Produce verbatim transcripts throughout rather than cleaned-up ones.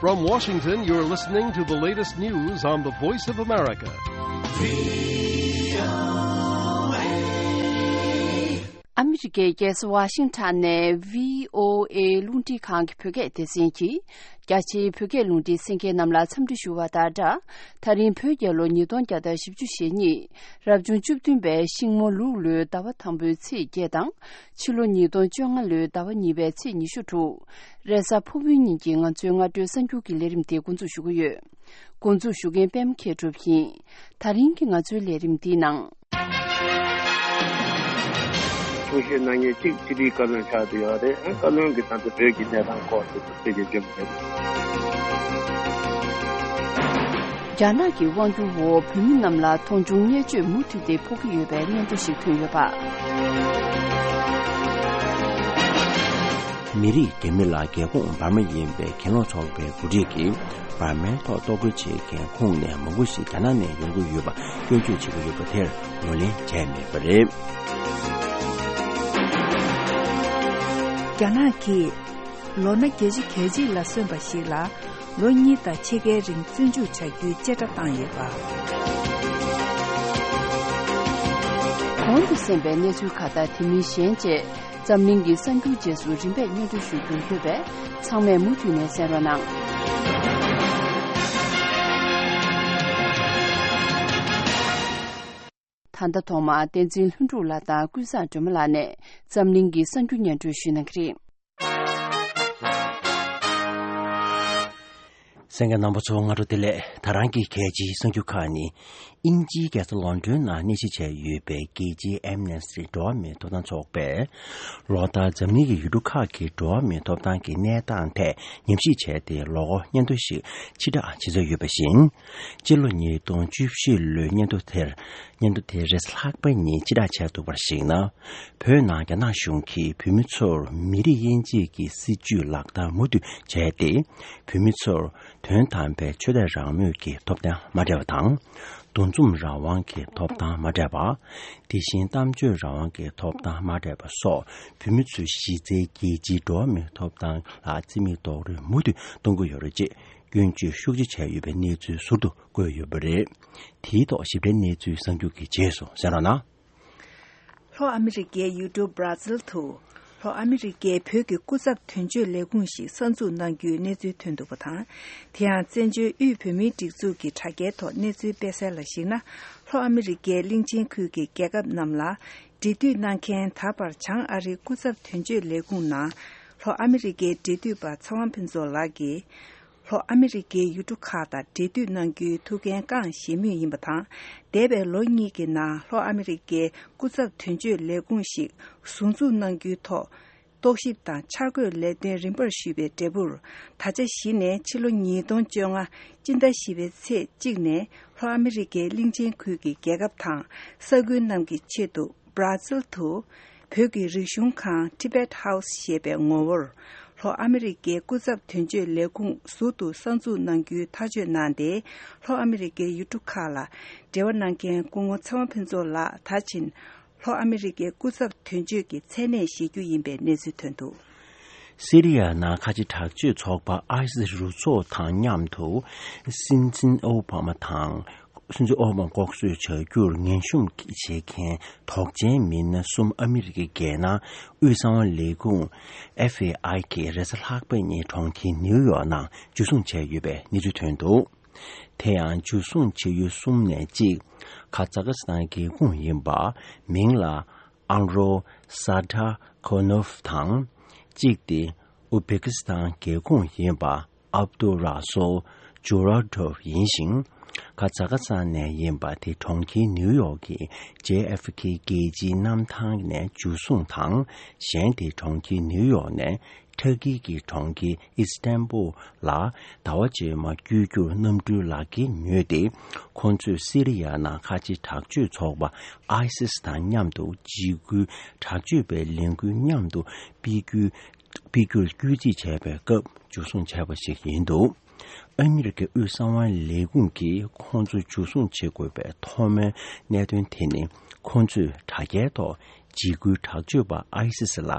From Washington, you're listening to the latest news on the Voice of America. ཨ་མི་རི་ཀའི་རྒྱལ་ས་ཝ་ཤིང་ཊོན་ནས་བྷི་ཨོ་ཨེ་རླུང་འཕྲིན་ཁང་གི་བོད་སྐད་སྡེ་ཚན་གྱིས། རྒྱ་ཆེའི་བོད་སྐད་རླུང་འཕྲིན་གསན་མཁན་རྣམས་ལ་འཚམས་འདྲི་ཞུ་བ་དང་སྦྲགས། ད་རིང་བོད་རྒྱལ་ལོ་ཉིས་སྟོང་བརྒྱ་དང་བཞི་བཅུ་ཞེ་གཉིས། རབ་བྱུང་བཅུ་བདུན་པའི་ཤིང་མོ་ལུག་ལོའི་ཟླ་བ་དང་པོའི་ཚེས་བརྒྱད་དང་། ཕྱི་ལོ་ཉིས་སྟོང་བཅོ་ལྔ་ལོའི་ཟླ་བ་གཉིས་པའི་ཚེས་ཉི་ཤུ་དྲུག་རེས་གཟའ་ཕུར་བུའི་ཉིན་གྱི་ང་ཚོའི་སྔ་དྲོའི་གསར་འགྱུར་གྱི་ལས་རིམ་དེ་འགོ་འཛུགས་ཞུ་གི་ཡོད། འགོ་འཛུགས་ཞུ་མཁན་པད་མ་མཁས་གྲུབ་ཡིན། ད་རིང་གི་ང་ཚོའི་ལས་རིམ་འདིའི་ནང་། གསུང་བཤད་གནང་མཁན་གཅིག་སྤྱི་འཐུས་བཀའ་བློན་ཆགས་བསྡད་ཡོད་རེད། བཀའ་བློན་གྱིས་ད་ལྟ་བོད་ཀྱི་གནས་སྟངས་སྐོར་དེ་ཚོ་ཐད་ཀར་བརྗོད་མ་རེད། རྒྱ་ནག་གི་དབང་སྒྱུར་འོག་བོད་མི་རྣམས་ལ་མཐོང་ཆུང་བརྙས་བཅོས་མུ་མཐུད་དེ་ཕོག་གི་ཡོད་པའི་སྙན་ཐོ་ཞིག་ཐོན་ཡོད་པ། མི་རིགས་འདྲ་མིན་ལ་རྒྱལ་ཁོངས་འབར་མ་ཡིན་པའི་གྱེན་ལོག་ཚོགས་པའི་འགོ་ཁྲིད་ཀྱིས་འབར་མའི་ཐོག་གཏོར་རྒོལ་བྱེད་མཁན་ཁོངས་ནས་མང་པོ་ཞིག་རྒྱ་ནག་ནས་ཡོང་གི་ཡོད་པ་སྐྱོན་བརྗོད་བྱེད་ཀྱི་ཡོད་པ་དེར་ངོས་ལེན་བྱས་མེད་པ་རེད། རྒྱ་ནག་གིས་ལོ་ན་བརྒྱད་ཅུ་གྱ་གཅིག་ལ་སོན་པ་ཞིག་ལ་ལོ་གཉིས་དང་ཕྱེད་ཀའི་རིང་བཙོན་འཇུག་བྱ་རྒྱུའི་བཅད་ཁྲ་བཏང་ཡོད་པ། གོང་དུ་གསན་པའི་གནས་ཚུལ་ཁག་དང་དེ་མིན་གཞན་བཅས། འཛམ་གླིང་གི་གསར་འགྱུར་རྗེས་སུ་རིམ་པས་སྙན་སྒྲོན་ཞུ་རྒྱུ་ཡོད་པས། ཚང་མས་མུ་མཐུད་ནས་གསན་རོགས་གནང་། ད་ལྟ་ཐོག་མར་བསྟན་འཛིན་ལྷུན་གྲུབ་ལགས་དང་ཀུན་བཟང་སྒྲོལ་མ་ལགས་ནས་འཛམ་གླིང་གི་གསར་འགྱུར་སྙན་སྒྲོན་ཞུ་གནང་གི་རེད། གསན་མཁན་རྣམ་པ་ཚོ་སྔ་དྲོ་བདེ་ལེགས། ད་རང་གི་གལ་ཆེའི་གསར་འགྱུར་ཁག་ནི། དབྱིན་ཇིའི་རྒྱལ་ས་ལོན་ཌོན་ནང་གནས་གཞི་བྱས་ཡོད་པའི་རྒྱལ་སྤྱིའི་ཨེམ་ནེ་སི་ཊི་འགྲོ་བ་མིའི་ཐོབ་ཐང་ཚོགས་པས། ལོ་ལྟར་འཛམ་གླིང་གི་ཡུལ་གྲུ་ཁག་གི་འགྲོ་བ་མིའི་ཐོབ་ཐང་གི་གནས་སྟངས་ཐད་ཉམས་ཞིབ་བྱས་ཏེ་ལོ་འཁོར་སྙན་ཐོ་ཞིག་ཕྱིར་བསྒྲགས་བྱེད་འཆར་ཡོད་པ་བཞིན། སྤྱི་ལོ་ཉིས་སྟོང་བཅུ་བཞི་ལོའི་སྙན་ཐོ་དེར། སྙན་ཐོ་དེ་རེས་ལྷག་པའི་ཉིན་ཕྱིར་བསྒྲགས་བྱས་འདུག་པར་གཞིགས་ན། བོད་ནང་རྒྱ་ནག་གཞུང་གིས་བོད་མི་ཚོར་མི་རིགས་དབྱེ་འབྱེད་ཀྱི་སྲིད་ཇུས་ལག་བསྟར་མུ་མཐུད་བྱས་ཏེ། བོད་མི་ཚོར་དོན་དམ་པའི་ཆོས་དད་རང་མོས་ཀྱི་ཐོབ་ཐང་མ་སྤྲད་པ་དང་། འདུ་འཛོམས་རང་དབང་གི་ཐོབ་ཐང་མ་སྤྲད་པ། དེ་བཞིན་གཏམ་བརྗོད་རང་དབང་གི་ཐོབ་ཐང་མ་སྤྲད་པ་སོགས་བོད་མི་ཚོའི་གཞི་རྩའི་རྒྱལ་སྤྱིའི་འགྲོ་བ་མིའི་ཐོབ་ཐང་ལ་བརྩི་མེད་རྡོག་རོལ་མུ་མཐུད་གཏོང་གི་ཡོད་རེད་ཅེས་སྐྱོན་བརྗོད་ཤུགས་ཆེ་བྱས་ཡོད་པའི་གནས་ཚུལ་ཟུར་དུ་བཀོད་ཡོད་པ་རེད། དེའི་ཐོག་ཞིབ་ཕྲའི་གནས་ཚུལ་གསར་འགྱུར་གྱི་རྗེས་སུ་གསན་རོགས་གནང་། ལྷོ་ཨ་མི་རི་ཀའི་ཡུལ་གྲུ་བྷ་ར་ཛིལ་དུ། ལྷོ་ཨ་མི་རི་ཀའི་བོད་ཀྱི་སྐུ་ཚབ་དོན་གཅོད་ལས་ཁུངས་ཤིག་གསར་འཛུགས་གནང་རྒྱུའི་གནས་ཚུལ་ཐོན་འདུག་པ་དང་། དེ་ཡང་བཙན་བྱོལ་དབུས་བོད་མིའི་སྒྲིག་འཛུགས་ཀྱི་དྲ་རྒྱའི་ཐོག་གནས་ཚུལ་སྤེལ་གསལ་ལ་གཞིགས་ན། ལྷོ་ཨ་མི་རི་ཀའི་གླིང་ཆེན་ཁུལ་གྱི་རྒྱལ་ཁབ་རྣམས་ལ་འབྲེལ་མཐུད་གནང་མཁན་ད་བར་བྱང་ཨ་རིའི་སྐུ་ཚབ་དོན་གཅོད་ལས་ཁུངས་ནང་ལྷོ་ཨ་མི་རི་ཀའི་འབྲེལ་མཐུད་པ་ཚེ་དབང་ཕུན་ཚོགས་ལགས་ཀྱིས། ལྷོ་ཨ་མི་རི་ཀའི་ཡུལ་གྲུ་ཁག་དང་འབྲེལ་མཐུད་གནང་རྒྱུའི་ཐུགས་འགན་བསྐངས་བཞེས་མུས་ཡིན་པ་དང་། འདས་པའི་ལོ་གཉིས་ཀྱི་ནང་ལྷོ་ཨ་མི་རི་ཀའི་སྐུ་ཚབ་དོན་གཅོད་ལས་ཁུངས་ཤིག་ཟུར་འཛུགས་གནང་རྒྱུའི་ཐོག་རྟོག་ཞིབ་དང་འཆར་འགོད་ལས་དོན་རིམ་པར་ཞུས་པའི་འབྲས་བུར། ད་ཆ་གཞི་ནས་ཕྱི་ལོ་ཉིས་སྟོང་བཅོ་ལྔ་སྤྱི་ཟླ་བཞི་པའི་ཚེས་གཅིག་ནས་ལྷོ་ཨ་མི་རི་ཀའི་གླིང་ཆེན་ཁུལ་གྱི་རྒྱལ་ཁབ་དང་ས་ཁུལ་རྣམས་ཀྱི་ཆེད་དུ། བྷ་ར་ཛིལ་དུ། བོད་ཀྱི་རིག་གཞུང་ཁང་Tibet House ཞེས་པའི་ངོ་བོར། ལྷོ་ཨ་མི་རི་ཀའི་སྐུ་ཚབ་དོན་གཅོད་ལས་ཁུངས་ཟུར་དུ་གསར་འཛུགས་གནང་རྒྱུའི་ཐག་གཅོད་གནང་སྟེ། ལྷོ་ཨ་མི་རི་ཀའི་ཡུལ་གྲུ་ཁག་ལ་འབྲེལ་བ་གནང་མཁན་སྐུ་ངོ་ཚེ་དབང་ཕུན་ཚོགས་ལགས་ད་ཕྱིན། ལྷོ་ཨ་མི་རི་ཀའི་སྐུ་ཚབ་དོན་གཅོད་ཀྱི་མཚན་གནས་བཞེས་རྒྱུ་ཡིན་པའི་གནས་ཚུལ་ཐོན་འདུག། སི་རི་ཡ་ནང་ཁ་ཆེ་དྲག་སྤྱོད་ཚོགས་པ་ཨའི་སི་རུ་ཚོགས་དང་མཉམ་དུ། སྲིད་འཛིན་ཨོ་བྷ་མ་དང་། སྲིད་འཛིན་ཨོ་བྷ་མ་ལྐོག་གསོད་བྱ་རྒྱུར་ངན་ཞུམ་བྱེད་མཁན་དོགས་ཅན་མི་སྣ་གསུམ་ཨ་མི་རི་ཀའི་རྒྱལ་ནང་དབུས་གསང་བ་ལས་ཁུངས་ཨེཕ་བྷི་ཨའི་གིས་རེས་གཟའ་ལྷག་པའི་ཉིན་གྲོང་ཁྱེར་ནིའུ་ཡོག་ནང་འཇུ་བཟུང་བྱས་ཡོད་པའི་གནས་ཚུལ་ཐོན་འདུག། དེ་ཡང་འཇུ་བཟུང་བྱེད་ཡུལ་གསུམ་ནས་གཅིག། ཁ་ཛ་ཁ་སི་ཐན་རྒྱལ་ཁོངས་ཡིན་པ། མིང་ལ་ཨང་རོ་ས་ཏྲ་ཁོ་ནོབ་དང་། གཅིག་དེ་ཨུ་བེ་ཀི་སི་ཐན་རྒྱལ་ཁོངས་ཡིན་པ། ཨབ་ཏུ་ར་སོལ་ཇུ་ར་དོབ་ཡིན་ཞིང་། ཁ་ཛ་ཁ་སི་ཐན་ནས་ཡིན་པ་དེ་གྲོང་ཁྱེར་ནིའུ་ཡོག་གི་ཇེ་ཨེཕ་ཁེ་རྒྱལ་སྤྱིའི་གནམ་ཐང་ནས་འཇུ་བཟུང་དང་། གཞན་དེ་གྲོང་ཁྱེར་ནིའུ་ཡོག་ནས་ཊར་ཀི་གི་གྲོང་ཁྱེར་ཨི་སི་ཏན་བུལ་ལ་ཟླ་བ་རྗེས་མ་བསྐྱོད་རྒྱུར་གནམ་གྲུའི་ལག་འཁྱེར་ཉོས་ཏེ། ཁོང་ཚོས་སི་རི་ཡ་ནང་ཁ་ཆེ་དྲག་སྤྱོད་ཚོགས་པ་ཨའི་སི་སི་དང་མཉམ་དུ་འཇིགས་སྐུལ་དྲག་སྤྱོད་པའི་ལས་འགུལ་མཉམ་དུ་སྤེལ་རྒྱུའི། སྤེལ་རྒྱུར་སྐུལ་འདེད་བྱས་པའི་སྐབས་འཇུ་བཟུང་བྱས་པ་ཞིག་ཡིན་འདུག། ཨ་མི་རི་ཀའི་དབུས་གསང་བའི་ལས་ཁུངས་ཀྱིས་ཁོང་ཚོ་འཇུ་བཟུང་བྱེད་དགོས་པའི་ཐོག་མའི་གནད་དོན་དེ་ནི། ཁོང་ཚོས་དྲ་རྒྱའི་ཐོག་ འཇིགས་སྐུལ་དྲག་སྤྱོད་པ་ཨའི་སི་སི་ལ་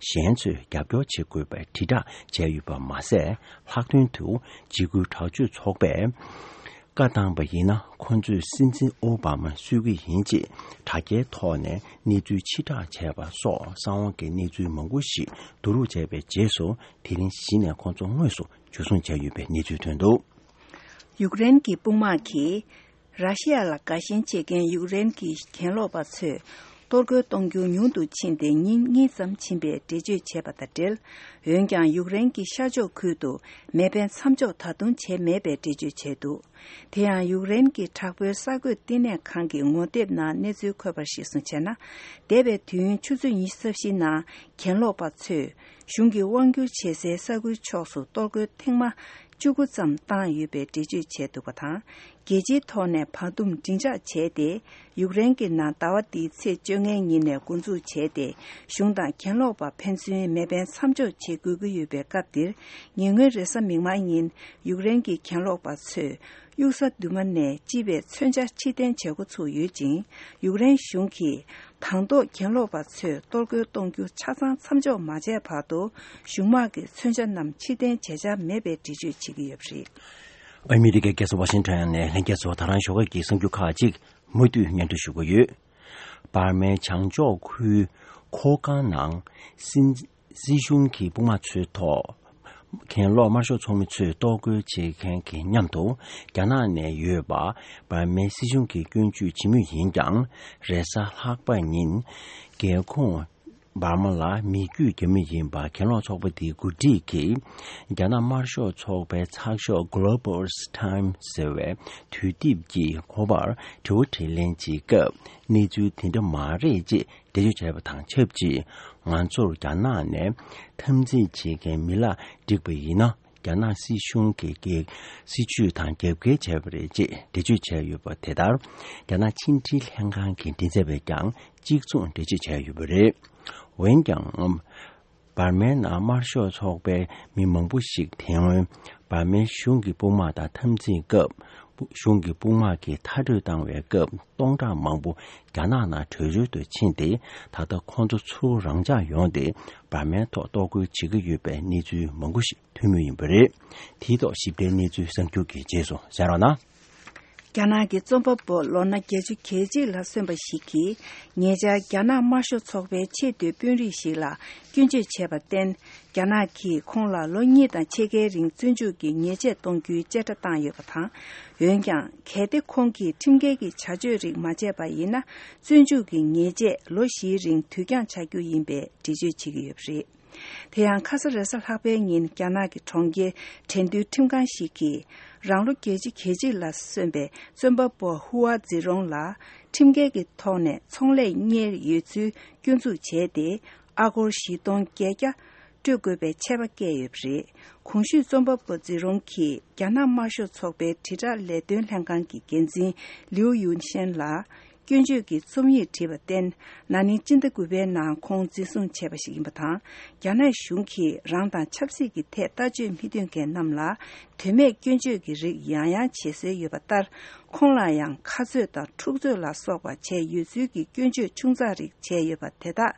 གཞན་ཚོས་རྒྱབ་སྐྱོར་བྱེད་དགོས་པའི་དྲིལ་བསྒྲགས་བྱས་ཡོད་པ་མ་ཟད། ལྷག་དོན་དུ་འཇིགས་སྐུལ་དྲག་སྤྱོད་ཚོགས་པས་བཀའ་བཏང་བ་ཡིན་ན། ཁོ་ཚོས་སྲིད་འཛིན་ཨོ་བྷ་མ་གསོད་ཀྱི་ཡིན་ཅེས་དྲ་རྒྱའི་ཐོག་ནས་གནས་ཚུལ་ཕྱིར་བསྒྲགས་བྱས་པ་སོགས་གསང་བ་གི་གནས་ཚུལ་མང་པོ་ཞིག་བསྡུ་རུབ་བྱས་པའི་རྗེས་སུ། དེ་རིང་གཞི་ནས་ཁོ་ཚོ་དངོས་སུ་འཇུ་བཟུང་བྱས་ཡོད་པའི་གནས་ཚུལ་ཐོན་འདུག། ཡུཀ་རེན་གྱི་དཔུང་དམག་གིས་ར་ཤི་ཡ་ལ་དགའ་ཞེན་བྱེད་མཁན་ཡུཀ་རེན་གྱི་གྱེན་ལོག་པ་ཚོས་གཏོར་རྒོལ་གཏོང་རྒྱུ་ཉུང་དུ་ཕྱིན་ཏེ་ཉིན་གཉིས་ཙམ་ཕྱིན་པའི་འགྲེལ་བརྗོད་བྱས་པ་དང་འབྲེལ། འོན་ཀྱང་ཡུཀ་རེན་གྱི་ཤར་ཕྱོགས་ཁུལ་དུ་མེ་འཕེན་མཚམས་འཇོག་ད་དུང་བྱས་མེད་པའི་འགྲེལ་བརྗོད་བྱས་འདུག། དེ་ཡང་ཡུཀ་རེན་གྱི་དྲག་པོའི་གསར་འགོད་བསྟི་གནས་ཁང་གི་ངོ་དེབ་ནང་གནས་ཚུལ་འཁོད་པར་གཞིར་བཟུང་བྱས་ན། འདས་པའི་དུས་ཡུན་ཆུ་ཚོད་ཉི་ཤུ་རྩ་བཞིའི་ནང་གྱེན་ལོག་པ་ཚོས་གཞུང་གི་དབང་སྒྱུར་བྱེད་སའི་ས་ཁུལ་ཕྱོགས་སུ་གཏོར་རྒོལ་ཐེངས་མ་བཅུ་དགུ་ཙམ་བཏང་ཡོད་པའི་འགྲེལ་བརྗོད་བྱས་འདུག་པ་དང་། རྒྱལ་སྤྱིའི་ཐོག་ནས་བར་འདུམ་སྒྲིང་འཇགས་བྱས་ཏེ། ཡུཀ་རེན་གྱི་ནང་ཟླ་བ་འདིའི་ཚེས་བཅོ་ལྔའི་ཉིན་ནས་འགོ་འཛུགས་བྱས་ཏེ། གཞུང་དང་གྱེན་ལོག་པ་ཕན་ཚུན་མེ་འཕེན་མཚམས་འཇོག་བྱེད་དགོས་ཀྱི་ཡོད་པའི་སྐབས་འདིར། ཉེ་སྔོན་རེས་གཟའ་མིག་དམར་ཉིན་ཡུཀ་རེན་གྱི་གྱེན་ལོག་པ་ཚོས་གཡུག་ས་དུ་མ་ནས་ལྕི་བའི་མཚོན་ཆ་ཕྱིར་འཐེན་བྱེད་འགོ་ཚུགས་ཡོད་ཅིང་། ཡུཀ་རེན་གཞུང་གིས་དང་ཐོག་གྱེན་ལོག་པ་ཚོས་གཏོར་རྒོལ་གཏོང་རྒྱུ་ཆ་ཚང་མཚམས་འཇོག་མ་བྱས་བར་དུ། གཞུང་དམག་གི་མཚོན་ཆ་རྣམས་ཕྱིར་འཐེན་བྱེད་འཆར་མེད་པའི་འགྲེལ་བརྗོད་བྱེད་ཀྱི་ཡོད་པ་རེད། ཨ་མི་རི་ཀའི་རྒྱལ་ས་ཝ་ཤིང་ཊོན་ནས་ལྷན་རྒྱས་ཚོ་ད་རང་ཞོགས་ཀས་ཀྱི་གསར་འགྱུར་ཁག་ཅིག་མུ་མཐུད་སྙན་སྒྲོན་ཞུ་གི་ཡོད། འབར་མའི་བྱང་ཕྱོགས་ཁུལ་ཁོ་ཀང་ནང་སྲིད་སྲིད་གཞུང་གི་དཔུང་དམག་ཚོའི་ཐོག་གྱེན་ལོག་དམར་ཤོག་ཚོགས་མི་ཚོས་གཏོར་རྒོལ་བྱེད་མཁན་གྱི་མཉམ་དུ། རྒྱ་ནག་ནས་ཡོད་པ་འབར་མའི་སྲིད་གཞུང་གིས་སྐྱོན་བརྗོད་བྱེད་མུས་ཡིན་ཀྱང་། རེས་གཟའ་ལྷག་པ་ཉིན་རྒྱལ་ཁོངས་འབར་མ་ལ་མི་རྒྱུད་རྒྱ་མི་ཡིན་པ་གྱེན་ལོག་ཚོགས་པ་དེའི་འགོ་ཁྲིད་ཀྱིས། རྒྱ་ནག་དམར་ཤོག་ཚོགས་པའི་ཚགས་ཤོག་Global's Time ཟེར་བའི་དུས་དེབ་ཀྱི་ཁོ་པར་དྲི་བ་དྲིས་ལན་བྱེད་སྐབས། གནས་ཚུལ་དེ་འདྲ་མ་རེད་ཅེས་འགྲེལ་བརྗོད་བྱས་པ་དང་ཆབས་ཅིག། ང་ཚོར་རྒྱ་ནག་ནས་འཐབ་འཛིང་བྱེད་མཁན་མི་ལ་བསྒྲིགས་པ་ཡིན་ན། རྒྱ་ནག་སྲིད་གཞུང་གི་སྲིད་ཇུས་དང་རྒྱབ་འགལ་བྱས་པ་རེད་ཅེས་འགྲེལ་བརྗོད་བྱས་ཡོད་པ་དེ་ལྟར། རྒྱ་ནག་ཕྱི་འབྲེལ་ལྷན་ཁང་གི་མགྲིན་ཚབ་པས་ཀྱང་གཅིག་མཚུངས་འགྲེལ་བརྗོད་བྱས་ཡོད་པ་རེད། འོན་ཀྱང་། འབར་མའི་ནང་དམར་ཤོག་ཚོགས་པའི་མི་མང་པོ་ཞིག་དེ་སྔོན་འབར་མའི་གཞུང་གི་དཔུང་དམག་དང་འཐབ་འཛིང་སྐབས། གཞུང་གི་དཔུང་དམག་གིས་མཐར་སྐྲོད་བཏང་བའི་སྐབས། སྟོང་ཕྲག་མང་པོ་རྒྱ་ནག་ནང་བྲོས་བྱོལ་དུ་ཕྱིན་ཏེ། ད་ལྟ་ཁོང་ཚོ་ཚུར་རང་འཇགས་ཡོང་སྟེ། འབར་མའི་ཐོག་གཏོར་རྒོལ་བྱེད་ཀྱི་ཡོད་པའི་གནས་ཚུལ་མང་པོ་ཞིག་ཐོན་མུས་ཡིན་པ་རེད། དེའི་ཐོག་ཞིབ་ཕྲའི་གནས་ཚུལ་གསར་འགྱུར་གྱི་རྗེས་སུ་གསན་རོགས་གནང་། རྒྱ་ནག་གི་རྩོམ་པ་པོ་ལོ་ན་བརྒྱད་ཅུ་གྱ་གཅིག་ལ་སོན་པ་ཞིག་གིས། ཉེ་ཆར་རྒྱ་ནག་དམར་ཤོག་ཚོགས་པའི་ཆེས་མཐོའི་དཔོན་རིགས་ཤིག་ལ་སྐྱོན་བརྗོད་བྱས་པར་བརྟེན། རྒྱ་ནག་གིས་ཁོང་ལ་ལོ་གཉིས་དང་ཕྱེད་ཀའི་རིང་བཙོན་འཇུག་གི་ཉེས་ཆད་གཏོང་རྒྱུའི་བཅད་ཁྲ་བཏང་ཡོད་པ་དང་། འོན་ཀྱང་། གལ་ཏེ་ཁོང་གིས་ཁྲིམས་འགལ་གྱི་བྱ་སྤྱོད་རིགས་མ་བྱས་པ་ཡིན་ན། བཙོན་འཇུག་གི་ཉེས་ཆད་ལོ་བཞིའི་རིང་དུས་འགྱངས་བྱ་རྒྱུ་ཡིན་པའི་འགྲེལ་བརྗོད་བྱེད་ཀྱི་ཡོད་པ་རེད། དེ་ཡང་ཁ་ས་རེས་གཟའ་ལྷག་པའི་ཉིན་རྒྱ་ནག་གི་གྲོང་ཁྱེར་ཁྲེང་ཏུའུ་ཁྲིམས་ཁང་ཞིག་གིས། རང་ལོ་བརྒྱད་ཅུ་གྱ་གཅིག་ལ་སོན་པའི་རྩོམ་པ་པོ་ཧུའ་ཛི་རོང་ལ་ཁྲིམས་འགལ་གྱི་ཐོག་ནས་ཚོང་ལས་གཉེར་ཡོད་ཚུལ་སྐྱོན་འཛུགས་བྱས་ཏེ། ཨ་སྒོར་བཞི་སྟོང་བརྒྱད་བརྒྱ་སྤྲོད་དགོས་པའི་ཆད་པ་བཀལ་ཡོད་པ་རེད། གོང་ཞུས་རྩོམ་པ་པོ་ཛི་རོང་གིས་རྒྱ་ནག་དམར་ཤོག་ཚོགས་པའི་དྲིལ་བསྒྲགས་ལས་དོན་ལྷན་ཁང་གི་འགན་འཛིན་ལིའུ་ཡུན་ཤན་ལ། སྐྱོན་བརྗོད་ཀྱི་རྩོམ་ཡིག་བྲིས་པར་བརྟེན། ན་ནིང་སྤྱི་ཟླ་དགུ་པའི་ནང་ཁོང་འཛིན་བཟུང་བྱས་པ་ཞིག་ཡིན་པ་དང་། རྒྱ་ནག་གཞུང་གིས་རང་དང་ཆབ་སྲིད་ཀྱི་ཐད་ལྟ་སྤྱོད་མི་མཐུན་མཁན་རྣམས་ལ། དོན་མེད་སྐྱོན་བརྗོད་ཀྱི་རིགས་ཡང་ཡང་བྱེད་སྲོལ་ཡོད་པ་ལྟར། ཁོང་ལ་ཡང་ཁ་རྩོད་དང་འཁྲུག་རྩོད་ལ་སོགས་པ་བྱས་ཡོད་ཚུལ་གྱི་སྐྱོན་བརྗོད་ཆུང་ཙག་རིགས་བྱས་ཡོད་པ་དེ་དག་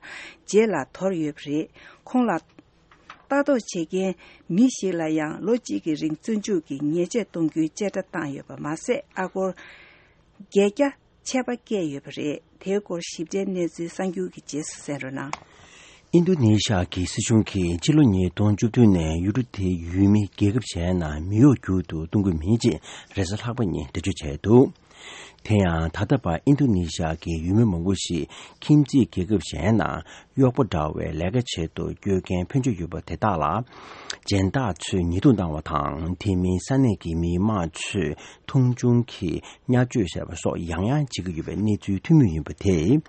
རྗེས་ལ་དོར་ཡོད་པ་རེད། ཁོང་ལ་ལྟ་རྟོག་བྱེད་མཁན་མི་ཞིག་ལ་ཡང་ལོ་གཅིག་གི་རིང་བཙོན་འཇུག་གི་ཉེས་ཆད་གཏོང་རྒྱུའི་བཅད་ཁྲ་བཏང་ཡོད་པ་མ་ཟད། ཨ་སྒོར་བརྒྱད་བརྒྱ་ཆད་པ་བཀལ་ཡོད་པ་རེད། དེའི་སྐོར་ཞིབ་ཕྲའི་གནས་ཚུལ་གསར་འགྱུར་གྱི་རྗེས་སུ་གསན་རོགས་གནང་། ཨིན་རྡུ་ནེ་ཤ་གི་སྲིད་གཞུང་གིས་ཕྱི་ལོ་ཉིས་སྟོང་བཅུ་བདུན་ནས་ཡུལ་གྲུ་དེའི་ཡུལ་མི་རྒྱལ་ཁབ་གཞན་ནང་མི་གཡོག་རྒྱུག་ཏུ་གཏོང་གི་མིན་ཅེས་རེས་གཟའ་ལྷག་པ་ཉིན་འགྲེལ་བརྗོད་བྱས་འདུག། དེ་ཡང་ད་ལྟ་བར་ཨིན་རྡུ་ནེ་ཤ་གི་ཡུལ་མི་མང་པོ་ཞིག་ཁྱིམ་མཚེས་རྒྱལ་ཁབ་གཞན་ནང་གཡོག་པོ་འདྲ་བའི་ལས་ཀ་བྱེད་དུ་བསྐྱོད་མཁན་ཕོན་ཆེ་ཡོད་པ་དེ་དག་ལ། སྦྱིན་བདག་ཚོས་ཉེས་རྡུང་བཏང་བ་དང་། དེ་མིན་ས་གནས་ཀྱི་མི་མང་ཚོས་མཐོང་ཆུང་གིས་བརྙས་བཅོས་བྱས་པ་སོགས་ཡང་ཡང་བྱེད་ཀྱི་ཡོད་པའི་གནས་ཚུལ་ཐོན་མུས་ཡིན་པ་དེས།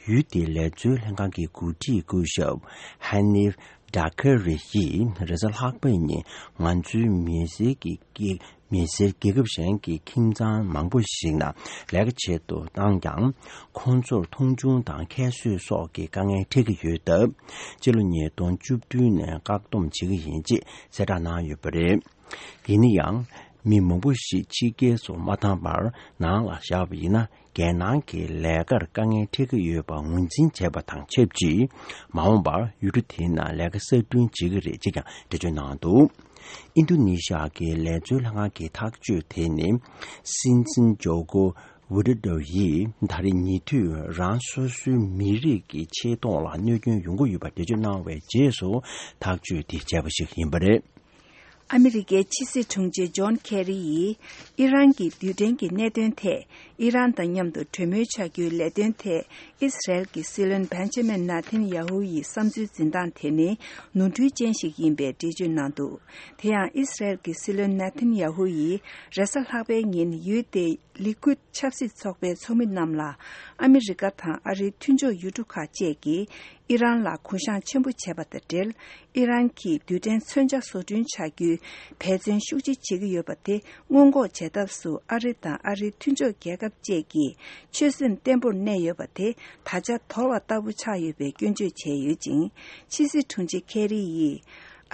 ཡུལ་དེའི་ལས་བཟོའི་ལྷན་ཁང་གི་འགོ་ཁྲིད་སྐུ་ཞབས་ཧ་ནིབ་ཌ་ཁ་རི་ཡིས་རེས་གཟའ་ལྷག་པའི་ཉིན་ང་ཚོའི་མི་སེར་གྱི་སྐད། མི་སེར་རྒྱལ་ཁབ་གཞན་གྱི་ཁྱིམ་ཚང་མང་པོ་ཞིག་ནང་ལས་ཀ་བྱེད་དུ་བཏང་ཀྱང་། ཁོང་ཚོར་མཐོང་ཆུང་དང་ཁྱད་གསོད་སོགས་ཀྱི་དཀའ་ངལ་འཕྲད་ཀྱི་ཡོད་སྟབས། སྤྱི་ལོ་ཉིས་སྟོང་བཅུ་བདུན་ནས་བཀག་སྡོམ་བྱེད་ཀྱི་ཡིན་ཅེས་གསལ་བསྒྲགས་གནང་ཡོད་པ་རེད། ཡིན་ན་ཡང་། མི་མང་པོ་ཞིག་ཕྱི་རྒྱལ་སོགས་མ་བཏང་བར་ནང་ལ་བཞག་པ་ཡིན་ན། རྒྱལ་ནང་གི་ལས་ཀར་དཀའ་ངལ་འཕྲད་ཀྱི་ཡོད་པ་ངོས་འཛིན་བྱས་པ་དང་ཆབས་ཅིག་མ་འོངས་པར་ཡུལ་གྲུ་དེའི་ནང་ལས་ཀ་གསར་སྐྲུན་བྱེད་ཀྱི་རེད་ཅེས་ཀྱང་འགྲེལ་བརྗོད་གནང་འདུག་ཨིན་རྡུ་ནི་ཤ་གི་ལས་བཟོའི་ལྷན་ཁང་གི་ཐག་གཅོད་དེ་ནི། སྲིད་འཛིན་ཇོ་ཀོ་ཝི་ཌོ་ཌོ་ཡིས་ད་རེས་ཉེ་དུས་རང་སོ་སོའི་མི་རིགས་ཀྱི་ཆེ་མཐོང་ལ་གནོད་སྐྱོན་ཡོང་གི་ཡོད་པ་འགྲེལ་བརྗོད་གནང་བའི་རྗེས་སུ་ཐག་གཅོད་དེ་བྱས་པ་ཞིག་ཡིན་པ་རེད། ཨ་མི་རི་ཀའི་ཕྱི་སྲིད་དྲུང་ཆེ་ཇོན་ཁེ་རི་ཡིས་ཨི་རན་གྱི་རྡུལ་ཕྲན་གྱི་གནད་དོན་ཐད་ཨི་རན་དང་མཉམ་དུ་གྲོས་མོལ་བྱ་རྒྱུའི་ལས་དོན་ཐད་ཨིས་རལ་གྱི་སྲིད་བློན་བན་ཇ་མིན་ནཱ་ཐན་ཡ་ཧུ་ཡི་བསམ་ཚུལ་འཛིན་སྟངས་དེ་ནི་ནོར་འཁྲུལ་ཅན་ཞིག་ཡིན་པའི་འགྲེལ་བརྗོད་གནང་འདུག་དེ་ཡང་ཨིས་རལ་གྱི་སྲིད་བློན་ནཱ་ཐན་ཡ་ཧུ་ཡིས་རེས་གཟའ་ལྷག་པའི་ཉིན་ཡུལ་དེའི་ལི་ཀུད་ཆབ་སྲིད་ཚོགས་པའི་ཚོགས་མི་རྣམས་ལ་ཨ་མི་རི་ཀ་དང་ཨ་རིའི་མཐུན་ཕྱོགས་ཡུལ་གྲུ་ཁག་བཅས་ཀྱིས་ཨི་རན་ལ་གུ་བཤངས་ཆེན་པོ་བྱས་པ་དང་འབྲེལ། ཨི་རན་གྱིས་རྡུལ་ཕྲན་མཚོན་ཆ་བཟོ་སྐྲུན་བྱ་རྒྱུའི་འབད་བརྩོན་ཤུགས་ཆེ་བྱེད་ཀྱི་ཡོད་པ་དེ་སྔོན་འགོག་བྱེད་ཐབས་སུ་ཨ་རི་དང་ཨ་རིའི་མཐུན་ཕྱོགས་རྒྱལ་ཁབ་བཅས་ཀྱིས་ཆོད་སེམས་བརྟན་པོར་གནས་ཡོད་པ་དེ་ད་ཆ་དོར་བ་ལྟ་བུ་ཆགས་ཡོད་པའི་སྐྱོན་བརྗོད་བྱས་ཡོད་ཅིང་། ཕྱི་སྲིད་དྲུང་ཆེ་ཁེ་རི་ཡིས་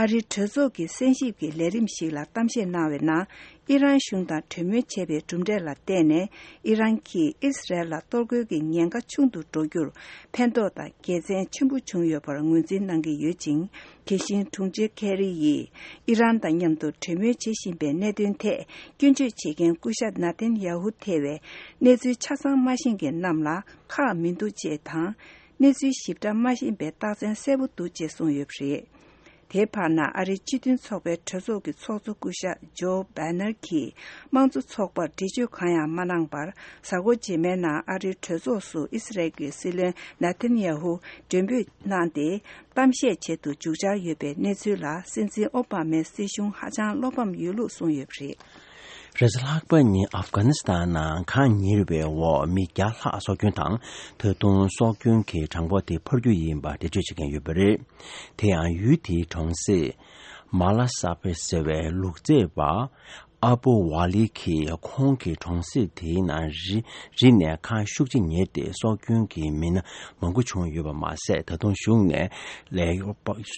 ཨ་རིའི་གྲོས་ཚོགས་ཀྱི་གསན་ཞིབ་ཀྱི་ལས་རིམ་ཞིག་ལ་གཏམ་བཤད་གནང་བའི་ནང་། ཨི་རན་གཞུང་དང་གྲོས་མོལ་བྱས་པའི་གྲུབ་འབྲས་ལ་བརྟེན་ནས་ཨི་རན་གྱིས་ཨིས་རལ་ལ་གཏོར་རྒོལ་གྱི་ཉེན་ཁ་ཆུང་དུ་འགྲོ་རྒྱུར་ཕན་ཐོགས་དང་དགེ་མཚན་ཆེན་པོ་བྱུང་ཡོད་པར་ངོས་འཛིན་གནང་གི་ཡོད་ཅིང་། དེ་བཞིན་དྲུང་ཆེ་ཁེ་རི་ཡིས་ཨི་རན་དང་མཉམ་དུ་གྲོས་མོལ་བྱེད་བཞིན་པའི་གནད་དོན་ཐད་སྐྱོན་བརྗོད་བྱེད་མཁན་སྐུ་ཞབས་ནཱ་ཐན་ཡ་ཧུ་ཐེ་བས་གནས་ཚུལ་ཆ་ཚང་མ་ཤེས་མཁན་རྣམས་ལ་ཁག་མི་འདུག་ཅེས་དང་། གནས་ཚུལ་ཞིབ་ཕྲ་མ་ཤེས་པའི་རྟགས་མཚན་གསལ་པོ་འདུག་ཅེས་གསུངས་ཡོད་པ་རེད། དེའི་བར་ན་ཨ་རིའི་སྤྱི་མཐུན་ཚོགས་པའི་གྲོས་ཚོགས་ཀྱི་ཚོགས་གཙོ་སྐུ་ཞབས་ཇོ་བྷ་ནར་གྱིས་དམངས་གཙོ་ཚོགས་པར་འགྲེལ་བརྗོད་གང་ཡང་མ་གནང་བར། གཟའ་འཁོར་རྗེས་མའི་ནང་ཨ་རིའི་གྲོས་ཚོགས་སུ་ཨི་སི་རལ་གྱི་སྲིད་བློན་ནཱ་ཐན་ཡ་ཧུ་མགྲོན་འབོད་གནང་སྟེ་གཏམ་བཤད་བྱེད་དུ་འཇུག་འཆར་ཡོད་པའི་གནས་ཚུལ་ལ་སྲིད་འཛིན་ཨོ་བྷ་མའི་སྲིད་གཞུང་ཧ་ཅང་བློ་ཕམ་ཡོད་ལུགས་གསུངས་ཡོད་པ་རེད། རེས་གཟའ་ལྷག་པ་ཉིན་ཨབ་གྷ་ནི་སི་ཐན་ནང་གངས་ཉེ་རུ་བའི་འོག་མི་བརྒྱ་ལྷག་སྲོག་སྐྱོན་དང་། ད་དུང་སྲོག་སྐྱོན་གྱི་གྲངས་འབོར་དེ་འཕར་རྒྱུ་ཡིན་པ་འགྲེལ་བརྗོད་བྱེད་མཁན་ཡོད་པ་རེད། དེ་ཡང་ཡུལ་དེའི་གྲོང་གསེབ་མ་ལ་ས་པེ་ཟེར་བའི་ལུག་རྫི་པ་ཨ་པོ་ཝ་ལི་གིས་ཁོང་གི་གྲོང་གསེབ་དེའི་ནང་རི་རི་ནས་གངས་ཤུགས་ཆེ་ཉིལ་ཏེ་སྲོག་སྐྱོན་གྱི་མི་སྣ་མང་པོ་བྱུང་ཡོད་པ་མ་ཟད། ད་དུང་གཞུང་ནས་ལས་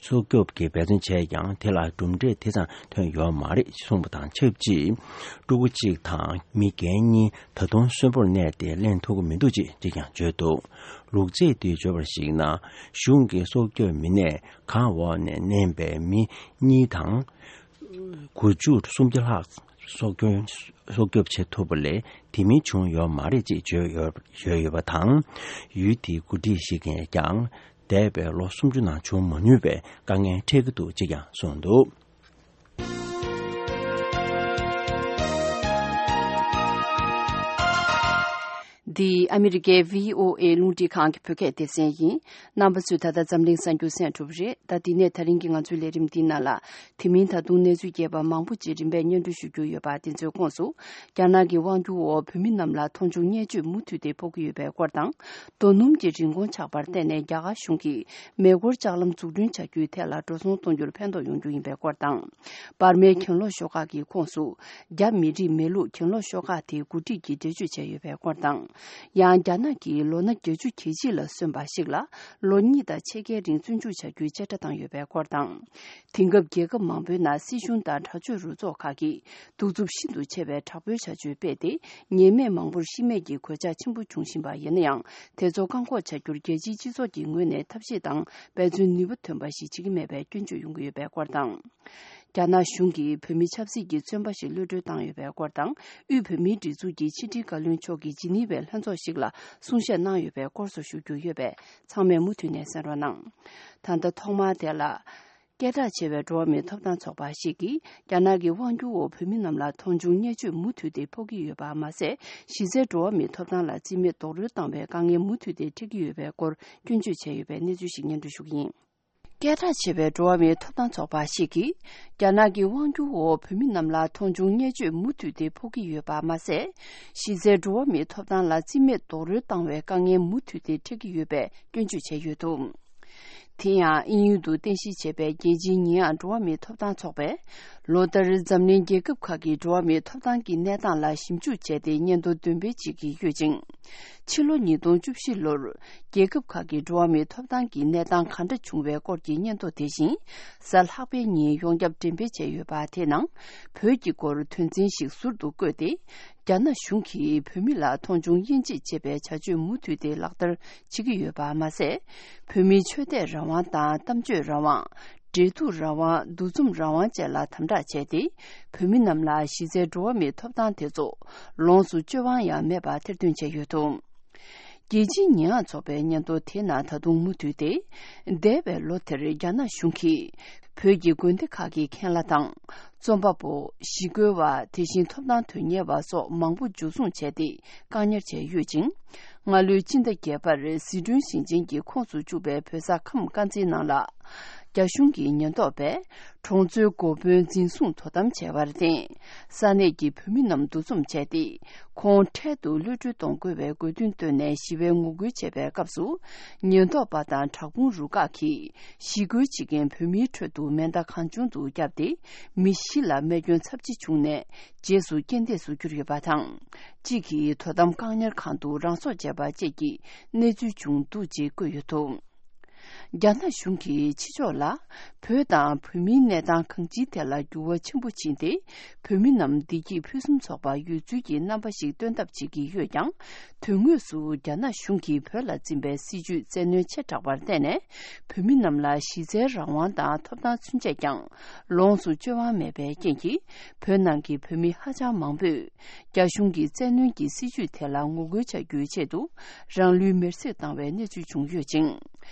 སྲོག་སྐྱོབ་ཀྱི་འབད་བརྩོན་བྱས་ཀྱང་དེ་ལ་གྲུབ་འབྲས་དེ་ཙམ་ཐོན་ཡོད་མ་རེད་གསུངས་པ་དང་ཆབས་ཅིག་ཕྲུ་གུ་གཅིག་དང་མི་རྒན་གཉིས་ད་དུང་གསོན་པོར་གནས་ཏེ་གླེང་ཐུབ་ཀྱི་མི་འདུག་ཅེས་ཅིག་ཀྱང་བརྗོད་འདུག་ལུག་རྫི་དེས་བརྗོད་པར་གཞིགས་ན། གཞུང་གི་སྲོག་སྐྱོབ་མི་སྣས་གངས་འོག་ནས་མནན་པའི་མི་གཉིས་དང་། དགུ་བཅུ་སུམ་བརྒྱ་ལྷག་སྲོག་སྐྱོན་སྲོག་སྐྱོབ་བྱེད་ཐུབ་པ་ལས་དེ་མིན་བྱུང་ཡོད་མ་རེད་ཅེས་བརྗོད་ཡོད་བརྗོད་ཡོད་པ་དང་། ཡུལ་དེའི་འགོ་ཁྲིད་ཞིག་གིས་ཀྱང་འདས་པའི་ལོ་སུམ་ཅུ་ནང་བྱུང་མ་མྱོང་བའི་དཀའ་ངལ་འཕྲད་ཀྱི་འདུག་ཅེས་ཀྱང་གསུངས་འདུག་འདི་ཨ་མི་རི་ཀའི་བྷི་ཨོ་ཨེ་རླུང་འཕྲིན་ཁང་གི་བོད་སྐད་སྡེ་ཚན་ཡིན། རྣམ་པ་ཚོས་ད་ལྟ་འཛམ་གླིང་གསར་འགྱུར་གསན་གྲུབ་རེད། ད་འདི་ནས་ད་རིང་གི་ང་ཚོའི་ལས་རིམ་འདིའི་ནང་ལ། དེ་མིན་ད་དུང་གནས་ཚུལ་རྒྱས་པ་མང་པོ་ཅིག་རིམ་པས་སྙན་སྒྲོན་ཞུ་རྒྱུ་ཡོད་པ། དེ་ཚོའི་ཁོངས་སུ། རྒྱ་ནག་གི་དབང་སྒྱུར་འོག་བོད་མི་རྣམས་ལ་མཐོང་ཆུང་བརྙས་བཅོས་མུ་མཐུད་དེ་ཕོག་གི་ཡོད་པའི་སྐོར་དང་། རྡོ་སྣུམ་གྱི་རིན་གོང་ཆག་པར་བརྟེན་ནས་རྒྱ་གར་གཞུང་གིས་མེ་འཁོར་ལྕགས་ལམ་འཛུགས་སྐྲུན་བྱ་རྒྱུའི་ཐད་ལ་འགྲོ་སོང་གཏོང་རྒྱུར་ཕན་ཐོགས་ཡོང་རྒྱུ་ཡིན་པའི་སྐོར་དང་། འབར་མའི་གྱེན་ལོག་ཤོག་ཁག་གི་ཁོངས་སུ། རྒྱ་མི་རིགས་མེད་ལུགས་གྱེན་ལོག་ཤོག་ཁག་དེའི་འགོ་ཁྲིད་ཀྱིས་འགྲེལ་བརྗོད་བྱས་ཡོད་པའི་སྐོར་དང་། ཡང་རྒྱ་ནག་གིས་ལོ་ན་བརྒྱད་ཅུ་གྱ་གཅིག་ལ་སོན་པ་ཞིག་ལ་ལོ་གཉིས་དང་ཕྱེད་ཀའི་རིང་བཙོན་འཇུག་བྱ་རྒྱུའི་བཅད་ཁྲ་བཏང་ཡོད་པའི་སྐོར་དང་། དེང་སྐབས་རྒྱལ་ཁབ་མང་པོའི་ནང་སྲིད་གཞུང་དང་དྲག་སྤྱོད་རུ་ཚོགས་ཁག་གིས་གདུག་རྩུབ་ཤིན་ཏུ་ཆེ་བའི་དྲག་པོའི་བྱ་སྤྱོད་སྤེལ་ཏེ། ཉེས་མེད་མང་པོར་ཤི་རྨས་ཀྱི་གོད་ཆག་ཆེན་པོ་འབྱུང་བཞིན་པ་ཡིན་ན་ཡང་། དེ་ཚོ་བཀག་འགོག་བྱ་རྒྱུར་རྒྱལ་སྤྱིའི་སྤྱི་ཚོགས་ཀྱི་ངོས་ནས་ཐབས་ཤེས་དང་འབད་བརྩོན་ནུས་པ་ཐོན་པ་ཞིག་བྱེད་ཀྱི་མེད་པའི་སྐྱོན་བརྗོད་ཡོང་གི་ཡོད་པའི་སྐོར་དང་། རྒྱ་ནག་གཞུང་གིས་བོད་མི་ཆབ་སྲིད་ཀྱི་བཙོན་པ་ཞིག་གློད་གྲོལ་བཏང་ཡོད་པའི་སྐོར་དང་། དབུས་བོད་མིའི་སྒྲིག་འཛུགས་ཀྱི་ཕྱི་དྲིལ་བཀའ་བློན་མཆོག་གིས་ཇི་ནི་ཝའི་ལྷན་ཚོགས་ཤིག་ལ་གསུང་བཤད་གནང་ཡོད་པའི་སྐོར་སོགས་ཞུ་རྒྱུ་ཡོད་པས། ཚང་མས་མུ་མཐུད་ནས་གསན་རོགས་གནང་། ད་ལྟ་ཐོག་མར་དེ་ལ། སྐད་གྲགས་ཆེ་བའི་འགྲོ་བ་མིའི་ཐོབ་ཐང་ཚོགས་པ་ཞིག་གིས། རྒྱ་ནག་གི་དབང་སྒྱུར་འོག་བོད་མི་རྣམས་ལ་མཐོང་ཆུང་བརྙས་བཅོས་མུ་མཐུད་དེ་ཕོག་གི་ཡོད་པ་མ་ཟད། གཞི་རྩའི་འགྲོ་བ་མིའི་ཐོབ་ཐང་ལ་རྩིས་མེད་རྡོག་རོལ་བཏང་བའི་དཀའ་ངལ་མུ་མཐུད་དེ་འཕྲད་ཀྱི་ཡོད་པའི་སྐོར་སྐྱོན་བརྗོད་བྱས་ཡོད་པའི་གནས་ཚུལ་ཞིག་སྙན་སྒྲོན་ཞུ་གི་ཡིན། སྐད་གྲགས་ཆེ་བའི་འགྲོ་བ་མིའི་ཐོབ་ཐང་ཚོགས་པ་ཞིག་གིས། རྒྱ་ནག་གི་དབང་སྒྱུར་འོག་བོད་མི་རྣམས་ལ་མཐོང་ཆུང་བརྙས་བཅོས་མུ་མཐུད་དེ་ཕོག་གི་ཡོད་པ་མ་ཟད། གཞི་རྩའི་འགྲོ་བ་མིའི་ཐོབ་ཐང་ལ་རྩིས་མེད་རྡོག་རོལ་བཏང་བའི་དཀའ་ངལ་མུ་མཐུད་དེ་འཕྲད་ཀྱི་ཡོད་པའི་སྐྱོན་བརྗོད་བྱས་ཡོད་འདུག་དེ་ཡང་དབྱིན་ཡུལ་དུ་རྟེན་གཞི་བྱས་པའི་རྒྱལ་སྤྱིའི་ཉེས་ཡངས་འགྲོ་བ་མིའི་ཐོབ་ཐང་ཚོགས་པས། ལོ་ལྟར་འཛམ་གླིང་རྒྱལ་ཁབ་ཁག་གི་འགྲོ་བ་མིའི་ཐོབ་ཐང་གི་གནས་སྟངས་ལ་ཞིབ་འཇུག་བྱས་ཏེ་སྙན་ཐོ་འདོན་སྤེལ་བྱེད་ཀྱི་ཡོད་ཅིང་། ཕྱི་ལོ་ཉིས་སྟོང་བཅུ་བཞི་ལོར་རྒྱལ་ཁབ་ཁག་གི་འགྲོ་བ་མིའི་ཐོབ་ཐང་གི་གནས་སྟངས་ག་འདྲ་བྱུང་བའི་སྐོར་གྱི་སྙན་ཐོ་དེ་བཞིན་གཟའ་ལྷག་པའི་ཉིན་ཡོངས་ཁྱབ་འགྲེམས་སྤེལ་བྱས་ཡོད་པ། དེའི་ནང་བོད་ཀྱི་སྐོར་དོན་ཚན་ཞིག་ཟུར་དུ་བཀོད་དེ། རྒྱ་ནག་གཞུང་གིས་བོད་མི་ལ་མཐོང་ཆུང་དབྱེ་འབྱེད་བྱེད་པའི་བྱ་སྤྱོད་མུ་མཐུད་དེ་ལག་བསྟར་བྱེད་ཀྱི་ཡོད་པ་མ་ཟད། བོད་མིའི་ཆོས་དད་རང་དབང་དང་གཏམ་བརྗོད་རང་དབང་། འབྲེལ་གཏུག་རང་དབང་། འདུ་འཛོམས་རང་དབང་བཅས་ལ་དམ་དྲག་བྱས་ཏེ། བོད་མི་རྣམས་ལ་གཞི་རྩའི་འགྲོ་བ་མིའི་ཐོབ་ཐང་དེ་ཚོ་ལོངས་སུ་སྤྱོད་དབང་ཡང་མེད་པར་ཐེར་འདོན་བྱས་ཡོད་འདུག་རྒྱལ་སྤྱིའི་ཉེས་ཡངས་ཚོགས་པའི་སྙན་ཐོ་དེ་ནང་ད་དུང་མུ་མཐུད་དེ། འདས་པའི་ལོ་དེར་རྒྱ་ནག་གཞུང་གིས་བོད་ཀྱི་དགོན་སྡེ་ཁག་གི་མཁན་བླ་དང་། རྩོམ་པ་པོ། ཞི་རྒོལ་བ། དེ་བཞིན་ཐོབ་ཐང་དོན་གཉེར་བ་སོགས་མང་པོ་འཇུ་བཟུང་བྱས་ཏེ་བཀག་ཉར་བྱས་ཡོད་ཅིང་། སྔ་ལོའི་སྤྱི་ཟླ་བརྒྱད་པར་ཟི་ཁྲོན་ཞིང་ཆེན་གྱི་ཁོངས་སུ་བཅུག་པའི་བོད་ས་ཁམས་དཀར་མཛེས་ནང་ལ། རྒྱ་གཞུང་གི་ཉེན་རྟོག་པས་གྲོང་ཚོའི་འགོ་དཔོན་འཛིན་བཟུང་དོ་དམ་བྱས་པར་བརྟེན། ས་གནས་ཀྱི་བོད་མི་རྣམས་འདུ་འཛོམས་བྱས་ཏེ། ཁོང་འཕྲལ་དུ་གློད་གྲོལ་གཏོང་དགོས་པའི་དགོས་འདུན་བཏོན་ནས་ཞི་བའི་ངོ་རྒོལ་བྱེད་པའི་སྐབས་སུ། ཉེན་རྟོག་པ་དང་དྲག་དཔུང་རུ་ཁག་གིས་ཞི་རྒོལ་བྱེད་མཁན་བོད་མིའི་ཁྲོད་དུ་མེ་མདའ་གང་བྱུང་དུ་བརྒྱབ་སྟེ། མི་བཞི་ལ་རྨས་སྐྱོན་ཚབས་ཆེ་བྱུང་ནས། རྗེས་སུ་རྐྱེན་འདས་སུ་གྱུར་ཡོད་པ་དང་། གཅིག་གིས་དོ་དམ་བཀག་ཉར་ཁང་དུ་རང་སྲོག་བཅད་པ་བཅས་ཀྱི་གནས་ཚུལ་བྱུང་འདུག་ཅེས་བཀོད་ཡོད་འདུག་རྒྱ་ནག་གཞུང་གིས་ཕྱི་ཕྱོགས་ལ་བོད་དང་བོད་མིའི་གནས་སྟངས་གང་ཅིའི་ཐད་ལ་འགྱུར་བ་ཆེན་པོ་ཕྱིན་ཏེ། བོད་མི་རྣམས་བདེ་སྐྱིད་ཕུན་སུམ་ཚོགས་པ་ཡོད་ཚུལ་གྱི་རྣམ་པ་ཞིག་སྟོན་ཐབས་བྱེད་ཀྱི་ཡོད་ཀྱང་། དོན་དངོས་སུ་རྒྱ་ནག་གཞུང་གིས་བོད་ལ་འཛིན་པའི་སྲིད་བྱུས་བཙན་གནོན་ཆེ་དྲགས་པར་བརྟེན་ནས། བོད་མི་རྣམས་ལ་གཞི་རྩའི་རང་དབང་དང་ཐོབ་ཐང་ཚུན་ཆད་ཀྱང་ལོངས་སུ་སྤྱོད་དབང་མེད་པའི་རྐྱེན་གྱིས། བོད་ནང་གི་བོད་མི་ཧ་ཅང་མང་པོས། རྒྱ་གཞུང་གི་བཙན་གནོན་གྱི་སྲིད་བྱུས་དེ་ལ་ངོ་རྒོལ་བྱ་རྒྱུའི་ཆེད་དུ། རང་ལུས་མེར་སྲེག་བཏང་བའི་གནས་ཚུལ་བྱུང་ཡོད་ཅིང་།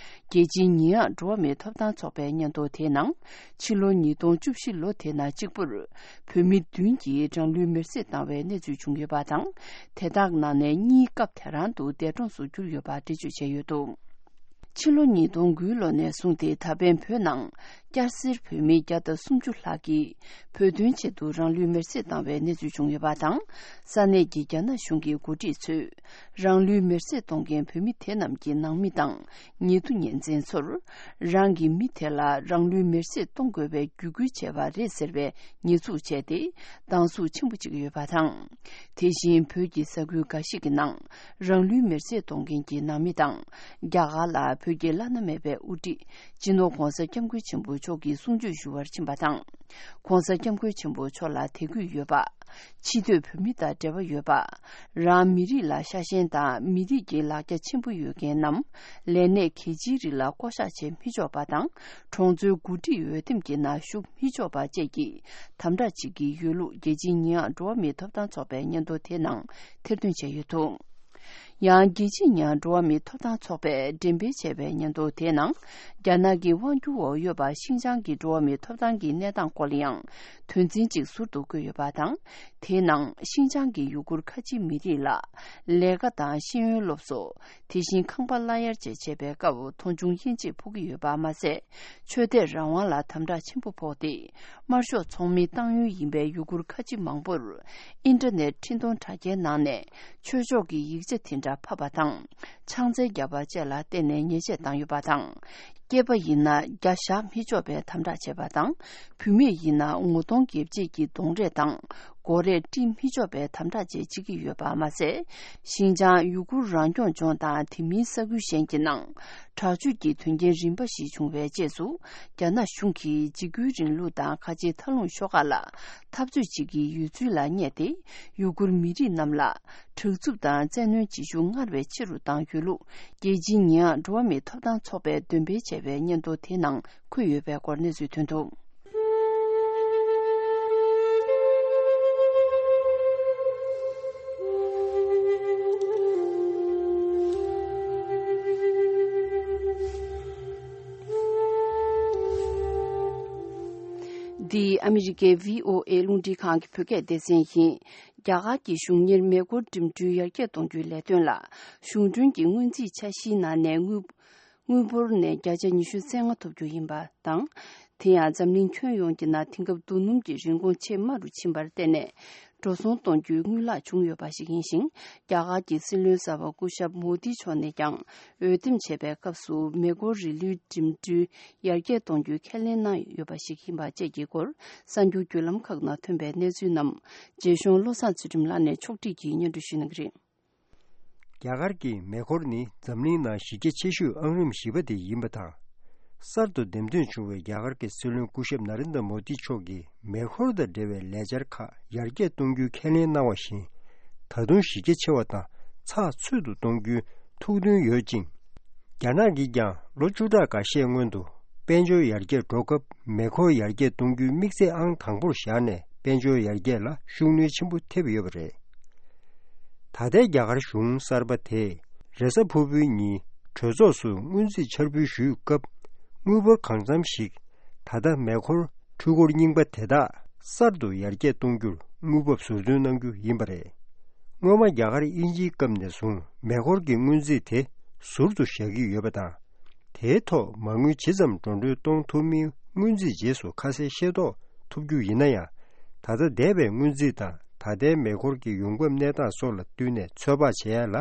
རྒྱལ་སྤྱིའི་ཉེས་ཡངས་འགྲོ་བ་མིའི་ཐོབ་ཐང་ཚོགས་པའི་སྙན་ཐོ་དེའི་ནང་། ཕྱི་ལོ་ཉིས་སྟོང་བཅུ་བཞི་ལོ་དེ་ནང་གཅིག་པུར། བོད་མི་བདུན་གྱིས་རང་ལུས་མེར་སྲེག་བཏང་བའི་གནས་ཚུལ་བྱུང་ཡོད་པ་དང་། དེ་དག་ནང་ནས་གཉིས་སྐབས་དེ་རང་དུ་འདས་གྲོངས་སུ་གྱུར་ཡོད་པ་འགྲེལ་བརྗོད་བྱས་ཡོད་འདུག་ཕྱི་ལོ་ཉིས་སྟོང་དགུ་ལོ་ནས་བཟུང་སྟེ་ད་ཕན་བོད་ནང་། སྐྱ་སེར་བོད་མི་བརྒྱ་དང་སུམ་ཅུ་ལྷག་གིས་བོད་དོན་ཆེད་དུ་རང་ལུས་མེར་སྲེག་བཏང་བའི་གནས་ཚུལ་བྱུང་ཡོད་པ་དང་། ས་གནས་ཀྱི་རྒྱ་ནག་གཞུང་གི་འགོ་ཁྲིད་ཚོས། རང་ལུས་མེར་སྲེག་གཏོང་མཁན་བོད་མི་དེ་རྣམས་ཀྱི་ནང་མི་དང་། ཉེ་དུ་ཉེ་ཚན་ཚོར། རང་གི་མི་དེ་ལ་རང་ལུས་མེར་སྲེག་གཏོང་དགོས་པའི་བརྒྱུད་སྐུལ་བྱས་པ་རེད་ཟེར་བའི་ཉེས་འཛུགས་བྱས་ཏེ། སྡང་ཟུག་ཆེན་པོ་བྱེད་ཀྱི་ཡོད་པ་དང་། དེ་བཞིན་བོད་ཀྱི་ས་ཁུལ་འགའ་ཞིག་གི་ནང་། རང་ལུས་མེར་སྲེག་གཏོང་མཁན་གྱི་ནང་མི་དང་། རྒྱ་གར་ལ་བོད་ཀྱི་བླ་ན་མེད་པའི་དབུ་ཁྲིད། སྤྱི་ནོར་༧གོང་ས་༧སྐྱབས་མགོན་ཆེན་པོ་མཆོག་གི་གསུང་ཆོས་ཞུ་བར་ཕྱིན་པ་དང་། ༧གོང་ས་༧སྐྱབས་མགོན་ཆེན་པོ་མཆོག་ལ་དད་གུས་ཡོད་པ། ཕྱི་སྡོད་བོད་མི་དང་འབྲེལ་བ་ཡོད་པ། རང་མི་རིགས་ལ་ཤ་ཞེན་དང་མི་རིགས་ཀྱི་ལ་རྒྱ་ཆེན་པོ་ཡོད་མཁན་ནམ། ལས་གནས་གལ་ཆེའི་རིགས་ལ་བསྐོ་གཞག་བྱེད་མི་ཆོག་པ་དང་། གྲོང་ཚོའི་འགོ་ཁྲིད་འོས་འདེམས་ཀྱི་ནང་ཞུགས་མི་ཆོག་པ་བཅས་ཀྱི་དམ་དྲག་བྱེད་ཀྱི་ཡོད་ལུགས། རྒྱལ་སྤྱིའི་ཉེས་ཡངས་འགྲོ་བ་མིའི་ཐོབ་ཐང་ཚོགས་པའི་སྙན་ཐོ་དེའི་ནང་ཐེར་འདོན་བྱས་ཡོད་འདུག་ཡང་། རྒྱལ་སྤྱིའི་ཉེས་ཡངས་འགྲོ་བ་མིའི་ཐོབ་ཐང་ཚོགས་པས་འགྲེམས་སྤེལ་བྱས་པའི་སྙན་ཐོ་དེའི་ནང་། རྒྱ་ནག་གི་དབང་སྒྱུར་འོག་ཡོད་པ་ཤིན་ཅང་གི་འགྲོ་བ་མིའི་ཐོབ་ཐང་གི་གནས་སྟངས་སྐོར་ལ་ཡང་། དོན་ཚན་གཅིག་ཟུར་དུ་བཀོད་ཡོད་པ་དང་། དེའི་ནང་། ཤིན་ཅང་གི་ཡུ་གུར་ཁ་ཆེའི་མི་རིགས་ལ། ལས་ཀ་དང་ཤེས་ཡོན་སློབ་གསོ། དེ་བཞིན་ཁང་པ་གླ་གཡར་བཅས་བྱེད་པའི་སྐབས་མཐོང་ཆུང་དབྱེ་འབྱེད་ཕོག་གི་ཡོད་པ་མ་ཟད། ཆོས་དད་རང་དབང་ལ་དམ་དྲག་ཆེན་པོ་ཕོག་སྟེ། དམར་ཤོག་ཚོགས་མིའི་ཏང་ཡོན་ཡིན་པའི་ཡུ་གུར་ཁ་ཆེ་མང་པོར། ཨིན་ཊར་ནེཊ་འཕྲིན་གཏོང་དྲ་རྒྱའི་ནང་ནས། ཆོས་ཕྱོགས་ཀྱི་ཡིག་ཆ་དེ་འདྲ་ཕབ་པ་དང་། ཕྱག་འཚལ་བརྒྱབ་པ་བཅས་ལ་བརྟེན་ནས་ཉེས་ཆད་བཏང་ཡོད་པ་དང་། སྐྱེས་པ་ཡིན་ན་རྒྱ་བཞག་མི་ཆོག་པའི་དམ་དྲག་བྱས་པ་དང་། བུད་མེད་ཡིན་ན་ངོ་གདོང་འགེབས་བྱེད་ཀྱི་གདོང་རས་དང་། མགོ་རས་དཀྲིས་མི་ཆོག་པའི་དམ་དྲག་བཅས་བྱེད་ཀྱི་ཡོད་པ་མ་ཟད། ཤིན་ཅང་ཡུ་གུར་རང་སྐྱོང་ལྗོངས་དང་དེ་མིན་ས་ཁུལ་གཞན་གྱི་ནང་། དྲག་སྤྱོད་ཀྱི་དོན་རྐྱེན་རིམ་པ་ཞིག་བྱུང་བའི་རྗེས་སུ། རྒྱ་ནག་གཞུང་གིས་འཇིགས་སྐུལ་རིང་ལུགས་དང་ཁ་ཆེའི་མཐའ་ལྷུང་ཤོག་ཁག་ལ་འཐབ་རྩོད་བྱེད་ཀྱི་ཡོད་ཚུལ་ལ་བསྙད་དེ། ཡུ་གུར་མི་རིགས་རྣམས་ལ། དྲག་རྩུབ་དང་བཙན་གནོན་བྱེད་ཤུགས་སྔར་བས་ཆེ་རུ་བཏང་ཡོད་ལུགས། རྒྱལ་སྤྱིའི་ཉེས་ཡངས་འགྲོ་བ་མིའི་ཐོབ་ཐང་ཚོགས་པས་འདོན་སྤེལ་བྱས་པའི་སྙན་ཐོ་དེའི་ནང་འཁོད་ཡོད་པའི་སྐོར་གནས་ཚུལ་ཐོན་འདུག་འདི་ཨ་མི་རི་ཀའི་བྷི་ཨོ་ཨེ་རླུང་འཕྲིན་ཁང་གི་བོད་སྐད་སྡེ་ཚན་ཡིན། རྒྱ་གར་གྱི་གཞུང་གཉེར་མེ་འཁོར་འགྲིམ་འགྲུལ་ཡར་རྒྱས་གཏོང་རྒྱུའི་ལས་དོན་ལ། གཞུང་གྲོན་གྱི་སྔོན་རྩིས་འཆར་གཞིའི་ནང་ནས་དངུལ། དངུལ་འབོར་ནས་བརྒྱ་ཆ་ཉི་ཤུ་རྩ་ལྔ་ཐོབ་རྒྱུ་ཡིན་པ་དང་། དེ་ཡང་འཛམ་གླིང་ཁྱོན་ཡོངས་ཀྱི་ནང་དེང་སྐབས་རྡོ་སྣུམ་གྱི་རིན་གོང་ཆེས་དམའ་རུ་ཕྱིན་པར་བརྟེན་ནས། འགྲོ་སོང་གཏོང་རྒྱུའི་དངུལ་ལག་བྱུང་ཡོད་པ་ཞིག་ཡིན་ཞིང་། རྒྱ་གར་གྱི་སྲིད་བློན་གསར་པ་སྐུ་ཞབས་མོ་དི་མཆོག་ནས་ཀྱང་འོས་འདེམས་བྱས་པའི་སྐབས་སུ་མེ་འཁོར་རི་ལུའི་འགྲིམ་འགྲུལ་ཡར་རྒྱས་གཏོང་རྒྱུའི་ཁས་ལེན་གནང་ཡོད་པ་ཞིག་ཡིན་པ་བཅས་ཀྱི་སྐོར་གསར་འགྱུར་བརྒྱུད་ལམ་ཁག་ནང་ཐོན་པའི་གནས་ཚུལ་རྣམས་རྒྱས་གཞུང་བློ་བཟང་ཚུལ་ཁྲིམས་ལགས་ནས་ཕྱོགས་སྒྲིག་གིས་སྙན་སྒྲོན་ཞུ་གནང་གི་རེད། རྒྱ་གར་གྱི་མེ་འཁོར་ནི་འཛམ་གླིང་ནང་གཞི་རྒྱ་ཆེ་ཤོས་ཨང་རིམ་བཞི་པ་དེ་ཡིན་པ་དང་། གསར་དུ་འདེམས་ཐོན་བྱུང་བའི་རྒྱ་གར་གྱི་སྲིད་བློན་སྐུ་ཞབས་ན་རེན་དྲ་མོ་དི་མཆོག་གིས་མེ་འཁོར་དང་འབྲེལ་བའི་ལས་འཆར་ཁག་ཡར་རྒྱས་གཏོང་རྒྱུའི་ཁས་ལེན་གནང་བ་བཞིན། ད་དུང་གཞི་རྒྱ་ཆེ་བ་དང་ཚགས་ཚུད་དུ་གཏོང་རྒྱུའི་ཐུགས་འདུན་ཡོད་ཅིང་། རྒྱ་ནག་གིས་ཀྱང་ལོ་བཅུ་ཕྲག་འགའ་ཤས་སྔོན་དུ་དཔལ་འབྱོར་ཡར་རྒྱས་འགྲོ་སྐབས་མེ་འཁོར་ཡར་རྒྱས་གཏོང་རྒྱུའི་དམིགས་ཚད་ཨང་དང་པོར་བཞག་ནས་དཔལ་འབྱོར་ཡར་རྒྱས་ལ་ཤུགས་སྣོན་ཆེན་པོ་ཐེབས་ཡོད་པ་རེད། ད་ལྟའི་རྒྱ་གར་གཞུང་གསར་པ་དེས་རེས་གཟའ་ཕུར་བུའི་ཉིན་གྲོས་ཚོགས་སུ་སྔོན་རྩིས་འཆར་འབུལ་ཞུས་སྐབས། དངུལ་འབོར་གང་འཚམ་ཞིག་ད་ལྟ་མེ་འཁོར་འཕྲུལ་འཁོར་རྙིང་པ་དེ་དག་གསར་དུ་ཡར་རྒྱས་གཏོང་རྒྱུར་དངུལ་འབབ་ཟུར་འདོན་གནང་རྒྱུ་ཡིན་པ་རེད། སྔོན་མ་རྒྱ་གར་དབྱིན་ཇིའི་སྐབས་ནས་བཟུང་མེ་འཁོར་གྱི་སྔོན་རྩིས་དེ་ཟུར་དུ་བཞག་གི་ཡོད་པ་དང་། དེའི་ཐོག་མ་དངུལ་ཇི་ཙམ་འགྲོ་གྲོན་གཏོང་ཐུབ་མིན་སྔོན་རྩིས་རྗེས་སུ་ཁ་གསལ་ཤེས་རྟོགས་ཐུབ་རྒྱུ་ཡིན་ན་ཡང་། ད་ལྟ་འདས་པའི་སྔོན་རྩིས་དང་ད་ལྟའི་མེ་འཁོར་གྱི་ཡོང་འབབ་གནས་སྟངས་སོགས་ལ་བསྟུན་ནས་ཚོད་དཔག་བྱེད་ཡ་ལ།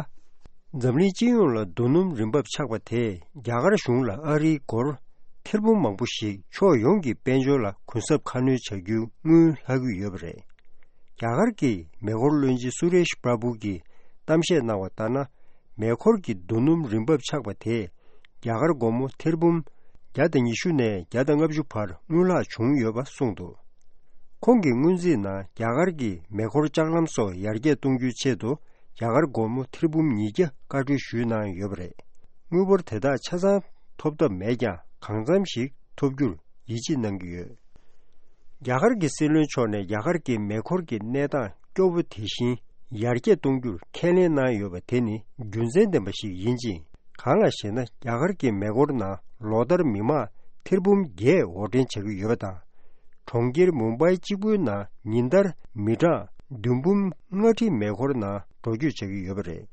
འཛམ་གླིང་སྤྱི་ཡོངས་ལ་རྡོ་སྣུམ་རིན་འབབ་ཆག་པ་དེས་རྒྱ་གར་གཞུང་ལ་ཨ་རིའི་སྒོར་ཐེར་འབུམ་མང་པོ་ཞིག་ཕྱོགས་ཡོངས་ཀྱི་དཔལ་འབྱོར་ལ་གུན་གསབ་ཁ་སྣོན་བྱ་རྒྱུའི་དངུལ་ལྷག་གི་ཡོད་པ་རེད། རྒྱ་གར་གྱི་མེ་འཁོར་བློན་ཆེན་སུ་རེཤ་པྲ་བྷུ་གིས་གཏམ་བཤད་གནང་བ་ལྟར་ན། མེ་འཁོར་གྱི་རྡོ་སྣུམ་རིན་འབབ་ཆག་པ་དེས་རྒྱ་གར་སྒོར་མོ་ཐེར་འབུམ་བརྒྱ་དང་ཉི་ཤུ་ནས་བརྒྱ་དང་ལྔ་བཅུ་བར་དངུལ་ལྷག་བྱུང་ཡོད་པ་གསུངས་འདུག་ཁོང་གི་སྔོན་རྩིས་ནང་རྒྱ་གར་གྱི་མེ་འཁོར་ལྕགས་ལམ་སོགས་ཡར་རྒྱས་གཏོང་རྒྱུའི་ཆེད་དུ་རྒྱ་གར་སྒོར་མོ་ཐེར་འབུམ་ཉིས་བརྒྱ་བཀའ་འཁྲོལ་ཞུས་གནང་ཡོད་པ་རེད། དངུལ་འབོར་དེ་དག་ཆ་ཚང་ཐོབ་ཐབས་མེད་ཀྱང་གང་འཚམ་ཞིག་ཐོབ་རྒྱུར་ཡིད་ཆེས་གནང་གི་ཡོད། རྒྱ་གར་གྱི་སྲིད་བློན་མཆོག་ནས་རྒྱ་གར་གྱི་མེ་འཁོར་གྱི་གནས་སྟངས་སྐྱོ་བོ་དེ་བཞིན་ཡར་རྒྱས་གཏོང་རྒྱུར་ཁས་ལེན་གནང་ཡོད་པ་དེ་ནི་རྒྱུ་མཚན་ལྡན་པ་ཞིག་ཡིན་ཅིང་། གང་ལགས་ཤེ་ན། རྒྱ་གར་གྱི་མེ་འཁོར་ནང་ལོ་ལྟར་མི་མང་ཐེར་འབུམ་བརྒྱད་འོར་འདྲེན་བྱ་གི་ཡོད་པ་དང་། གྲོང་ཁྱེར་མུམ་བྷའི་གཅིག་པུའི་ནང་ཉིན་ལྟར་མི་གྲངས་བདུན་འབུམ་ལྔ་ཁྲི་མེ་འཁོར་ནང་འགྲོ་སྐྱོད་བྱ་གི་ཡོད་པ་རེད།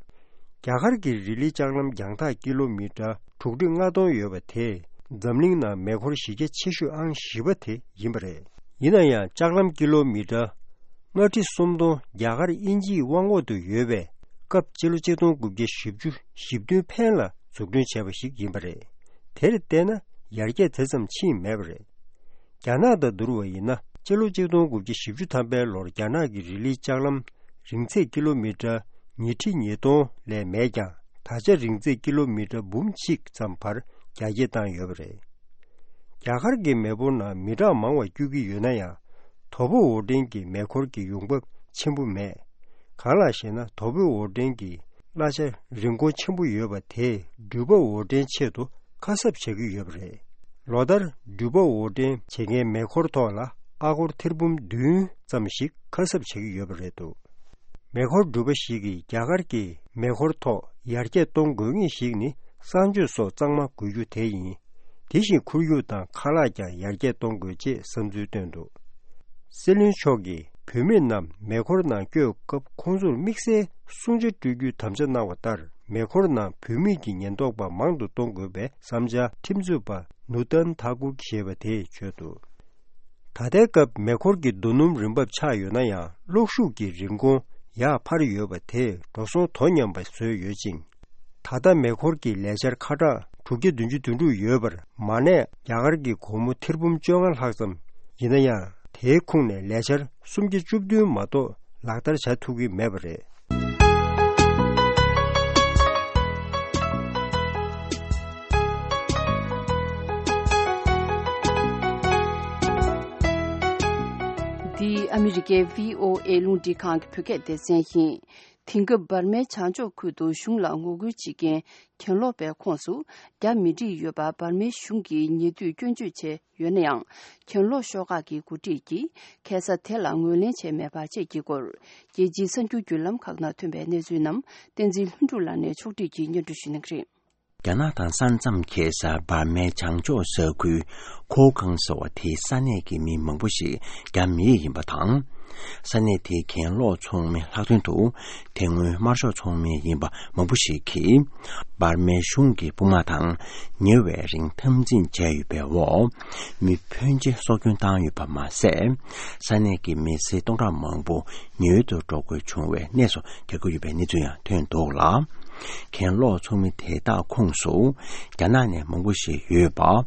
རྒྱ་གར་གྱི་རི་ལི་ལྕགས་ལམ་རྒྱང་ཐག་ཀི་ལོ་མི་ཊར་དྲུག་ཁྲི་ལྔ་སྟོང་ཡོད་པ་དེས་འཛམ་གླིང་ནང་མེ་འཁོར་གཞི་རྒྱ་ཆེ་ཤོས་ཨང་བཞི་པ་དེ་ཡིན་པ་རེད། ཡིན་ན་ཡང་ལྕགས་ལམ་ཀི་ལོ་མི་ཊར་ལྔ་ཁྲི་སུམ་སྟོང་རྒྱ་གར་དབྱིན་ཇིའི་དབང་འོག་ཏུ་ཡོད་པའི་སྐབས་སྤྱི་ལོ་ཆིག་སྟོང་དགུ་བརྒྱ་བཞི་བཅུ་ཞེ་བདུན་ཕན་ལ་འཛུགས་སྐྲུན་བྱས་པ་ཞིག་ཡིན་པ་རེད། དེར་བལྟས་ན་ཡར་རྒྱས་དེ་ཙམ་ཕྱིན་མེད་པ་རེད། རྒྱ་ནག་དང་བསྡུར་བ་ཡིན་ན། སྤྱི་ལོ་ཆིག་སྟོང་དགུ་བརྒྱ་བཞི་བཅུ་ཐམ་པའི་ལོར་རྒྱ་ནག་གི་རི་ལི་ལྕགས་ལམ་རིང་ཚད་ཀི་ལོ་མི་ཊར་ཉིས་ཁྲི་ཉིས་སྟོང་ལས་མེད་ཀྱང་། ད་ཆ་རིང་ཚད་ཀི་ལོ་མི་ཊར་འབུམ་གཅིག་ཙམ་བར་རྒྱ་སྐྱེད་བཏང་ཡོད་པ་རེད། རྒྱ་གར་གྱི་མེ་འཁོར་ནང་མི་གྲངས་མང་བ་སྐྱོད་ཀྱི་ཡོད་ན་ཡང་། དོ་པོ་འོར་འདྲེན་གྱི་མེ་འཁོར་གྱི་ཡོང་འབབ་ཆེན་པོ་མེད། གང་ལགས་ཤེ་ན། དོ་པོ་འོར་འདྲེན་གྱི་གླ་ཆ་རིན་གོང་ཆེན་པོ་ཡོད་པ་དེས་འགྲུལ་པ་འོར་འདྲེན་ཆེད་དུ་ཁ་གསབ་བྱ་གི་ཡོད་པ་རེད། ལོ་ལྟར་འགྲུལ་པ་འོར་འདྲེན་བྱེད་མཁན་མེ་འཁོར་ཐོག་ལ་ཨ་སྒོར་ཐེར་འབུམ་བདུན་ཙམ་ཞིག་ཁ་གསབ་བྱེད་ཀྱི་ཡོད་པ་རེད་འདུག་མེ་འཁོར་འགྲུལ་པ་ཞིག་གིས་རྒྱ་གར་གྱི་མེ་འཁོར་ཐོག་ཡར་རྒྱས་གཏོང་དགོས་ངེས་ཤིག་ནི་གསང་སྤྱོད་སོགས་གཙང་མ་དགོས་རྒྱུ་དེ་ཡིན། དེ་བཞིན་ཁོར་ཡུག་དང་ཁ་ལག་ཀྱང་ཡར་རྒྱས་གཏོང་དགོས་ཅེས་བསམ་ཚུལ་བཏོན་འདུག་སྲིད་བློན་མཆོག་གིས་བུད་མེད་རྣམས་མེ་འཁོར་ནང་བསྐྱོད་སྐབས་ཁོང་ཚོར་དམིགས་བསལ་སྲུང་བྱ་སྤྲོད་རྒྱུའི་དམ་བཅའ་གནང་བ་ལྟར། མེ་འཁོར་ནང་བུད་མེད་ཀྱི་ཉེན་རྟོག་པ་མང་དུ་གཏོང་དགོས་པའི་བསམ་འཆར་ཁྲིམས་རྩོད་པ་ནུ་ཏན་ཐ་ཀུར་ཞེས་པ་དེས་བརྗོད་འདུག་ད་ལྟའི་སྐབས་མེ་འཁོར་གྱི་རྡོ་སྣུམ་རིན་འབབ་ཆག་ཡོད་ན་ཡང་། གློག་ཤུགས་ཀྱི་རིན་གོང་ཡར་འཕར་ཡོད་པ་དེས་འགྲོ་སོང་དོ་མཉམ་པ་བཟོས་ཡོད་ཅིང་། ད་ལྟ་མེ་འཁོར་གྱི་ལས་འཆར་ཁ་གྲངས་དྲུག་བརྒྱ་བདུན་ཅུ་དོན་དྲུག་ཡོད་པར། མ་གནས་རྒྱ་གར་གྱི་སྒོར་མོ་ཐེར་འབུམ་བཅོ་ལྔ་ལྷག་ཙམ་ཡིན་ན་ཡང་། དེའི་ཁོངས་ནས་ལས་འཆར་སུམ་བརྒྱ་བཅུ་བདུན་མ་གཏོགས་ལག་བསྟར་བྱ་ཐུབ་ཀྱི་མེད་པ་རེད། འདི་ཨ་མི་རི་ཀའི་བྷི་ཨོ་ཨེ་རླུང་འཕྲིན་ཁང་གི་བོད་སྐད་སྡེ་ཚན་ཡིན། དེང་སྐབས་འབར་མའི་བྱང་ཕྱོགས་ཁུལ་དུ་གཞུང་ལ་ངོ་རྒོལ་བྱེད་མཁན་གྱེན་ལོག་པའི་ཁོངས་སུ་རྒྱ་མི་སྒྲིག་ཡོད་པ་འབར་མའི་གཞུང་གིས་ཉེ་དུས་སྐྱོན་བརྗོད་བྱས་ཡོད་ན་ཡང་། གྱེན་ལོག་ཤོག་ཁག་གི་འགོ་ཁྲིད་ཀྱིས་ཁ་སང་དེ་ལ་ངོས་ལེན་བྱས་མེད་པ་བཅས་ཀྱི་སྐོར། རྒྱལ་སྤྱིའི་གསར་འགྱུར་བརྒྱུད་ལམ་ཁག་ནང་ཐོན་པའི་གནས་ཚུལ་རྣམས་བསྟན་འཛིན་ལྷུན་གྲུབ་ལགས་ནས་ཕྱོགས་སྒྲིག་གིས་སྙན་སྒྲོན་ཞུ་གནང་གི་རེད། རྒྱ་ནག་དང་ས་མཚམས་ཁེལ་ས་འབར་མའི་བྱང་ཕྱོགས་ས་ཁུལ་ཁོ་ཁང་ཟེར་བ་དེའི་ས་གནས་ཀྱི་མི་མང་པོ་ཞིག་རྒྱ་མི་ཡིན་པ་དང་། ས་གནས་དེའི་གྱེན་ལོག་ཚོགས་མི་ལྷག་དོན་དུ། དེ་སྔོན་དམར་ཤོག་ཚོགས་མི་ཡིན་པ་མང་པོ་ཞིག་གིས། འབར་མའི་གཞུང་གི་དཔུང་དམག་དང་ཉེ་བའི་རིང་འཐབ་འཛིང་བྱས་ཡོད་པའི་འོག་མི་ཕོན་ཆེ་སྲོག་སྐྱོན་བཏང་ཡོད་པ་མ་ཟད། ས་གནས་ཀྱི་མི་སེར་སྟོང་ཕྲག་མང་པོ་ཉེ་འོལ་དུ་འགྲོ་དགོས་བྱུང་བའི་གནས་སུ་གྱར་གྱི་ཡོད་པའི་གནས་ཚུལ་ཡང་ཐོན་འདུག་ལ། གྱེན་ལོག་ཚོགས་མི་དེ་དག་ཁོངས་སུ། རྒྱ་ནག་ནས་མང་པོ་ཞིག་ཡོད་པ།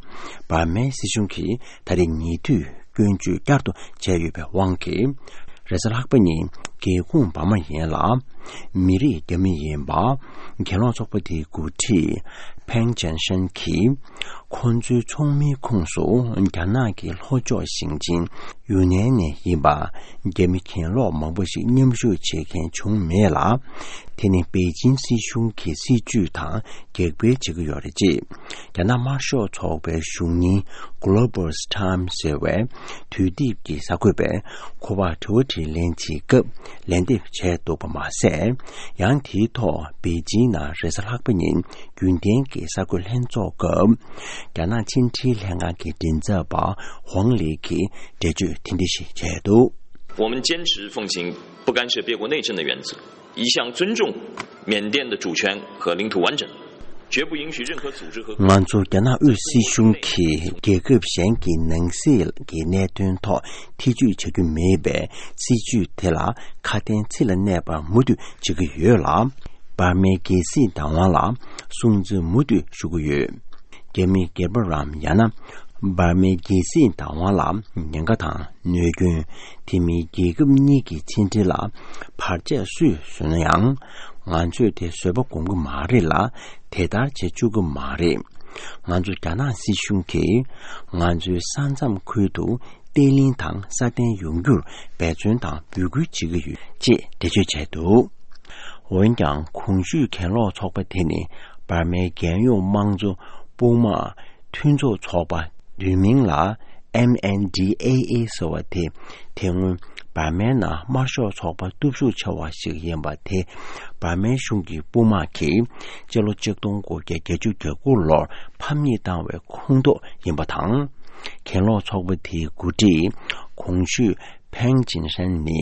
འབར་མའི་སྲིད་གཞུང་གིས་ད་རེས་ཉེ་དུས་སྐྱོན་བརྗོད་བསྐྱར་དུ་བྱས་ཡོད་པའི་དབང་གིས། རེས་གཟའ་ལྷག་པ་ཉིན་སྒེའུ་ཁུང་འབར་མ་ཡན་ལ། མི་རིགས་རྒྱ་མི་ཡིན་པ། གྱེན་ལོག་ཚོགས་པ་དེའི་འགོ་ཁྲིད། ཕེང་ཅན་ཧྲན་གྱིས། ཁོ་ཚོའི་ཚོགས་མིའི་ཁོངས་སུ། རྒྱ་ནག་གི་ལྷོ་ཕྱོགས་ཞིང་ཆེན་ཡུན་ནན་ནས་ཡིན་པ། རྒྱ་མི་གྱེན་ལོག་མང་པོ་ཞིག་མཉམ་ཞུགས་བྱེད་མཁན་བྱུང་མེད་ལ། དེ་ནི་པེ་ཅིན་སྲིད་གཞུང་གི་སྲིད་ཇུས་དང་འགལ་འབྲེལ་བྱེད་ཀྱི་ཡོད་རེད་ཅེས། རྒྱ་ནག་དམར་ཤོག་ཚོགས་པའི་གཞུང་རྙིང་Global's Time ཟེར་བའི་དུས་དེབ་ཀྱི་གསར་འགོད་པས་ཁོ་པར་དྲི་བ་དྲིས་ལན་བྱེད་སྐབས་ལན་འདེབས་བྱས་འདུག་པ་མ་ཟད། ཡང་དེའི་ཐོག་པེ་ཅིན་ནང་རེས་གཟའ་ལྷག་པ་ཉིན་རྒྱུན་ལྡན་གྱི་གསར་འགོད་ལྷན་ཚོགས་སྐབས། རྒྱ་ནག་ཕྱི་འབྲེལ་ལྷན་ཁང་གི་མགྲིན་ཚབ་པ་ཝང་ལི་གིས་འགྲེལ་བརྗོད་དེ་འདྲ་ཞིག་བྱས་འདུག། 我们坚持奉行不干涉别国内政的原则，一向尊重缅甸的主权和领土完整，绝不允许任何组织和 ང་ཚོ་རྒྱ་ནག་དབུས་སྲིད་གཞུང་གིས་རྒྱལ་ཁབ་གཞན་གྱི་ནང་སྲིད་ཀྱི་གནད་དོན་ཐོག་ཐེ་ཇུས་བྱ་རྒྱུ་མེད་པའི་སྲིད་ཇུས་དེ་ལ་ཁ་དན་ཚིག་ལ་གནས་པར་མུ་མཐུད་བྱེད་ཀྱི་ཡོད་ལ། འབར་མའི་རྒྱལ་སྲིད་བདག་དབང་ལ་སྲུང་བརྩི་མུ་མཐུད་ཞུ་གི་ཡོད། རྒྱ་མི་སྒེར་པ་རམ་ཡང་ན་འབར་མའི་རྒྱལ་སྲིད་བདག་དབང་ལ་ཉེན་ཁ་དང་གནོད་སྐྱོན། དེ་མིན་རྒྱལ་ཁབ་གཉིས་ཀྱི་ཕྱི་འབྲེལ་ལ་བར་ཆད་སུས་བཟོས་ན་ཡང་། ང་ཚོས་དེ་བཟོད་པ་སྒོམ་གྱི་མ་རེད་ལ། དེ་ལྟར་བྱེད་བཅུག་གི་མ་རེད། ང་ཚོ་རྒྱ་ནག་སྲིད་གཞུང་གིས་ང་ཚོའི་ས་མཚམས་ཁུལ་དུ་བརྟན་ལྷིང་དང་སྲ་བརྟན་ཡོང་རྒྱུར་འབད་བརྩོན་དང་འབོད་སྐུལ་བྱེད་ཀྱི་ཡོད་ཅེས་འགྲེལ་བརྗོད་བྱས་འདུག། འོན་ཀྱང་གོང་ཞུས་གྱེན་ལོག་ཚོགས་པ་དེ་ནི་འབར་མའི་རྒྱལ་ཡོངས་དམངས་གཙོ་དཔུང་དམག་མཐུན་ཚོགས་ཚོགས་པ་བསྡུས་མིང་ལ་M N D A A ཟེར་བ་དེ། དེ་སྔོན་འབར་མའི་ནང་དམར་ཤོག་ཚོགས་པ་སྟོབས་ཤུགས་ཆེ་བ་ཞིག་ཡིན་པ་དེ། འབར་མའི་གཞུང་གི་དཔུང་དམག་གིས་སྤྱི་ལོ་ཆིག་སྟོང་དགུ་བརྒྱ་བརྒྱད་ཅུ་གྱ་དགུ་ལོར་ཕམ་ཉེས་བཏང་བའི་ཁོངས་གཏོགས་ཡིན་པ་དང་། གྱེན་ལོག་ཚོགས་པ་དེའི་འགོ་ཁྲིད་གོང་ཞུས་ཕེང་ཅིན་ཧྲན་ནི་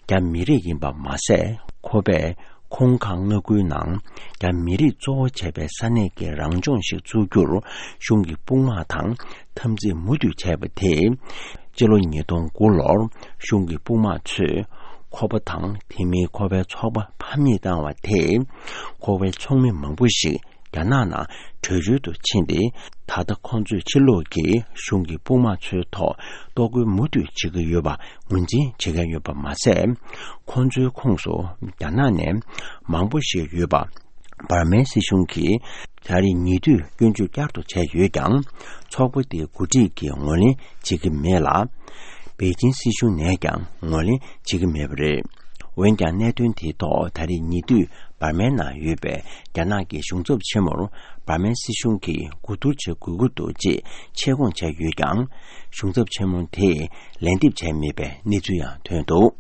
རྒྱ་མི་རིགས་ཡིན་པ་མ་ཟད། ཁོ་པས་ཧོང་ཀང་མངའ་ཁུལ་ནང་རྒྱ་མི་རིགས་གཙོ་བོ་བྱས་པའི་ས་གནས་ཀྱི་རང་ལྗོངས་ཤིག་བཙུགས་རྒྱུར་གཞུང་གི་དཔུང་དམག་དང་འཐབ་འཛིང་མུ་མཐུད་བྱས་པ་དེས། སྤྱི་ལོ་ཉིས་སྟོང་དགུ་ལོར་གཞུང་གི་དཔུང་དམག་ཚོས་ཁོ་པ་དང་དེ་མིན་ཁོ་པའི་ཚོགས་པ་ཕམ་ཉེས་བཏང་བ་དེས། ཁོ་པའི་ཚོགས་མི་མང་པོ་ཞིག་རྒྱ་ནག་ནང་བྲོས་བྱོལ་དུ་ཕྱིན་ཏེ། ད་ལྟ་ཁོང་ཚོས་ཕྱི་ལོགས་ཀྱི་གཞུང་གི་དཔུང་དམག་ཚོའི་ཐོག་གཏོར་རྒོལ་མུ་མཐུད་བྱེད་ཀྱི་ཡོད་པ་ངོས་འཛིན་བྱེད་མཁན་ཡོད་པ་མ་ཟད། ཁོང་ཚོའི་ཁོངས་སུ་རྒྱ་ནག་ནས་མང་པོ་ཞིག་ཡོད་པ། འབར་མའི་སྲིད་གཞུང་གིས་ད་རེས་ཉེ་དུས་སྐྱོན་བརྗོད་བསྐྱར་དུ་བྱས་ཡོད་ཀྱང་། ཚོགས་པ་དེའི་འགོ་ཁྲིད་ཀྱིས་ངོས་ལེན་བྱེད་ཀྱི་མེད་ལ། པེ་ཅིན་སྲིད་གཞུང་ནས་ཀྱང་ངོས་ལེན་བྱེད་ཀྱི་མེད་པ་རེད། འོན་ཀྱང་གནད་དོན་དེའི་ཐོག་ད་རེས་ཉེ་དུས་འབར་མའི་ནང་ཡོད་པའི་རྒྱ་ནག་གི་གཞུང་ཚབ་ཆེན་མོར་འབར་མའི་སྲིད་གཞུང་གིས་གོ་བསྡུར་བྱེད་དགོས་ཀྱི་འདུག་ཅེས་ཆེད་བསྐོང་བྱས་ཡོད་ཀྱང་། གཞུང་ཚབ་ཆེན་མོ་དེས་ལན་འདེབས་བྱས་མེད་པའི་གནས་ཚུལ་ཡང་ཐོན་འདུག།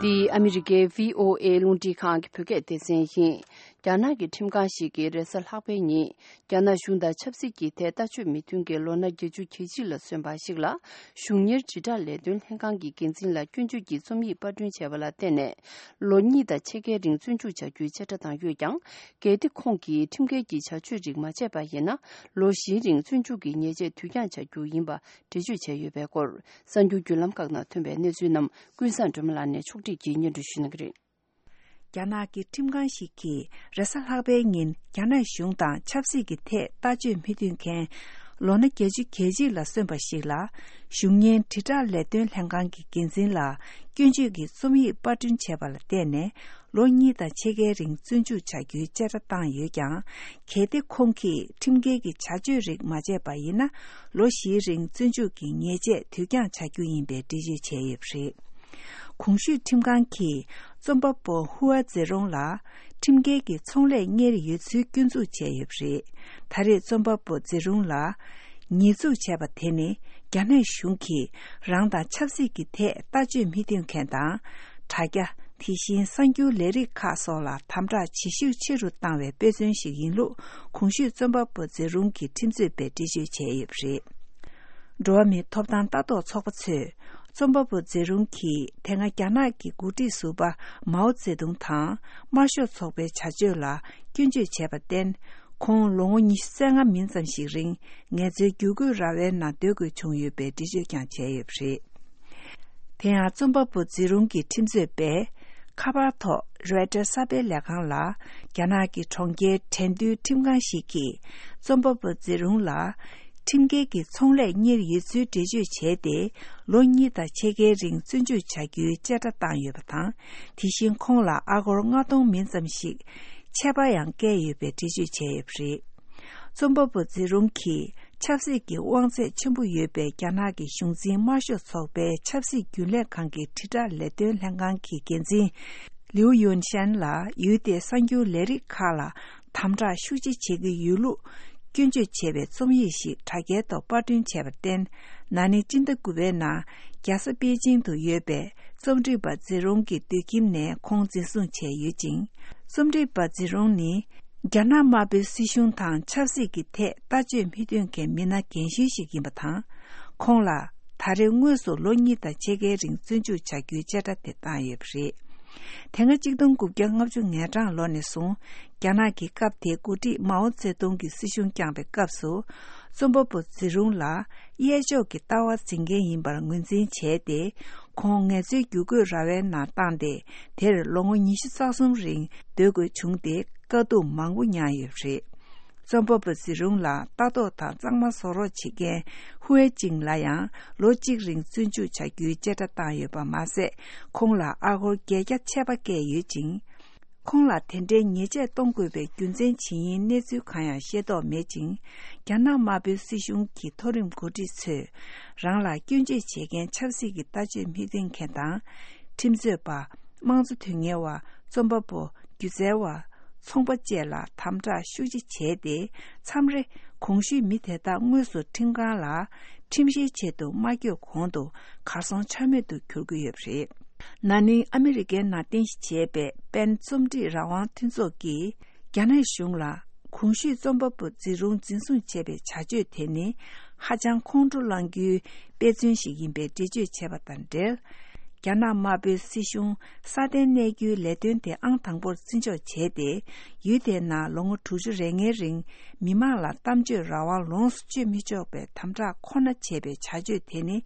འདི་ཨ་མི་རི་ཀའི་བྷི་ཨོ་ཨེ་རླུང་འཕྲིན་ཁང་གི་བོད་སྐད་སྡེ་ཚན་ཡིན། རྒྱ་ནག་གི་ཁྲིམས་ཁང་ཞིག་གིས་རེས་གཟའ་ལྷག་པའི་ཉིན། རྒྱ་ནག་གཞུང་དང་ཆབ་སྲིད་ཀྱི་ཐད་ལྟ་སྤྱོད་མི་མཐུན་རྐྱེན་ལོ་ན་བརྒྱད་ཅུ་གྱ་གཅིག་ལ་སོན་པ་ཞིག་ལ། གཞུང་གཉེར་དྲིལ་བསྒྲགས་ལས་དོན་ལྷན་ཁང་གི་འགན་འཛིན་ལ་སྐྱོན་བརྗོད་ཀྱི་རྩོམ་ཡིག་པར་སྐྲུན་བྱས་པ་ལ་བརྟེན་ནས། ལོ་གཉིས་དང་ཕྱེད་ཀའི་རིང་བཙོན་འཇུག་བྱ་རྒྱུའི་བཅད་ཁྲ་བཏང་ཡོད་ཀྱང་། གལ་ཏེ་ཁོང་གིས་ཁྲིམས་འགལ་གྱི་བྱ་སྤྱོད་རིགས་མ་བྱས་པ་ཡིན་ན། ལོ་བཞིའི་རིང་བཙོན་འཇུག་གི་ཉེས་ཆད་དུས་འགྱངས་བྱ་རྒྱུ་ཡིན་པ་འགྲེལ་བརྗོད་བྱས་ཡོད་པའི་སྐོར། གསར་འགྱུར་བརྒྱུད་ལམ་ཁག་ནང་ཐོན་པའི་གནས་ཚུལ་རྣམས་ཀུན་བཟང་སྒྲོལ་མ་ལགས་ནས་ཕྱོགས་སྒྲིག་གིས་སྙན་སྒྲོན་ཞུ་གནང་གི་རེད། རྒྱ་ནག་གི་ཁྲིམས་ཁང་ཞིག་གིས་རེས་གཟའ་ལྷག་པའི་ཉིན་རྒྱ་ནག་གཞུང་དང་ཆབ་སྲིད་ཀྱི་ཐད་ལྟ་སྤྱོད་མི་མཐུན་མཁན་ལོ་ན་བརྒྱད་ཅུ་གྱ་གཅིག་ལ་སོན་པ་ཞིག་ལ། གཞུང་གཉེར་དྲིལ་བསྒྲགས་ལས་དོན་ལྷན་ཁང་གི་འགན་འཛིན་ལ་སྐྱོན་བརྗོད་ཀྱི་རྩོམ་ཡིག་པར་སྐྲུན་བྱས་པ་ལ་བརྟེན་ནས། ལོ་གཉིས་དང་ཕྱེད་ཀའི་རིང་བཙོན་འཇུག་བྱ་རྒྱུའི་བཅད་ཁྲ་བཏང་ཡོད་ཀྱང་། གལ་ཏེ་ཁོང་གིས་ཁྲིམས་འགལ་གྱི་བྱ་སྤྱོད་རིགས་མ་བྱས་པ་ཡིན་ན། ལོ་བཞིའི་རིང་བཙོན་འཇུག་གི་ཉེས་ཆད་དུས་འགྱངས་བྱ་རྒྱུ་ཡིན་པའི་འགྲེལ་བརྗོད་བྱས་ཡོད་པ་རེད། གོང་ཞུས་ཁྲིམས་ཁང་གིས་རྩོམ་པ་པོ་ཧུའ་ཛེ་རོང་ལ་ཁྲིམས་འགལ་གྱི་ཚོང་ལས་གཉེར་ཡོད་ཚུལ་སྐྱོན་འཛུགས་བྱས་ཡོད་པ་རེད། ད་རེས་རྩོམ་པ་པོ་ཛེ་རོང་ལ་ ཉེས་འཛུགས་བྱས་པ་དེ་ནི། རྒྱ་ནག་གཞུང་གིས་རང་དང་ཆབ་སྲིད་ཀྱི་ཐད་ལྟ་སྤྱོད་མི་མཐུན་མཁན་དང་། དྲ་རྒྱ། དེ་བཞིན་གསར་འགྱུར་ལས་རིགས་ཁག་སོགས་ལ་དམ་དྲག་ཇེ་ཤུགས་ཆེ་རུ་བཏང་བའི་དཔེ་མཚོན་ཞིག་ཡིན་ལུགས། གོང་ཞུས་རྩོམ་པ་པོ་ཛེ་རུང་གི་ཁྲིམས་རྩོད་པས་འགྲེལ་བརྗོད་བྱས་ཡོད་པ་རེད། འགྲོ་བ་མིའི་ཐོབ་ཐང་ལྟ་རྟོག་ཚོགས་པ་ཚོས། རྩོམ་པ་པོ་ཛེ་རུང་གིས་དེ་སྔ་རྒྱ་ནག་གི་འགོ་ཁྲིད་ཟུར་པ་མའོ་ཙེ་ཏུང་དང་། དམར་ཤོག་ཚོགས་པའི་བྱ་སྤྱོད་ལ་སྐྱོན་བརྗོད་བྱས་པར་བརྟེན། ཁོང་ལོ་ངོ་ཉི་ཤུ་རྩ་ལྔ་མིན་ཙམ་ཞིག་རིང་ངལ་རྩོལ་བསྒྱུར་བཀོད་ར་བའི་ནང་སྡོད་དགོས་བྱུང་ཡོད་པའི་འགྲེལ་བརྗོད་ཀྱང་བྱས་ཡོད་པ་རེད། དེ་ཡང་རྩོམ་པ་པོ་ཛི་རུང་གི་ཁྲིམས་རྩོད་པས་ཁ་པར་ཐོག་རོའི་ཊར་གསར་སྤེལ་ལས་ཁང་ལ། རྒྱ་ནག་གི་གྲོང་ཁྱེར་ཁྲེན་ཏུའུ་ཁྲིམས་ཁང་ཞིག་གིས་རྩོམ་པ་པོ་ཛི་རུང་ལ། ཁྲིམས་འགལ་གྱི་ཚོང་ལས་གཉེར་ཡོད་ཚུལ་འགྲེལ་བརྗོད་བྱས་ཏེ། ལོ་གཉིས་དང་ཕྱེད་ཀའི་རིང་བཙོན་འཇུག་བྱ་རྒྱུའི་བཅད་ཁྲ་བཏང་ཡོད་པ་དང་། དེ་བཞིན་ཁོང་ལ་ཨ་སྒོར་ལྔ་སྟོང་མིན་ཙམ་ཞིག་ཆད་པ་ཡང་བཀལ་ཡོད་པའི་འགྲེལ་བརྗོད་བྱས་ཡོད་པ་རེད། རྩོམ་པ་པོ་ཛི་རུང་གིས་ཆབ་སྲིད་ཀྱི་དབང་ཚད་ཆེན་པོ་ཡོད་པའི་རྒྱ་ནག་གི་གཞུང་འཛིན་དམར་ཤོག་ཚོགས་པའི་ཆབ་སྲིད་རྒྱུན་ལས་ཁང་གི་དྲིལ་བསྒྲགས་ལས་དོན་ལྷན་ཁང་གི་འགན་འཛིན་ལིའུ་ཡུན་ཤན་ལ། ཡུལ་དེའི་གསར་འགྱུར་ལས་རིགས་ཁག་ལ་དམ་དྲག་ཤུགས་ཆེ་བྱེད་ཀྱི་ཡོད་ལུགས་སྐྱོན་བརྗོད་བྱས་པའི་རྩོམ་ཡིག་ཞིག་དྲ་རྒྱའི་ཐོག་པར་སྐྲུན་བྱས་པར་བརྟེན། ན་ནིང་སྤྱི་ཟླ་དགུ་པའི་ནང་རྒྱལ་ས་པེ་ཅིང་དུ་ཡོད་པའི་རྩོམ་སྒྲིག་པ་ཛི་རུང་གི་སྡོད་ཁྱིམ་ནས་ཁོང་འཛིན་བཟུང་བྱས་ཡོད་ཅིང་། རྩོམ་སྒྲིག་པ་ཛི་རུང་ནི། རྒྱ་ནག་དམར་པོའི་སྲིད་གཞུང་དང་ཆབ་སྲིད་ཀྱི་ཐད་ལྟ་སྤྱོད་མི་མཐུན་མཁན་མི་སྣ་རྒན་གཞོན་ཞིག་ཡིན་པ་དང་། ཁོང་ལ་ད་རེས་དངོས་སུ་ལོ་གཉིས་དང་ཕྱེད་ཀའི་རིང་བཙོན་འཇུག་བྱ་རྒྱུའི་བཅད་ཁྲ་དེ་བཏང་ཡོད་པ་རེད། དེ་སྔ་གཅིག་སྟོང་དགུ་བརྒྱ་ལྔ་བཅུ་ང་གྲངས་ལོ་ནས་བཟུང་། རྒྱ་ནག་གི་སྐབས་དེའི་འགོ་ཁྲིད་མའོ་ཙེ་ཏུང་གི་སྲིད་གཞུང་བསྐྱངས་པའི་སྐབས་སུ། རྩོམ་པ་པོ་ཛི་རུང་ལ་གཡས་ཕྱོགས་ཀྱི་ལྟ་བ་འཛིན་མཁན་ཡིན་པར་ངོས་འཛིན་བྱས་ཏེ། ཁོང་ངལ་རྩོལ་བསྒྱུར་བཀོད་ར་བའི་ནང་བཏང་སྟེ། དེར་ལོ་ངོ་ཉི་ཤུ་རྩ་གསུམ་རིང་སྡོད་དགོས་བྱུང་སྟེ། དཀའ་སྡུག་མང་པོ་མྱངས་ཡོད་པ་རེད། རྩོམ་པ་པོ་ཛི་རུང་ལ་ལྟ་རྟོག་དང་གཙང་མ་བཟོ་རོགས་བྱེད་མཁན་ཧུའེ་ཅིང་ལ་ཡང་ལོ་གཅིག་རིང་བཙོན་འཇུག་བྱ་རྒྱུའི་བཅད་ཁྲ་བཏང་ཡོད་པ་མ་ཟད། ཁོང་ལ་ཨ་སྒོར་བརྒྱད་བརྒྱ་ཆད་པ་བཀལ་ཡོད་ཅིང་། ཁོང་ལ་དེ་འདྲའི་ཉེས་ཆད་གཏོང་དགོས་པའི་རྒྱུ་མཚན་ཇི་ཡིན་གནས་ཚུལ་གང་ཡང་ཤེས་རྟོགས་མེད་ཅིང་། རྒྱ་ནག་དམར་པོའི་སྲིད་གཞུང་གི་མཐོ་རིམ་འགོ་ཁྲིད་ཚོས་རང་ལ་སྐྱོན་བརྗོད་བྱེད་མཁན་ཆབ་སྲིད་ཀྱི་ལྟ་སྤྱོད་མི་མཐུན་མཁན་དང་། ཁྲིམས་རྩོད་པ། དམངས་གཙོ་དོན་གཉེར་བ། རྩོམ་པ་པོ། སྒྱུ་རྩལ་བ། ཚོང་པ་བཅས་ལ་དམ་དྲག་ཤུགས་ཆེ་བྱས་ཏེ། མཚམས་རེ་གོང་ཞུས་མི་དེ་དག་དངོས་སུ་ཁྲིམས་ཁང་ལ་ཁྲིམས་བཤེར་ཆེད་དུ་མ་བསྐྱོད་གོང་དུ་གར་སོང་ཆ་མེད་དུ་གྱུར་གྱི་ཡོད་པ་རེད། ན་ནིང་ཨ་མི་རི་ཀའི་ནང་རྟེན་གཞི་བྱས་པའི་པེན་རྩོམ་སྒྲིག་རང་དབང་མཐུན་ཚོགས་ཀྱིས་རྒྱ་ནག་གཞུང་ལ་གོང་ཞུས་རྩོམ་པ་པོ་ཛི་རུང་འཛིན་བཟུང་བྱས་པའི་བྱ་སྤྱོད་དེ་ནི་ཧ་ཅང་ཁོང་ཁྲོ་ལངས་རྒྱུའི་དཔེ་མཚོན་ཞིག་ཡིན་པའི་འགྲེལ་བརྗོད་བྱས་པ་དང་འབྲེལ། རྒྱ་ནག་དམར་པོའི་སྲིད་གཞུང་སྲ་བརྟན་གནས་རྒྱུའི་ལས་དོན་དེ་ཨང་དང་པོར་བརྩི་འཇོག་བྱས་ཏེ། ཡུལ་དེའི་ནང་ལོ་ངོ་དྲུག་ཅུ་རེ་ལྔའི་རིང་མི་མང་ལ་གཏམ་བརྗོད་རང་དབང་ལོངས་སུ་སྤྱོད་མི་ཆོག་པའི་དམ་དྲག་ཁོ་ན་བྱས་པའི་བྱ་སྤྱོད་དེ་ནི།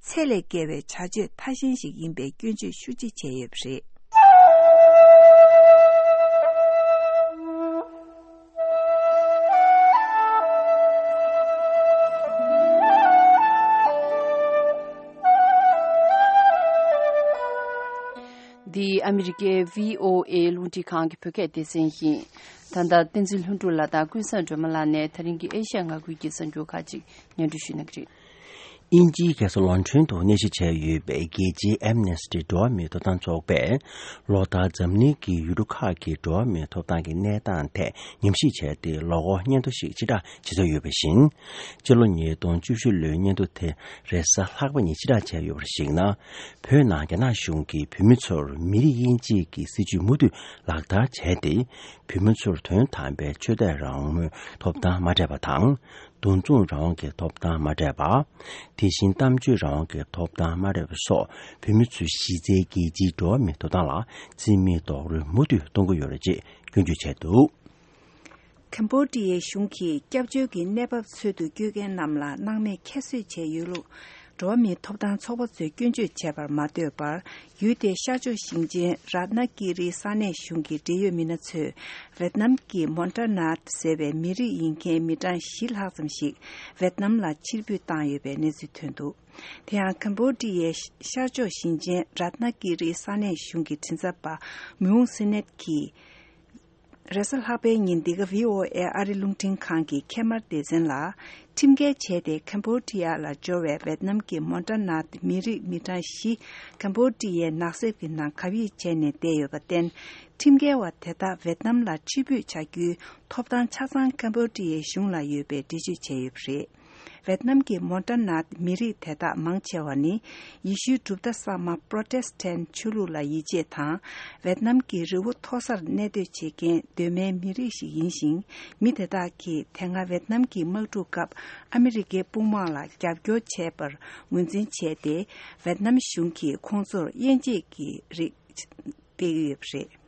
ཚད་ལས་བརྒལ་བའི་བྱ་སྤྱོད་ཐ་ཞན་ཞིག་ཡིན་པའི་སྐྱོན་བརྗོད་ཤུགས་ཆེ་བྱས་ཡོད་པ་རེད། འདི་ཨ་མི་རི་ཀའི་བྷི་ཨོ་ཨེ་རླུང་འཕྲིན་ཁང་གི་བོད་སྐད་སྡེ་ཚན་ཡིན། ད་ལྟ་བསྟན་འཛིན་ལྷུན་གྲུབ་ལགས་དང་ཀུན་བཟང་སྒྲོལ་མ་ལགས་ནས་ད་རིང་གི་ཨེ་ཤ་ཡ་མངའ་ཁུལ་གྱི་གསར་འགྱུར་ཁག་ཅིག་སྙན་སྒྲོན་ཞུ་གནང་གི་རེད། དབྱིན་ཇིའི་རྒྱལ་ས་ལོན་ཌོན་དུ་གནས་གཞི་བྱས་ཡོད་པའི་རྒྱལ་སྤྱིའི་ཨེམ་ནེ་སི་ཊི་འགྲོ་བ་མིའི་ཐོབ་ཐང་ཚོགས་པས། ལོ་ལྟར་འཛམ་གླིང་གི་ཡུལ་གྲུ་ཁག་གི་འགྲོ་བ་མིའི་ཐོབ་ཐང་གི་གནས་སྟངས་ཐད་ཉམས་ཞིབ་བྱས་ཏེ། ལོ་འཁོར་སྙན་ཐོ་ཞིག་ཕྱིར་བསྒྲགས་བྱེད་འཆར་ཡོད་པ་བཞིན། སྤྱི་ལོ་ཉིས་སྟོང་བཅུ་བཞི་ལོའི་སྙན་ཐོ་དེ་རེས་གཟའ་ལྷག་པ་ཉིན་ཕྱིར་བསྒྲགས་བྱས་ཡོད་པར་གཞིགས་ན། བོད་ནང་རྒྱ་ནག་གཞུང་གིས་བོད་མི་ཚོར་མི་རིགས་དབྱེ་འབྱེད་ཀྱི་སྲིད་བྱུས་མུ་མཐུད་ལག་བསྟར་བྱས་ཏེ། བོད་མི་ཚོར་དོན་དམ་པའི་ཆོས་དད་རང་མོས་ཐོབ་ཐང་མ་སྤྲད་པ་དང་། འདུ་འཛོམས་རང་དབང་གི་ཐོབ་ཐང་མ་སྤྲད་པ། དེ་བཞིན་གཏམ་བརྗོད་རང་དབང་གི་ཐོབ་ཐང་མ་སྤྲད་པ་སོགས། བོད་མི་ཚོས་གཞི་རྩའི་རྒྱལ་སྤྱིའི་འགྲོ་བ་མིའི་ཐོབ་ཐང་ལ་བརྩི་མེད་རྡོག་རོལ་མུ་མཐུད་གཏོང་གི་ཡོད་རེད་ཅེས་སྐྱོན་བརྗོད་བྱས་འདུག། ཁེམ་བྷོ་ཌི་ཡའི་གཞུང་གིས་སྐྱབས་བཅོལ་གྱི་གནས་བབ་འཚོལ་དུ་བསྐྱོད་མཁན་རྣམས་ལ་སྣང་མེད་ཁྱད་གསོད་བྱས་ཡོད་ལུགས། འགྲོ་བ་མིའི་ཐོབ་ཐང་ཚོགས་པ་ཚོས་སྐྱོན་བརྗོད་བྱས་པར་མ་ལྟོས་པར། ཡུལ་དེའི་ཤར་ཕྱོགས་ཞིང་ཆེན་རཏྣ་ཀི་རིའི་ས་གནས་གཞུང་གི་འབྲེལ་ཡོད་མི་སྣ་ཚོས། ཝེད་ནམ་གྱི་མོན་ཏྲ་ནཱད་ཟེར་བའི་མི་རིགས་ཡིན་མཁན་མི་གྲངས་བཞི་ལྷག་ཙམ་ཞིག་ཝེད་ནམ་ལ་ཕྱིར་འབུད་བཏང་ཡོད་པའི་གནས་ཚུལ་ཐོན་འདུག། དེ་ཡང་ཁེམ་བྷོ་ཌི་ཡའི་ཤར་ཕྱོགས་ཞིང་ཆེན་རཏྣ་ཀི་རིའི་ས་གནས་གཞུང་གི་མགྲིན་ཚབ་པ་མུའུ་སི་ནེད་ཀྱིས། རེས་གཟའ་ལྷག་པའི་ཉིན་འདི་ག་བྷི་ཨོ་ཨེ་ཨ་རི་རླུང་འཕྲིན་ཁང་གི་ཁེ་མར་སྡེ་ཚན་ལ། ཁྲིམས་འགལ་བྱས་ཏེ་ཁེམ་བྷོ་ཌི་ཡ་ལ་འབྱོར་བའི་ཝེད་ནམ་གྱི་མོན་ཏྲ་ནཱད་མི་རིགས་མི་གྲངས་བཞི་ཁེམ་བྷོ་ཌི་ཡའི་ནགས་གསེབ་ཀྱི་ནང་གབ་ཡིབ་བྱས་ནས་བསྡད་ཡོད་པར་བརྟེན། ཁྲིམས་འགལ་བ་དེ་དག་ཝེད་ནམ་ལ་ཕྱིར་འབུད་བྱ་རྒྱུའི་ཐོབ་ཐང་ཆ་ཚང་ཁེམ་བྷོ་ཌི་ཡའི་གཞུང་ལ་ཡོད་པའི་འགྲེལ་བརྗོད་བྱས་ཡོད་པ་རེད། ཝེད་ནམ་གྱི་མོན་ཊ་ནཱ་མི་རིགས་དེ་དག་མང་ཆེ་བ་ནི་ཡེ་ཤུའི་གྲུབ་མཐའ་གསར་མ་པྲོ་ཊེ་སི་ཊན་ཆོས་ལུགས་ལ་ཡིད་ཆེས་དང་། ཝེད་ནམ་གྱི་རི་བོ་མཐོ་སར་གནས་སྡོད་བྱེད་མཁན་གདོད་མའི་མི་རིགས་ཤིག་ཡིན་ཞིང་། མི་དེ་དག་གིས་དེ་སྔ་ཝེད་ནམ་གྱི་དམག་འཁྲུག་སྐབས་ཨ་མི་རི་ཀའི་དཔུང་དམག་ལ་རྒྱབ་སྐྱོར་བྱས་པར་ངོས་འཛིན་བྱས་ཏེ། ཝེད་ནམ་གཞུང་གིས་ཁོང་ཚོར་དབྱེ་འབྱེད་ཀྱི་རིགས་སྤེལ་ཡོད་པ་རེད།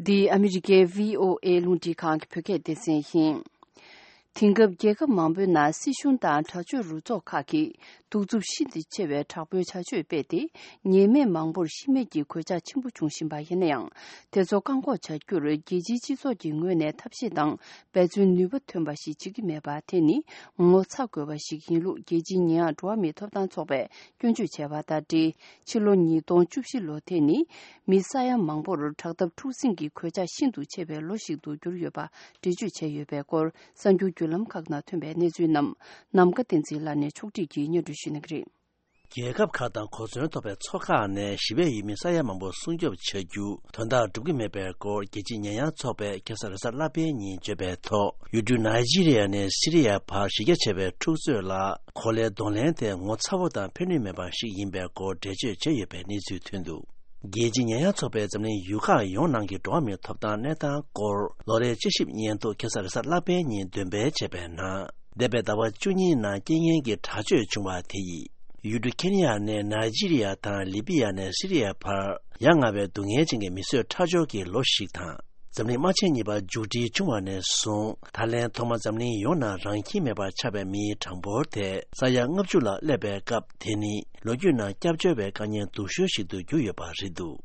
འདི་ཨ་མི་རི་ཀའི་བྷི་ཨོ་ཨེ་རླུང་འཕྲིན་ཁང་གི་བོད་སྐད་སྡེ་ཚན་ཡིན། དེང་སྐབས་རྒྱལ་ཁབ་མང་པོའི་ནང་སྲིད་གཞུང་དང་དྲག་སྤྱོད་རུ་ཚོགས་ཁག་གིས་གདུག་རྩུབ་ཤིན་ཏུ་ཆེ་བའི་དྲག་པོའི་བྱ་སྤྱོད་སྤེལ་ཏེ། ཉེས་མེད་མང་པོར་ཤི་རྨས་ཀྱི་གོད་ཆག་ཆེན་པོ་བྱུང་བཞིན་པ་ཡིན་ན་ཡང་། དེ་ཚོ་བཀག་འགོག་བྱ་རྒྱུར་རྒྱལ་སྤྱིའི་སྤྱི་ཚོགས་ཀྱི་ངོས་ནས་ཐབས་ཤེས་དང་འབད་བརྩོན་ནུས་པ་ཐོན་པ་ཞིག་བྱེད་ཀྱི་མེད་པ་དེ་ནི་ངོ་ཚ་དགོས་པ་ཞིག་ཡིན་ལུགས་རྒྱལ་སྤྱིའི་ཉེས་ཡངས་འགྲོ་བ་མིའི་ཐོབ་ཐང་ཚོགས་པས་སྐྱོན་བརྗོད་བྱས་པ་དང་འབྲེལ། ཕྱི་ལོ་ཉིས་སྟོང་བཅུ་བཞི་ལོ་དེ་ནི་མི་ས་ཡ་མང་པོར་དྲག་འཐབ་འཁྲུག་ཟིང་གི་གོད་ཆག་ཤིན་ཏུ་ཆེ་བའི་ལོ་ཞིག་ཏུ་གྱུར་ཡོད་པ་འགྲེལ་བརྗོད་བྱས་ཡོད་པའི་སྐོར། གསར་འགྱུར་བརྒྱུད་ལམ་ཁག་ནང་ཐོན་པའི་གནས་ཚུལ་རྣམས་ནམ་མཁའ་བསྟན་འཛིན་ལགས་ནས་ཕྱོགས་སྒྲིག་གིས་སྙན་སྒྲོན་ཞུ་གནང་གི་རེད། རྒྱལ་ཁབ་ཁག་དང་གོ་མཚོན་ཐོབ་པའི་ཚོགས་ཁག་ནས་ཞི་བའི་ཡུལ་མི་ས་ཡ་མང་པོ་སྲུང་སྐྱོབ་བྱ་རྒྱུ་དོན་དག་འགྲུབ་ཀྱི་མེད་པའི་སྐོར། རྒྱལ་སྤྱིའི་ཉེས་ཡངས་ཚོགས་པས་ཁ་སང་རེས་གཟའ་ལྷག་པའི་ཉིན་བརྗོད་པའི་ཐོག་ཡུལ་གྲུ་ནཱི་ཇི་རི་ཡ་ནས་སི་རི་ཡ་བར་གཞི་རྒྱ་ཆེ་བའི་འཁྲུག་རྩོད་ལ་གོ་ལའི་གདོང་ལེན་དེ་ངོ་ཚ་བོ་དང་ཕན་ནུས་མེད་པ་ཞིག་ཡིན་པའི་སྐོར་འགྲེལ་བརྗོད་བྱས་ཡོད་པའི་གནས་ཚུལ་ཐོན་འདུག་རྒྱལ་སྤྱིའི་ཉེས་ཡངས་ཚོགས་པས་འཛམ་གླིང་ཡུལ་ཁག་ཡོངས་ནང་གི་འགྲོ་བ་མིའི་ཐོབ་ཐང་གནས་སྟངས་སྐོར་ལོ་རེའི་དཔྱད་ཞིབ་སྙན་ཐོ་ཁ་སང་རེས་གཟའ་ལྷག་པའི་ཉིན་འདོན་སྤེལ་བྱས་པའི་ནང་། འདས་པའི་ཟླ་བ་བཅུ་གཉིས་ནང་རྐྱེན་ངན་གྱི་དྲག་སྤྱོད་བྱུང་བ་དེ་ཡིས་ཡུལ་གྲུ་ཁེན་ཡ་ནས་ནཱི་ཇི་རི་ཡ་དང་ལི་པི་ཡ་ནས་སི་རི་ཡ་བར་ཡ་ང་བའི་སྡུག་བསྔལ་ཅན་གྱི་མི་གསོད་ཁྲག་སྦྱོར་གྱི་ལོ་ཞིག་དང་། འཛམ་གླིང་དམག་ཆེན་གཉིས་པ་མཇུག་སྒྲིལ་བྱུང་བ་ནས་བཟུང་ད་ལན་ཐོག་མ་འཛམ་གླིང་ཡོངས་ནང་རང་ཁྱིམ་མེད་པར་ཆགས་པའི་མིའི་གྲངས་འབོར་དེ་ས་ཡ་ལྔ་བཅུ་ལ་སླེབས་པའི་སྐབས། དེ་ནི་ལོ་རྒྱུས་ནང་སྐྱབས་བཅོལ་བའི་དཀའ་ངལ་སྡུག་ཤོས་ཤིག་ཏུ་གྱུར་ཡོད་པ་རེད་འདུག་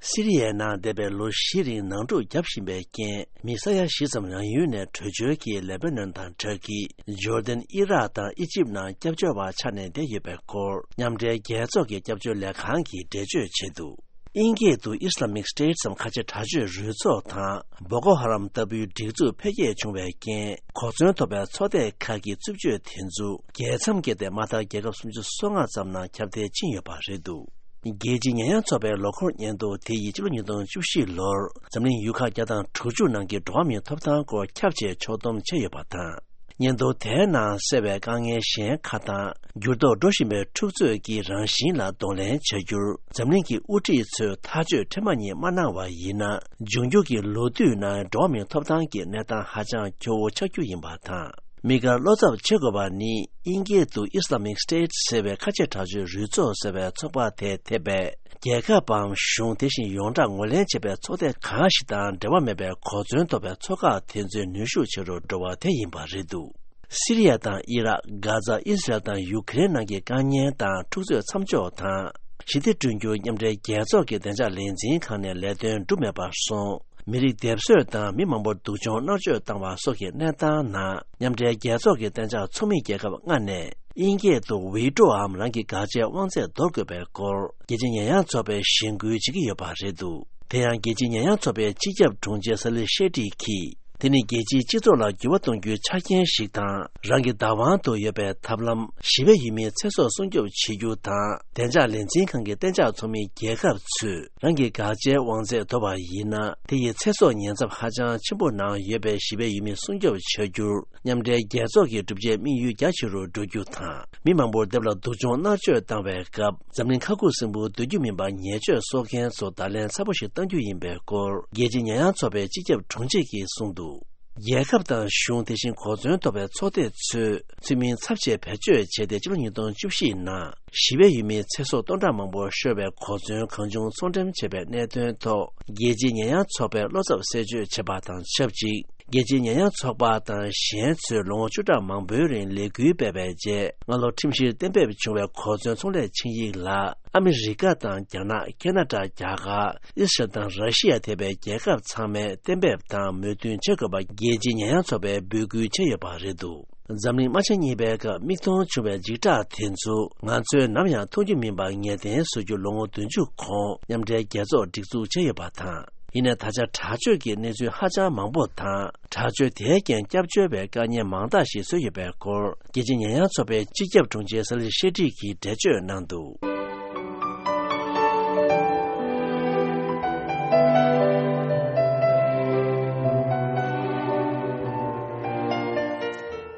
སི་རི་ཡའི་ནང་འདས་པའི་ལོ་བཞི་རིང་ནང་འཁྲུག་བརྒྱབ་བཞིན་པའི་རྐྱེན། མི་ས་ཡ་བཞི་ཙམ་རང་ཡུལ་ནས་བྲོས་བྱོལ་གྱིས་ལེ་པ་ནན་དང་ཏུར་ཀི། ཇོར་ཌན། ཨི་རག་དང་ཨི་ཇིབ་ནང་སྐྱབས་བཅོལ་བ་ཆགས་ནས་བསྡད་ཡོད་པའི་སྐོར་མཉམ་འབྲེལ་རྒྱལ་ཚོགས་ཀྱི་སྐྱབས་བཅོལ་ལས་ཁང་གིས་འགྲེལ་བརྗོད་བྱས་འདུག་དབྱིན་སྐད་དུ་Islamic State ཙམ་ཁ་ཆེ་དྲག་སྤྱོད་རུས་ཚོགས་དང་བོ་ཀོ་ཧ་རམ་ལྟ་བུའི་སྒྲིག་འཛུགས་འཕེལ་རྒྱས་བྱུང་བའི་རྐྱེན། གོ་མཚོན་ཐོབ་པའི་ཚོགས་སྡེ་ཁག་གི་རྩུབ་སྤྱོད་དེ་ཚོ་རྒྱལ་མཚམས་བརྒལ་ཏེ་མ་མཐའ་རྒྱལ་ཁབ་སུམ་ཅུ་སོ་ལྔ་ཙམ་ནང་ཁྱབ་གདལ་ཕྱིན་ཡོད་པ་རེད་འདུག་རྒྱལ་སྤྱིའི་ཉེས་ཡངས་ཚོགས་པའི་ལོ་འཁོར་སྙན་ཐོ་དེ་ཡིས་ཕྱི་ལོ་ཉིས་སྟོང་བཅུ་བཞི་ལོར་འཛམ་གླིང་ཡུལ་ཁག་བརྒྱ་དང་དྲུག་ཅུ་ནང་གི་འགྲོ་བ་མིའི་ཐོབ་ཐང་སྐོར་ཁྱབ་ཆེ་ཕྱོགས་བསྡོམས་བྱས་ཡོད་པ་དང་། སྙན་ཐོ་དེའི་ནང་གསལ་བའི་དཀའ་ངལ་གཞན་ཁག་དང་། འགྱུར་ལྡོག་འགྲོ་བཞིན་པའི་འཁྲུག་རྩོད་ཀྱི་རང་བཞིན་ལ་གདོང་ལེན་བྱ་རྒྱུར་འཛམ་གླིང་གི་དབུ་ཁྲིད་ཚོས་ཐག་གཅོད་ཁྲེལ་མ་ཉེས་མ་གནང་བ་ཡིན་ན། འབྱུང་འགྱུར་གྱི་ལོ་དུས་ནང་འགྲོ་བ་མིའི་ཐོབ་ཐང་གི་གནས་སྟངས་ཧ་ཅང་སྐྱོ་བོ་ཆགས་རྒྱུ་ཡིན་པ་དང་། དམིགས་བཀར་བློ་འཚབ་བྱེད་དགོས་པ་ནི། དབྱིན་སྐད་དུ་Islamic State ཟེར་བའི་ཁ་ཆེ་དྲག་སྤྱོད་རུས་ཚོགས་ཟེར་བའི་ཚོགས་པ་དེས་འདས་པའི་རྒྱལ་ཁབ་བམ་གཞུང་དེ་བཞིན་ཡོངས་གྲགས་ངོས་ལེན་བྱས་པའི་ཚོགས་སྡེ་གང་ཞིག་དང་འབྲེལ་བ་མེད་པའི་གོ་མཚོན་ཐོབ་པའི་ཚོགས་ཁག་དེ་ཚོའི་ནུས་ཤུགས་ཆེ་རུ་འགྲོ་བ་དེ་ཡིན་པ་རེད་འདུག་སི་རི་ཡ་དང་ཨི་རག། གྷ་ཛ། ཨི་སི་རལ་དང་ཡུ་ཀེ་རེན་ནང་གི་དཀའ་ཉེན་དང་འཁྲུག་རྩོད་མཚམས་འཇོག་དང་། ཞི་བདེ་བསྐྲུན་རྒྱུར་མཉམ་འབྲེལ་རྒྱལ་ཚོགས་ཀྱི་བདེ་འཇགས་ལས་འཛིན་ཁང་ནས་ལས་དོན་སྒྲུབ་མེད་པར་སོང་། མི་རིགས་སྡེབ་གསོད་དང་མི་མང་པོར་སྡུག་སྦྱོང་མནར་གཅོད་བཏང་བ་སོགས་ཀྱི་གནས་སྟངས་ནང་། མཉམ་འབྲེལ་རྒྱལ་ཚོགས་ཀྱི་གཏན་འཇགས་ཚོགས་མི་རྒྱལ་ཁབ་ལྔ་ནས། དབྱིན་སྐད་དུ་Veto འམ་རང་གི་དགག་བྱའི་དབང་ཚད་འདོར་དགོས་པའི་སྐོར། རྒྱལ་སྤྱིའི་ཉེས་ཡངས་ཚོགས་པས་གཞེན་སྐུལ་བྱེད་ཀྱི་ཡོད་པ་རེད་འདུག་དེ་ཡང་རྒྱལ་སྤྱིའི་ཉེས་ཡངས་ཚོགས་པའི་སྤྱི་ཁྱབ་དྲུང་ཆེ་སཱ་ལི་ཤེ་ཏི་གིས། དེ་ནི་རྒྱལ་སྤྱིའི་སྤྱི་ཚོགས་ལ་འགྱུར་བ་གཏོང་རྒྱུའི་ཆ་རྐྱེན་ཞིག་དང་། རང་གི་བདག་དབང་དུ་ཡོད་པའི་ཐབས་ལམ། ཞི་བའི་ཡུལ་མིའི་ཚེ་སྲོག་སྲུང་སྐྱོབ་བྱེད་རྒྱུ་དང་། བདེ་འཇགས་ལས་འཛིན་ཁང་གི་གཏན་འཇགས་ཚོགས་མི་རྒྱལ་ཁབ་ཚོས། རང་གི་དགག་བྱའི་དབང་ཚད་དོར་བ་ཡིན་ན། དེ་ཡི་ཚེ་སྲོག་ཉེན་ཚབས་ཧ་ཅང་ཆེན་པོ་ནང་ཡོད་པའི་ཞི་བའི་ཡུལ་མི་སྲུང་སྐྱོབ་བྱ་རྒྱུར། མཉམ་འབྲེལ་རྒྱལ་ཚོགས་ཀྱི་བསྒྲུབ་བྱའི་དམིགས་ཡུལ་རྒྱ་ཆེ་རུ་འགྲོ་རྒྱུ་དང་། མི་མང་པོར་སྡེབ་ལ་སྡུག་སྦྱོང་མནར་གཅོད་བཏང་བའི་སྐབས། འཛམ་གླིང་ཁ་ཁུ་སིམ་པོ་སྡོད་རྒྱུ་མིན་པ་ཉེས་སྤྱོད་གསོག་མཁན་ཚོ་བརྡ་ལན་ཚ་པོ་ཞིག་གཏང་རྒྱུ་ཡིན་པའི་སྐོར། རྒྱལ་སྤྱིའི་ཉེས་ཡངས་ཚོགས་པའི་སྤྱི་ཁྱབ་དྲུང་ཆེ་གིས་གསུངས་འདུག་རྒྱལ་ཁབ་དང་གཞུང་། དེ་བཞིན་གོ་མཚོན་ཐོབ་པའི་ཚོགས་སྡེ་ཚོས། ཚུལ་མིན་ཚབས་ཆེ་བེད་སྤྱོད་བྱས་ཏེ། ཕྱི་ལོ་ཉིས་སྟོང་བཅུ་བཞི་ནང་། ཞི་བའི་ཡུལ་མིའི་ཚེ་སྲོག་སྟོང་ཕྲག་མང་པོ་ཤོར་བའི་གོ་མཚོན་གང་བྱུང་ཚོང་འགྲེམས་བྱས་པའི་གནད་དོན་ཐོག་རྒྱལ་སྤྱིའི་ཉེས་ཡངས་ཚོགས་པས་བློ་འཚབ་གསལ་བརྗོད་བྱས་པ་དང་ཆབས་ཅིག་རྒྱལ་སྤྱིའི་ཉེས་ཡངས་ཚོགས་པ་དང་གཞན་ཚོས་ལོ་ངོ་བཅུ་ཕྲག་མང་པོའི་རིང་ལས་འགུལ་སྤེལ་བའི་རྗེས། སྔ་ལོ་ཁྲིམས་གཞིར་གཏན་འབེབས་བྱུང་བའི་གོ་མཚོན་ཚོང་ལས་ཆིངས་ཡིག་ལ། ཨ་མི་རི་ཀ་དང་རྒྱ་ནག་ཁེ་ན་ཌ། རྒྱ་གར། ཨི་སི་རལ་དང་ར་ཤི་ཡ་ཐེ་བའི་རྒྱལ་ཁབ་ཚང་མས་གཏན་འབེབས་དང་མོས་མཐུན་བྱེད་དགོས་པ། རྒྱལ་སྤྱིའི་ཉེས་ཡངས་ཚོགས་པས་འབོད་སྐུལ་བྱས་ཡོད་པ་རེད་འདུག་འཛམ་གླིང་དམག་ཆེན་གཉིས་པའི་སྐབས་མིག་མཐོང་བྱུང་བའི་འཇིགས་སྐྲག་དེ་ཚོ། ང་ཚོས་ནམ་ཡང་མཐོང་རྒྱུ་མིན་པ་ངེས་གཏན་བཟོ་རྒྱུ་ལོ་ངོ་བདུན་ཅུ་གོང་མཉམ་འབྲེལ་རྒྱལ་ཚོགས་སྒྲིག་འཛུགས་བྱས་ཡོད་པ་དང་། ཡིན་ནའི་ད་ཆ་དྲག་སྤྱོད་ཀྱི་གནས་ཚུལ་ཧ་ཅང་མང་པོ་དང་། དྲག་སྤྱོད་དེའི་རྐྱེན་སྐྱབས་བཅོལ་བའི་དཀའ་ཉེན་མང་དག་ཞིག་བཟོས་ཡོད་པའི་སྐོར། རྒྱལ་སྤྱིའི་ཉེས་ཡངས་ཚོགས་པའི་སྤྱི་ཁྱབ་དྲུང་ཆེ་སཱ་ལི་ཤེ་ཏི་གིས་འགྲེལ་བརྗོད་གནང་འདུག་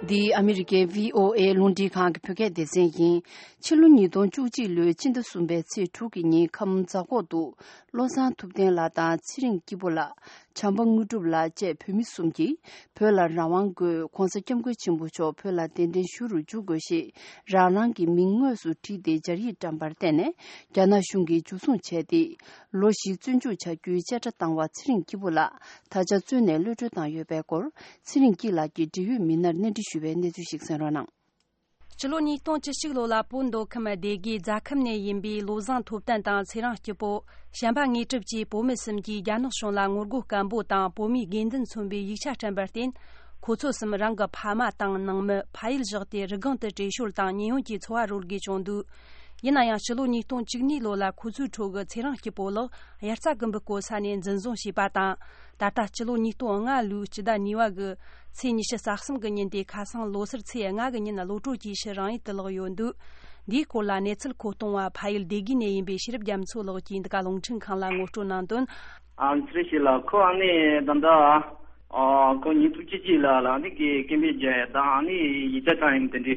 འདི་ཨ་མི་རི་ཀའི་བྷི་ཨོ་ཨེ་རླུང་འཕྲིན་ཁང་གི་བོད་སྐད་སྡེ་ཚན་ཡིན། ཕྱི་ལོ་ཉིས་སྟོང་བཅུ་གཅིག་ལོའི་ཕྱི་ཟླ་གསུམ་པའི་ཚེས་དྲུག་གི་ཉིན་ཁམས་རྫ་ཁོག་ཏུ་བློ་བཟང་ཐུབ་བསྟན་ལགས་དང་ཚེ་རིང་སྐྱིད་པོ་ལགས། བྱམས་པ་དངོས་གྲུབ་ལགས་བཅས་བོད་མི་གསུམ་གྱིས་བོད་ལ་རང་དབང་དགོས། ྋགོང་ས་ྋསྐྱབས་མགོན་ཆེན་པོ་མཆོག་བོད་ལ་གདན་འདྲེན་ཞུ་རུ་འཇུག་དགོས་ཞེས་རང་རང་གི་མིང་དངོས་སུ་བྲིས་ཏེ་སྦྱར་ཡིག་བཀྲམ་པར་བརྟེན་ནས་རྒྱ་ནག་གཞུང་གིས་འཇུ་བཟུང་བྱས་ཏེ། ལོ་བཞི་བཙོན་འཇུག་བྱ་རྒྱུའི་བཅད་ཁྲ་བཏང་བ་ཚེ་རིང་སྐྱིད་པོ་ལགས་ད་ཆ་བཙོན་ནས་གློད་གྲོལ་བཏང་ཡོད་པའི་སྐོར་ཚེ་རིང་སྐྱིད་ལགས་ཀྱི་འབྲེལ་ཡོད་མི་སྣར་གནས་འདྲི་ཞུས་པའི་གནས་ཚུལ་ཞིག་གསན་རོགས་གནང་། སྤྱི་ལོ་ཉིས་སྟོང་བཅུ་གཅིག་ལོ་ལ་བོད་མདོ་ཁམས་སྡེ་དགེའི་རྫ་ཁམས་ནས་ཡིན་པའི་བློ་བཟང་ཐུབ་བསྟན་དང་ཚེ་རིང་སྐྱིད་པོ། བྱམས་པ་དངོས་གྲུབ་བཅས་བོད་མི་གསུམ་གྱིས་རྒྱ་ནག་གཞུང་ལ་ངོ་རྒོལ་སྐད་འབོད་དང་བོད་མིའི་དགོས་འདུན་མཚོན་པའི་ཡིག་ཆ་བཀྲམ་པར་བརྟེན། ཁོ་ཚོ་གསུམ་རང་གི་ཕ་མ་དང་ནང་མི་ཕ་ཡུལ་བཞག་སྟེ་རི་སྒང་དུ་བྲོས་བྱོལ་དང་ཉེན་གཡོལ་གྱི་འཚོ་བ་རོལ་དགོས་བྱུང་འདུག་ཡིན་ན་ཡང་སྤྱི་ལོ་ཉིས་སྟོང་བཅུ་གཉིས་ལོ་ལ་ཁོ་ཚོའི་ཁྲོད་ཀྱི་ཚེ་རིང་སྐྱིད་པོ་ལགས་དབྱར་རྩྭ་དགུན་འབུ་བརྐོ་ས་ནས་འཛིན་བཟུང་བྱས་པ་དང་། ད་ལྟ་སྤྱི་ལོ་ཉིས་སྟོང་ལྔ་ལོའི་སྤྱི་ཟླ་གཉིས་པ་གི་ཚེས་ཉི་ཤུ་རྩ་གསུམ་གི་ཉིན་དེ་ཁ་སང་ལོ་སར་ཚེས་ལྔ་གི་ཉིན་གློད་གྲོལ་གྱིས་ཕྱིར་རང་ཡུལ་དུ་ལོག་ཡོད་འདུག་འདིའི་སྐོར་ལ་གནས་ཚུལ་མཁོ་གཏོང་བ་ཕ་ཡུལ་སྡེ་དགེ་ནས་ཡིན་པའི་ཤེས་རབ་རྒྱ་མཚོ་ལགས་ཀྱིས་འདི་ག་རླུང་འཕྲིན་ཁང་ལ་ངོ་སྤྲོད་གནང་དོན། ཨ་ཚེ་རིང་སྐྱིད་ལགས་ཁོ་ཨ་ནི་ད་ལྟ་ཨ་ཁོ་ཉིས་སྟོང་བཅུ་གཅིག་ལ་ལ་ཨ་ནི་གི་སྐད་འབོད་རྒྱག་ཡ་དང་ཨ་ནི་ཡིག་ཆ་བཀྲམ་ཡིན་དེ་འདྲའི་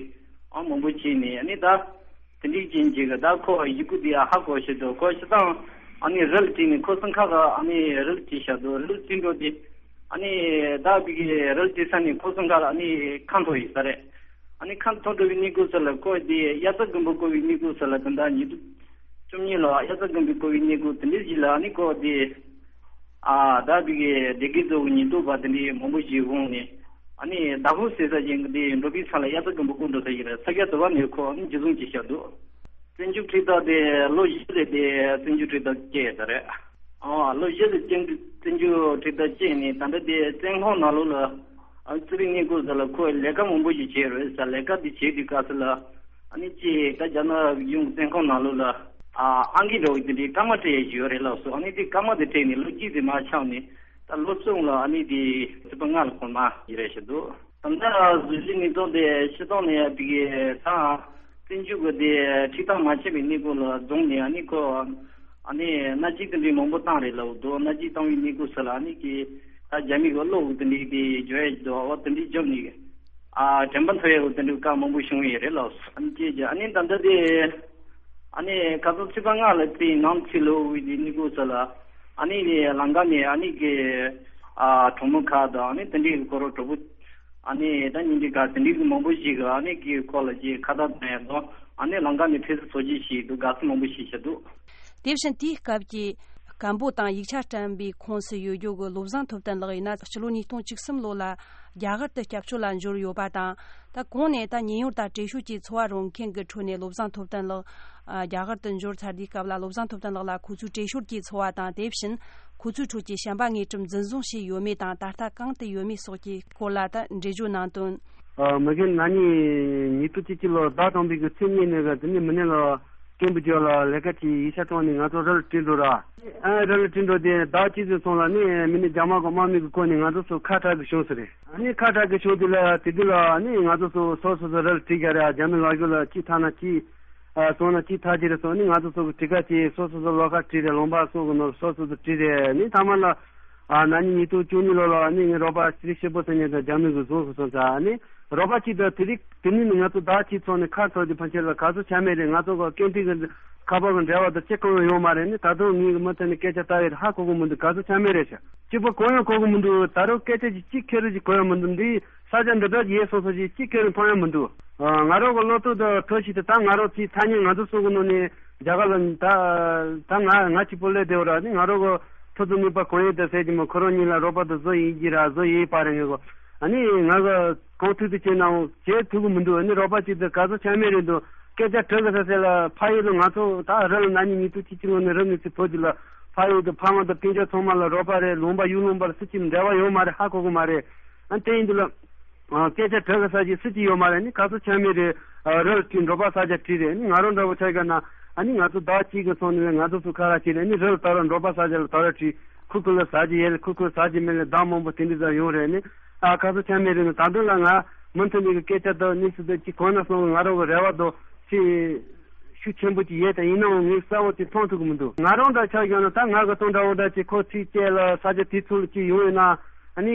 ཨ་མང་པོ་བྱས་ནས་ཨ་ནི་ད། དེ་འདྲའི་རྐྱེན་གྱིས་ད་ཁོ་ཡི་གུ་དེ་ཧ་གོ་ཤེས་འདུག་ཁོ་སྤྱིར་བཏང་ཨ་ནི་རལ་བྲིས་ནས་ཁོ་སང་ཁ་ག་ཨ་ནི་རལ་བྲིས་བཞག་འདུག་རལ་བྲིས་འགྲོ་དེ་ཨ་ནི་ད་བི་གི་རལ་བྲིས་ས་ནས་ཁོ་སང་ཁ་ལ་ཨ་ནི་ཁ་འཐོར་ཡོད་ས་རེད། ཨ་ནི་ཁ་འཐོར་འགྲོ་བའི་གནས་སྐབས་སུ་ལ་ཁོ་དེ་དབྱར་རྩྭ་དགུན་འབུ་བརྐོ་བའི་གནས་སྐབས་སུ་ལ་ད་ལྟ་ཉིས་སྟོང་བཅུ་གཉིས་ལ་དབྱར་རྩྭ་དགུན་འབུ་བརྐོ་བའི་གནས་སྐབས་དེ་འདྲའི་ཞིག་ལ་ཨ་ནི་ཁོ་དེ། ཨ་ད་དེ་གའི་སྡེ་དགེ་རྫོང་གི་ཉེན་རྟོག་པ་དེ་འདྲའི་མང་པོ་ཞིག་འོང་ནས་ཨ་ནི་ཟླ་ཕོགས་ཟེར་ས་ཅན་གྱི་དེ་འགྲོ་པའི་ས་ལ་དབྱར་རྩྭ་དགུན་འབུ་བརྐོ་འགྲོ་ས་ཡིན་རེད། ས་སྐྱ་དུ་བ་ནས་ཁོ་ཨ་ནི་འཇུ་བཟུང་བྱས་བཞག་འདུག་བཙོན་འཇུག་ཁྲིམས་ཐག་དེ་ལོ་བཞི་རེད་དེ་བཙོན་འཇུག་ཁྲིམས་ཐག་བཅད་ཡོད་ས་རེད། ཨ་ལོ་བཞི་རེད་བཙོན་བཙོན་འཇུག་ཁྲིམས་ཐག་བཅད་ནས་ད་ལྟ་དེ་བཙོན་ཁང་ནང་ལོགས་ལ་ཨ་ཙི་རིག་གནས་སྐོར་ས་ལ་ཁོ་ལས་ཀ་མང་པོ་ཞིག་བྱས་རེད་ས། ལས་ཀ་དེ་བྱས་དུས་སྐབས་སུ་ལ། ཨ་ནི་ཅིག་ད་རྒྱ་ནག་གཞུང་བཙོན་ཁང་ནང་ལོགས་ལ་ཨ་ཨང་ཀི་འདྲ་བོ་དེ་འདྲའི་སྐར་མ་སྤྲད་ཡས་ཡོད་རེད་ལགས་སོ། ཨ་ནི་དེ་སྐར་མ་དེ་སྤྲད་ནས་ལོ་གཅིག་ཙམ་མར་ཆག་ནས་ད་ལོ་གསུམ་ལ་ཨ་ནི་དེ་ཚེས་པ་ལྔ་ལ་ཁོ་མར་ཡི་རེད་བཞག་འདུག་ད་ལྟ་བཟོ་བཞིན་ནི་ཏོག་དེ་ཤི་ཏོག་ནས་དེ་གའི་ད་བཙོན་འཇུག་གི་དེ་ཁྲིམས་ཐག་མ་ཆད་པའི་གནས་སྐབས་ལ་རྫོང་ནས་ཨ་ནི་ཁོ་ཨ་ནི་མནའ་སྐྱེལ་དེ་འདྲའི་མང་པོ་བཏང་རེད་ལབ་འདུག་མནའ་སྐྱེལ་བཏང་བའི་གནས་སྐབས་སུ་ལ་ཨ་ནི་གི་ད་རྒྱ་མི་གི་གློག་དེ་འདྲའི་དེ་འཇོག་ཡས་འདུག་འོ་དེ་འདྲའི་འཇོག་ནས། ཨ་དྲན་པ་ཐོ་ཡག་དེ་འདྲའི་སྐབས་མང་པོ་བྱུང་ཡོད་རེད་ལགས། ཨ་ནི་སྐྱེས་ཀྱི་ཨ་ནི་ད་ལྟ་དེ་ཨ་ནི་ཁ་སང་ཚེས་པ་ལྔ་ལ་དེ་ནང་ཚེ་ལོ་བའི་དེ་གནས་སྐབས་སུ་ལ་ཨ་ནི་ལམ་ཁ་ནས་ཨ་ནི་གི་ཨ་གྲོགས་མོ་ཁག་དང་ཨ་ནི་དེ་འདྲའི་གི་ཁོ་རང་གྲོགས་པོ་ཨ་ནི་ད་ཉིན་དེ་ག་དེ་འདྲའི་གི་མང་པོ་ཞིག་གི་ཨ་ནི་གི་ཁོ་ལ་ཅིག་ཁ་བརྡ་གནང་ཡག་དང་ཨ་ནི་ལམ་ཁ་ནས་ཕེབས་བསུ་ཚོགས་ཆེན་ཞིག་འདུག་དགའ་བསུ་མང་པོ་ཞིག་བྱས་འདུག་དེ་བཞིན་དེའི་སྐབས་ཀྱི་སྐད་འབོད་དང་ཡིག་ཆ་བཀྲམ་པའི་ཁོངས་སུ་ཡོད་རྒྱུ་གི་བློ་བཟང་ཐུབ་བསྟན་ལགས་ཡིན་ན་ཕྱི་ལོ་ཉིས་སྟོང་བཅུ་གསུམ་ལོ་ལ་རྒྱ་གར་དུ་སྐྱབས་བཅོལ་ལ་འབྱོར་ཡོད་པ་དང་། ད་གོང་ནས་ད་ཉེན་གཡོལ་དང་བྲོས་བྱོལ་གྱི་འཚོ་བ་རོལ་མཁན་གྱི་ཁྲོད་ནས་བློ་བཟང་ཐུབ་བསྟན་ལགས་ཨ་རྒྱ་གར་དུ་འབྱོར་ཚར་དུས་སྐབས་ལ་བློ་བཟང་ཐུབ་བསྟན་ལགས་ལ་ཁོ་ཚོའི་བྲོས་བྱོལ་གྱི་འཚོ་བ་དང་དེ་བཞིན་ཁོ་ཚོའི་ཁྲོད་ཀྱི་བྱམས་པ་དངོས་གྲུབ་འཛིན་བཟུང་བྱས་ཡོད་མེད་དང་ད་ལྟ་གང་དུ་ཡོད་མེད་སོགས་ཀྱི་སྐོར་ལ་ད་འགྲེལ་བརྗོད་གནང་དོན། ཨ་མི་རྒན་ན་ནིང་ཉིས་སྟོང་བཅུ་གཅིག་ལོར་ཟླ་དང་པོའི་གི་ཚེས་གཉིས་ནས་གི་དེ་ནས་མི་ནས་ལ་སྐད་འབོད་རྒྱག་ལ་ལས་ཀ་བྱེད་ཡིག་ཆ་སྤྲོད་ནས་ང་ཚོ་རལ་བྲིས་འགྲོ་ར། ཨ་རལ་བྲིས་འགྲོ་དེ་ཟླ་གཅིག་ཙམ་སོང་ལ་ནི་མི་ནི་རྒྱ་དམར་གི་དམག་མི་གི་བཀོལ་ནས་ང་ཚོ་ཚོ་ཁ་གྲག་གི་བྱུང་ཟེར་རེད། ཨ་ནི་ཁ་གྲག་གི་བྱུང་དེ་ལ་དེ་དུས་ལ་ནི་ང་ཚོ་ཚོ་སོ་སོ་ཚོ་རལ་བྲིས་རྒྱག་རེད། རྒྱ་མི་ལག་ཤོར་ལ་གཅིག་ཐ་ན་གཅིག་ཨ་སོང་ན་གཅིག་ཐ་གཅིག་རེད་སོང་ནི་ང་ཚོ་ཚོ་གི་བྲིས་ཀ་གཅིག་སོ་སོ་ཚོ་ལོ་ཁ་བྲིས་རེད། ལུང་པ་སོགས་གི་ནོར་སོ་སོ་ཚོ་བྲིས་རེད། ནི་ཐ་མ་ལ་ཨ་ན་ནིང་ཉིས་སྟོང་བཅུ་གཉིས་ལོ་ལ་ནི་ངའི་རོགས་པ་ཚེ་རིང་སྐྱིད་པོ་ཟེར་མཁན་དང་རྒྱ་མི་གི་བཟུང་སོང་སོང་ཙང་ནི། རོགས་པ་གཅིག་དང་དེ་རིང་དེ་ནས་ནི་ང་ཚོ་ཟླ་གཅིག་ཚོགས་ནས་ཁ་ཚོགས་ཀྱི་ཕན་ཆད་ལ་ག་ཚོད་ཆ་མེད་རེད། ང་ཚོ་གི་སྐད་འཕྲིན་གྱི་ཁ་པར་གྱི་འབྲེལ་བ་དང་ཅི་གང་ཡང་ཡོད་མ་རེད། ནི་ད་དུང་ངའི་མུ་མཐུད་ནས་སྐད་ཆ་ལྟ་ཡོད་ཧ་གོ་གི་མི་འདུག་ག་ཚོད་ཆ་མེད་རེད་ཤག་སྐྱིད་པོ་གང་ཡང་གོ་གི་མི་འདུག་ད་རུང་སྐད་ཆ་ཅིག་གཅིག་ཁེར་རོ་ཅིག་གོ་ཡ་མི་འདུག་འདི་ས་ཆ་འདི་འདྲ་ཅིག་ཡས་སོང་སོང་ཅིག་གཅིག་ཁེར་རོ་མཐོང་ཡ་མི་འདུག་ང་རང་གི་བློ་ཐུག་དང་ཐུགས་ཤིག་དེ་ད་ང་རང་ཚོའི་ཐ་སྙད་ང་ཚོ་སོ་གི་ནང་ནས་རྒྱ་གར་ལ་ད་ད་ང་ང་གཅིག་པོ་སླེབས་བསྡད་པ་ར། ནི་ང་རང་གི་ཐུགས་སུ་དམིགས་པ་གང་ཡོད་དང་ཟེར་གྱི་མོ་ཁོ་རང་གཉིས་ལ་རོགས་པ་དང་བཟོ་ཡིན་གྱི་ར་བཟོ་ཡིན་པ་རེད། ངེས་གོ་ཨ་ནི་ང་གི་གང་ཐུབ་ཐུབ་བྱས་ནའང་བྱེད་ཐུབ་ཀྱི་མི་འདུག་ཨ་ནི་རོགས་པ་གཅིག་དང་ག་ཚོད་ཆ་མེད་རེད་འདུག་སྐད་ཆ་དྲི་གི་ས་ས་ལ་ཕ་ཡུལ་དུ་ང་ཚོ་ད་རི་ལ་ན་ནིང་ཉིས་སྟོང་བཅུ་གཅིག་ལོ་ནས་རི་ནས་ཚུར་བུད་དུས་ལ་ཕ་ཡུལ་དུ་ཕ་མ་དང་སྤུན་ཀྱག་ཚང་མ་ལ་རོགས་པ་རེད། ལུང་པ་ཡུལ་ལུང་པ་ལ་སུ་གཅིག་འབྲེལ་བ་ཡོད་མ་རེད། ཧ་གོ་གི་མ་རེད། ཨ་དེ་ཡིན་དུས་ལ་སྐད་ཆ་དྲི་གི་ས་གཅིག་སུ་གཅིག་ཡོད་མ་རེད། ནི་ག་ཚོད་ཆ་མེད་རེད། རི་ལ་བྲིས་འབྲོག་པ་ས་ཆ་བྲིས་རེད། ནི་ང་རང་འདྲ་བོ་ཆ་ག་ན་ཨ་ནི་ང་ཚོ་ཟླ་གཅིག་གི་སོང་ནས་ང་ཚོ་ཚོ་ཁ་ར་བྱས་རེད། ནི་རི་ལ་དར་ར་འབྲོག་པ་ས་ཆ་ལ་དར་ར་བྲིས་ཁུ་ཁུ་ལ་ཟ་རྒྱུ་ཡོད་ལ་ཁུ་ཁུ་ལ་ཟ་རྒྱུ་མེད་ལ་བདག་མང་པོ་དེ་འདྲ་ཟ་ཡོང་རེད། ནི་ཨ་ག་ཚོད་ཆ་མེད་རེད། ནི་ད་དུང་ལ་ང་མུ་མཐུད་ནས་གི་སྐད་ཆ་དང་གནས་ཚུལ་དང་གཅིག་གོ་ན་སོང་གི་ང་རང་གི་རེ་བ་དང་ཅི་ཤུགས་ཆེན་པོ་ཅིག་ཡོད་དེ་ཡིན་ནའང་ངས་གསལ་བོ་ཅིག་མཐོང་ཐུབ་ཀྱི་མི་འདུག་ང་རང་འདྲ་ཆགས་ཀྱང་ན་ད་ང་གི་སྟོང་འདྲ་བོ་འདྲ་ཅིག་ཁོ་ཚིག་བཅད་ལ་ས་ཆ་དེ་ཚོ་ལ་ཅིག་ཡོང་ཡོད་ན་ཨ་ནི་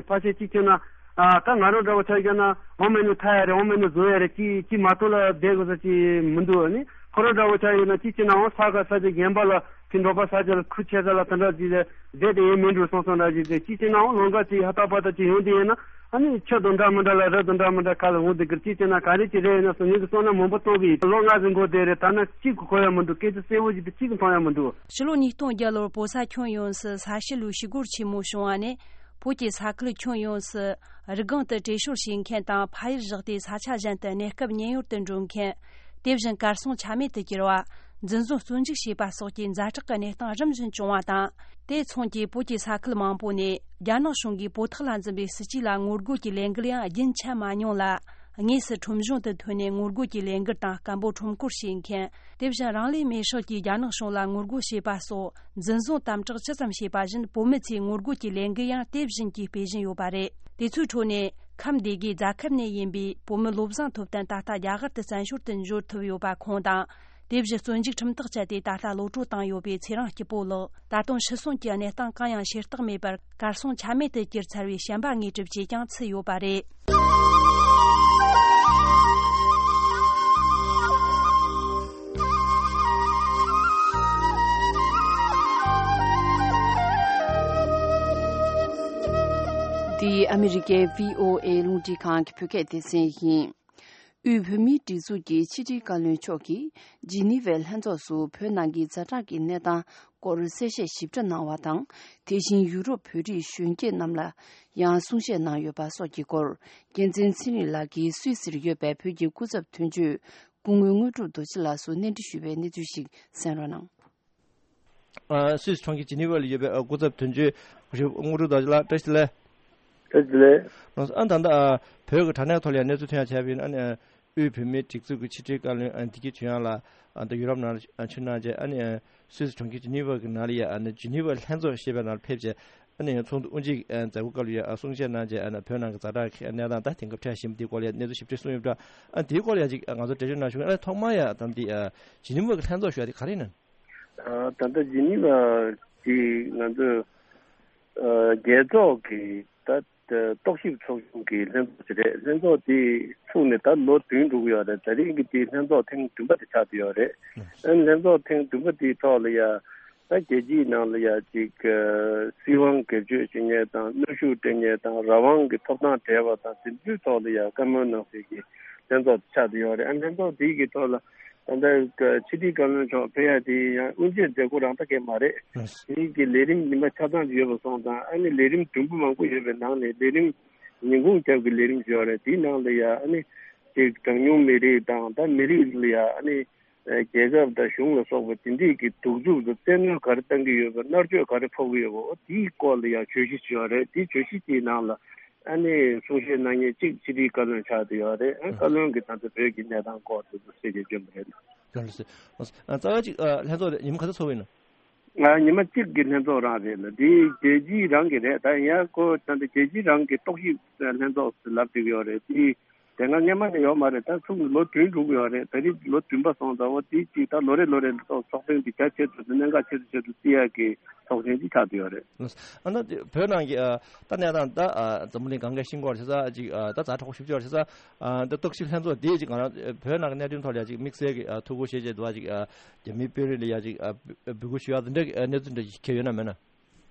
ཕལ་ཆེར་ཅིག་ཁྱོད་ན། ཨ་ད་ང་རང་འདྲ་བོ་ཆ་བཞག་ན་འོ་མ་ནི་ཐ་ཡ་རེད། འོ་མ་ནི་བཟོ་ཡ་རེད། ཅི་ཅི་མ་གཏོགས་ལ་བསྡད་དགོས་ས་ཅི་མི་འདུག་ཨ་ནི་ཁོ་རང་འདྲ་བོ་ཆ་ཡོད་ན་ཅི་བྱེད་ན་འོ་ས་ག་ས་ཅི་རྒན་པ་ལ་ཅི་འབྲོག་པ་ས་ཆ་ལ་ཁུར་ཆེ་ས་ལ་དེ་འདྲ་ཅི་བསྡད་དེ་ཡོད་མི་འགྲོ་སོང་སོང་འདྲ་ཅི་ཅི་བྱེད་ན་འོ་ལོང་ག་ཅི་ཧ་ཏག་པ་ཏག་ཅི་ཡོང་དེ་ཡིན་ན་ཨ་ནི་ཆུ་དང་འདྲ་མི་འདྲ་ལ་རི་དང་འདྲ་མི་འདྲ་ཁ་ལ་འོང་དེ་གིར་ཅི་བྱེད་ན་ག་རེ་ཅི་རེད་ཡིན་ན་སོ་ངེད་ཀྱི་སོང་ན་མང་པོ་གཏོང་གི་ཡིན། ལོ་ལྔ་ཟིན་གོ་དེ་རེད། ད་ན་གཅིག་གི་གོ་ཡ་མི་འདུག་སྐད་ཆ་གསལ་བོ་ཞིག་དེ་གཅིག་གི་མཐོང་ཡ་མི་འདུག་ཕྱི་ལོ་ཉིས་སྟོང་བརྒྱད་ལོར་བོད་ས་ཁྱོན་ཡོངས་སུ་ས་གཤིས་ལུའི་ཞི་རྒོལ་ཆེན་མོ་བྱུང་བ་ནས། བོད་ཀྱི་ས་ཁུལ་ཁྱོན་ཡོངས་སུ་རི་སྒང་དུ་བྲོས་བྱོལ་བྱེད་མཁན་དང་ཕ་ཡུལ་བཞག་སྟེ་ས་ཆ་གཞན་དུ་གནས་སྐབས་ཉེན་གཡོལ་དུ་འགྲོ་མཁན། དེ་བཞིན་གར་སོང་ཆ་མེད་དུ་གྱུར་བ། འཛིན་བཟུང་བཙོན་འཇུག་བྱས་པ་སོགས་ཀྱི་ཛ་དྲག་གི་གནས་སྟངས་རིམ་བཞིན་བྱུང་བ་དང་། དེ་མཚུངས་ཀྱིས་བོད་ཀྱི་ས་ཁུལ་མང་པོ་ནས་རྒྱ་ནག་གཞུང་གིས་བོད་ཐོག་ལ་འཛིན་པའི་སྲིད་ཇུས་ལ་ངོ་རྒོལ་གྱི་ལས་འགུལ་ཡང་རྒྱུན་ཆད་མ་མྱོང་ལ། དངོས་སུ་ཁྲོམ་གཞུང་དུ་ཐོན་ནས་ངོ་རྒོལ་གྱི་ལས་འགུལ་དང་སྐད་འབོད་ཁྲོམ་སྐོར་བྱེད་མཁན། དེ་བཞིན་རང་ལུས་མེར་སྲེག་གིས་རྒྱ་ནག་གཞུང་ལ་ངོ་རྒོལ་བྱས་པ་སོགས་འཛིན་བཟུང་དམ་དྲག་ཇི་ཙམ་བྱས་པ་བཞིན་བོད་མི་ཚོས་ངོ་རྒོལ་གྱི་ལས་འགུལ་ཡང་དེ་བཞིན་གྱིས་སྤེལ་བཞིན་ཡོད་པ་རེད། དེ་ཚོའི་ཁྲོད་ནས་ཁམས་སྡེ་དགེ་རྫ་ཁབ་ནས་ཡིན་པའི་བོད་མི་བློ་བཟང་ཐོབ་བརྟན་ད་ལྟ་རྒྱ་གར་དུ་བཙན་བྱོལ་དུ་འབྱོར་ཐུབ་ཡོད་པ་ཁོང་དང་། དེ་བཞིན་བཙོན་འཇུག་ཁྲིམས་ཐག་བཅད་དེ་ད་ལྟ་གློད་གྲོལ་བཏང་ཡོད་པའི་ཚེ་རིང་སྐྱིད་པོ་ལགས་ད་དུང་ཤི་གསོན་གྱི་གནས་སྟངས་གང་ཡང་ཤེས་རྟོགས་མེད་པར་གར་སོང་ཆ་མེད་དུ་གྱུར་ཚར་བའི་བཤན་པ་དངོས་གྲུབ་ཅེས་ཀྱང་ཚུད་ཡོད་པ་རེད། འདི་ཨ་མི་རི་ཀའི་བྷི་ཨོ་ཨེ་རླུང་འཕྲིན་ཁང་གི་བོད་སྐད་སྡེ་ཚན་ཡིན། དབུས་བོད་མིའི་སྒྲིག་འཛུགས་ཀྱི་ཕྱི་དྲིལ་བཀའ་བློན་མཆོག་གིས་ཇི་ནི་ཝའི་ལྷན་ཚོགས་སུ་བོད་ནང་གི་ཛ་དྲག་གི་གནས་སྟངས་སྐོར་གསལ་བཤད་ཞིབ་ཕྲ་གནང་བ་དང་། དེ་བཞིན་ཡུ་རོབ་བོད་རིགས་གཞོན་སྐྱེས་རྣམས་ལ་ཡང་གསུང་བཤད་གནང་ཡོད་པ་སོགས་ཀྱི་སྐོར། རྒྱལ་མཚན་ཚེ་རིང་ལགས་ཀྱིས་སུད་སིར་ཡོད་པའི་བོད་ཀྱི་སྐུ་ཚབ་དོན་གཅོད་སྐུ་ངོ་དངོས་གྲུབ་རྡོ་རྗེ་ལགས་སུ་གནས་འདྲི་ཞུས་པའི་གནས་ཚུལ་ཞིག་གསན་རོགས་གནང་། ཨ། སུད་སི་གྲོང་ཁྱེར་ཇི་ནི་ཝ་ལ་ཡོད་པའི་ཨ་སྐུ་ཚབ་དོན་གཅོད་དངོས་གྲུབ་རྡོ་རྗེ་ལགས། བཀྲ་ཤིས་བདེ་ལེགས། བཀྲ་ཤིས་བདེ་ལེགས། ཨ། ད་ལྟ་ཨ་བོད་ཀྱི་དྲ་གནས་ཐོག་ལ་ཡང་གནས་ཚུལ་ཐོན་ཡ་བྱས་པ་ཡིན་ན། ཨ་ནི་ཨ་དབུས་བོད་མིའི་སྒྲིག་འཛུགས་ཀྱི་ཕྱི་དྲིལ་བཀའ་བློན་ཨ་བདེ་སྐྱིད་ཆོས་དབྱངས་ལགས་ཨ་ད་ཡུ་རོབ་ནང་ལ་ཨ་ཕྱིན་གནང་རྗེས། ཨ་ནི་ཨ་སུད་སི་གྲོང་ཁྱེར་ཇི་ནི་ཝ་གི་ནང་ལ་ཡ་ཨ་ནི་ཇི་ནི་ཝ་ལྷན་ཚོགས་ཞེས་པའི་ནང་ལ་ཕེབས་རྗེས། ཨ་ནི་ཚོགས་འདུ་དབུ་འབྱེད་ཨ་མཛད་སྒོ་སྐབས་ལ་ཡ་ཨ་གསུང་བཤད་གནང་རྗེས། ཨ་ནི་བོད་ནང་གི་ཛ་དྲག་གི་གནས་སྟངས་དང་དེང་སྐབས་འཕྲད་བཞིན་པ་དེའི་སྐོར་ལ་ཡ་གནས་ཚུལ་ཞིབ་ཕྲ་གསུངས་ཡོད་པ་འདྲ། ཨ་དེའི་སྐོར་ལ་ཡ་ཅིག་ཨ་ང་ཚོ་འགྲེལ་བརྗོད་གནང་ཞུ་གི། ཨ་ཐོག་མར་ཡ་ད་འདི་ཨ་ཇི་ནི་ཝ་གི་ལྷན་ཚོགས་ཞུ་ཡ་དེ་ག་རེ་ཡིན་ན། ཨ། ད་ལྟ་ཇི་ནི་ཝ་གི་ང་ཚོས་ཨ་རྒྱལ་ཚོགས་ཀྱི་ད་ཨ་རྟོག་ཞིབ་ཚོགས་ཆུང་གི་ལྷན་ཚོགས་ཅིག་རེད། ལྷན་ཚོགས་དེ་ཚུགས་ནས་ད་ལོ་བདུན་འགྲོ་གི་ཡོད་རེད། ད་རིང་གི་དེ་ལྷན་ཚོགས་ཐེངས་བདུན་པ་དེ་ཆགས་བསྡད་ཡོད་རེད། ཨ་ནི་ལྷན་ཚོགས་ཐེངས་བདུན་པ་དེའི་ཐོག་ལ་ཡ་ད་རྒྱལ་སྤྱིའི་ནང་ལ་ཡ་ཅིག་ཨ་སྲིད་དབང་སྒེར་གཅོད་བྱེད་མཁན་དང་གནོན་ཤུགས་སྤྲད་མཁན་དང་རང་དབང་གི་ཐོབ་ཐང་བྲལ་བ་དང་དེ་ཚོའི་ཐོག་ལ་ཡ་བཀའ་མོལ་གནང་སའི་གི་ལྷན་ཚོགས་དེ་ཆགས་བསྡད་ཡོད་རེད། ཨ་ནི་ལྷན་ཚོགས་དེ་གི་ཐོག་ལ། ད་ལྟ་ཕྱི་དྲིལ་བཀའ་བློན་མཆོག་ཕེབས་ཡ་དེ་ཡང་དབུ་འབྱེད་མཛད་སྒོ་རང་ད་གས་མ་རེད། ཨ་དེ་གི་ལས་རིམ་ཉི་མ་ཆ་ཚང་ཅིག་ཡོད་པ་སོང་ཙང་། ཨ་ནི་ལས་རིམ་བདུན་པོ་མང་པོ་ཡོད་པའི་ནང་ནས་ལས་རིམ་ཉིན་གུང་རྒྱབ་ཀྱི་ལས་རིམ་ཞིག་ཡོད་རེད། དེའི་ནང་ལ་ཡ་ཨ་ནི་ཅིག་གྲངས་ཉུང་མི་རིགས་དང་ད་མི་རིགས་ལ་ཡ་ཨ་ནི་རྒྱལ་ཁབ་དང་གཞུང་ལ་སོགས་པ་དེ་འདྲས་ཀྱི་གདུག་རྩུབ་དང་བཙན་གནོན་ག་རེ་བཏང་གི་ཡོད་པ། མནར་གཅོད་ག་རེ་ཕོག་གི་ཡོད་པ། འོ་དེའི་སྐོར་ལ་ཡ་བརྗོད་གཞི་ཅིག་ཡོད་རེད། དེའི་བརྗོད་གཞི་དེའི་ནང་ལ། ཨ་ནི་གསུང་བཤད་གནང་མཁན་གཅིག་ཕྱི་དྲིལ་བཀའ་བློན་ཆགས་བསྡད་ཡོད་རེད། ཨ་བཀའ་བློན་གྱིས་ད་ལྟ་བོད་ཀྱི་གནས་སྟངས་སྐོར་དེ་ཚོ་གསལ་བཤད་བསྐྱོན་པ་རེད། ལགས་སོ། ཨ་རྩ་བ་གཅིག་ཨ་ལྷན་ཚོགས་དེ་ཉིན་མོ་ག་ཚོད་ཚོགས་པ་ཡིན་ན། ང་ཉི་མ་གཅིག་གི་ལྷན་ཚོགས་རང་རེད་ལ། དེ་རྒྱལ་སྤྱི་རང་གི་རེད། ད་ཡང་ཁོ་ད་ལྟ་རྒྱལ་སྤྱི་རང་གི་རྟོག་ཞིབ་ལྷན་ཚོགས་ལབ་བསྡད་ཀྱི་ཡོད་རེད། དེ་དེ་སྔ་སྔོན་མ་ནས་ཡོད་མ་རེད། ད་ཚུགས་ནས་ལོ་བདུན་འགྲོ་གི་ཡོད་རེད། ད་རེས་ལོ་བདུན་པ་སོང་ཙང་། འོ་དེ་གཅིག་ད་ལོ་རེ་ལོ་རེ་ལ་ཚོགས་ཚོགས་ཐེངས་དེ་རྒྱ་ཆེ་ཚོད་དུ་གནད་འགག་ཆེ་ཚོད་ཆེ་ཚོད་བརྩི་ཡག་གི་ཚོགས་ཆེན་གཅིག་ཆགས་བསྡད་ཡོད་རེད། ཨ་ནི་བོད་ནང་གི་ཨ་ད་གནས་སྟངས་ད་ཨ་འཛམ་བུ་གླིང་སྒང་གའི་ཤིང་སྐོར་བྱེད་ས་ཅིག་ཨ་ད་ཛ་དྲག་པོ་ཞེ་པོ་ཅིག་ཡོད་རེད་བྱེད་ས། ཨ་ད་རྟོག་ཞིབ་ལྷན་ཚོགས་དེ་ཅིག་ང་རང་བོད་ནང་གི་གནད་དོན་ཐོག་ལ་ཅིག་དམིགས་བསལ་གྱི་ཨ་ཐུགས་ཁུར་བཞེས་བྱས་འདུག་བ། ཅིག་ཨ་རྒྱ་མིའི་དཔོན་རིགས་ལ་ཡ་ཅིག་ཨ་འབོད་སྐུལ་ཞུ་ཡག་དེ་འདྲ་གི་ཨ་གནས་ཚུལ་འདྲ་ཞིག་གང་ཡང་ཡོད་ན་མེད་ན།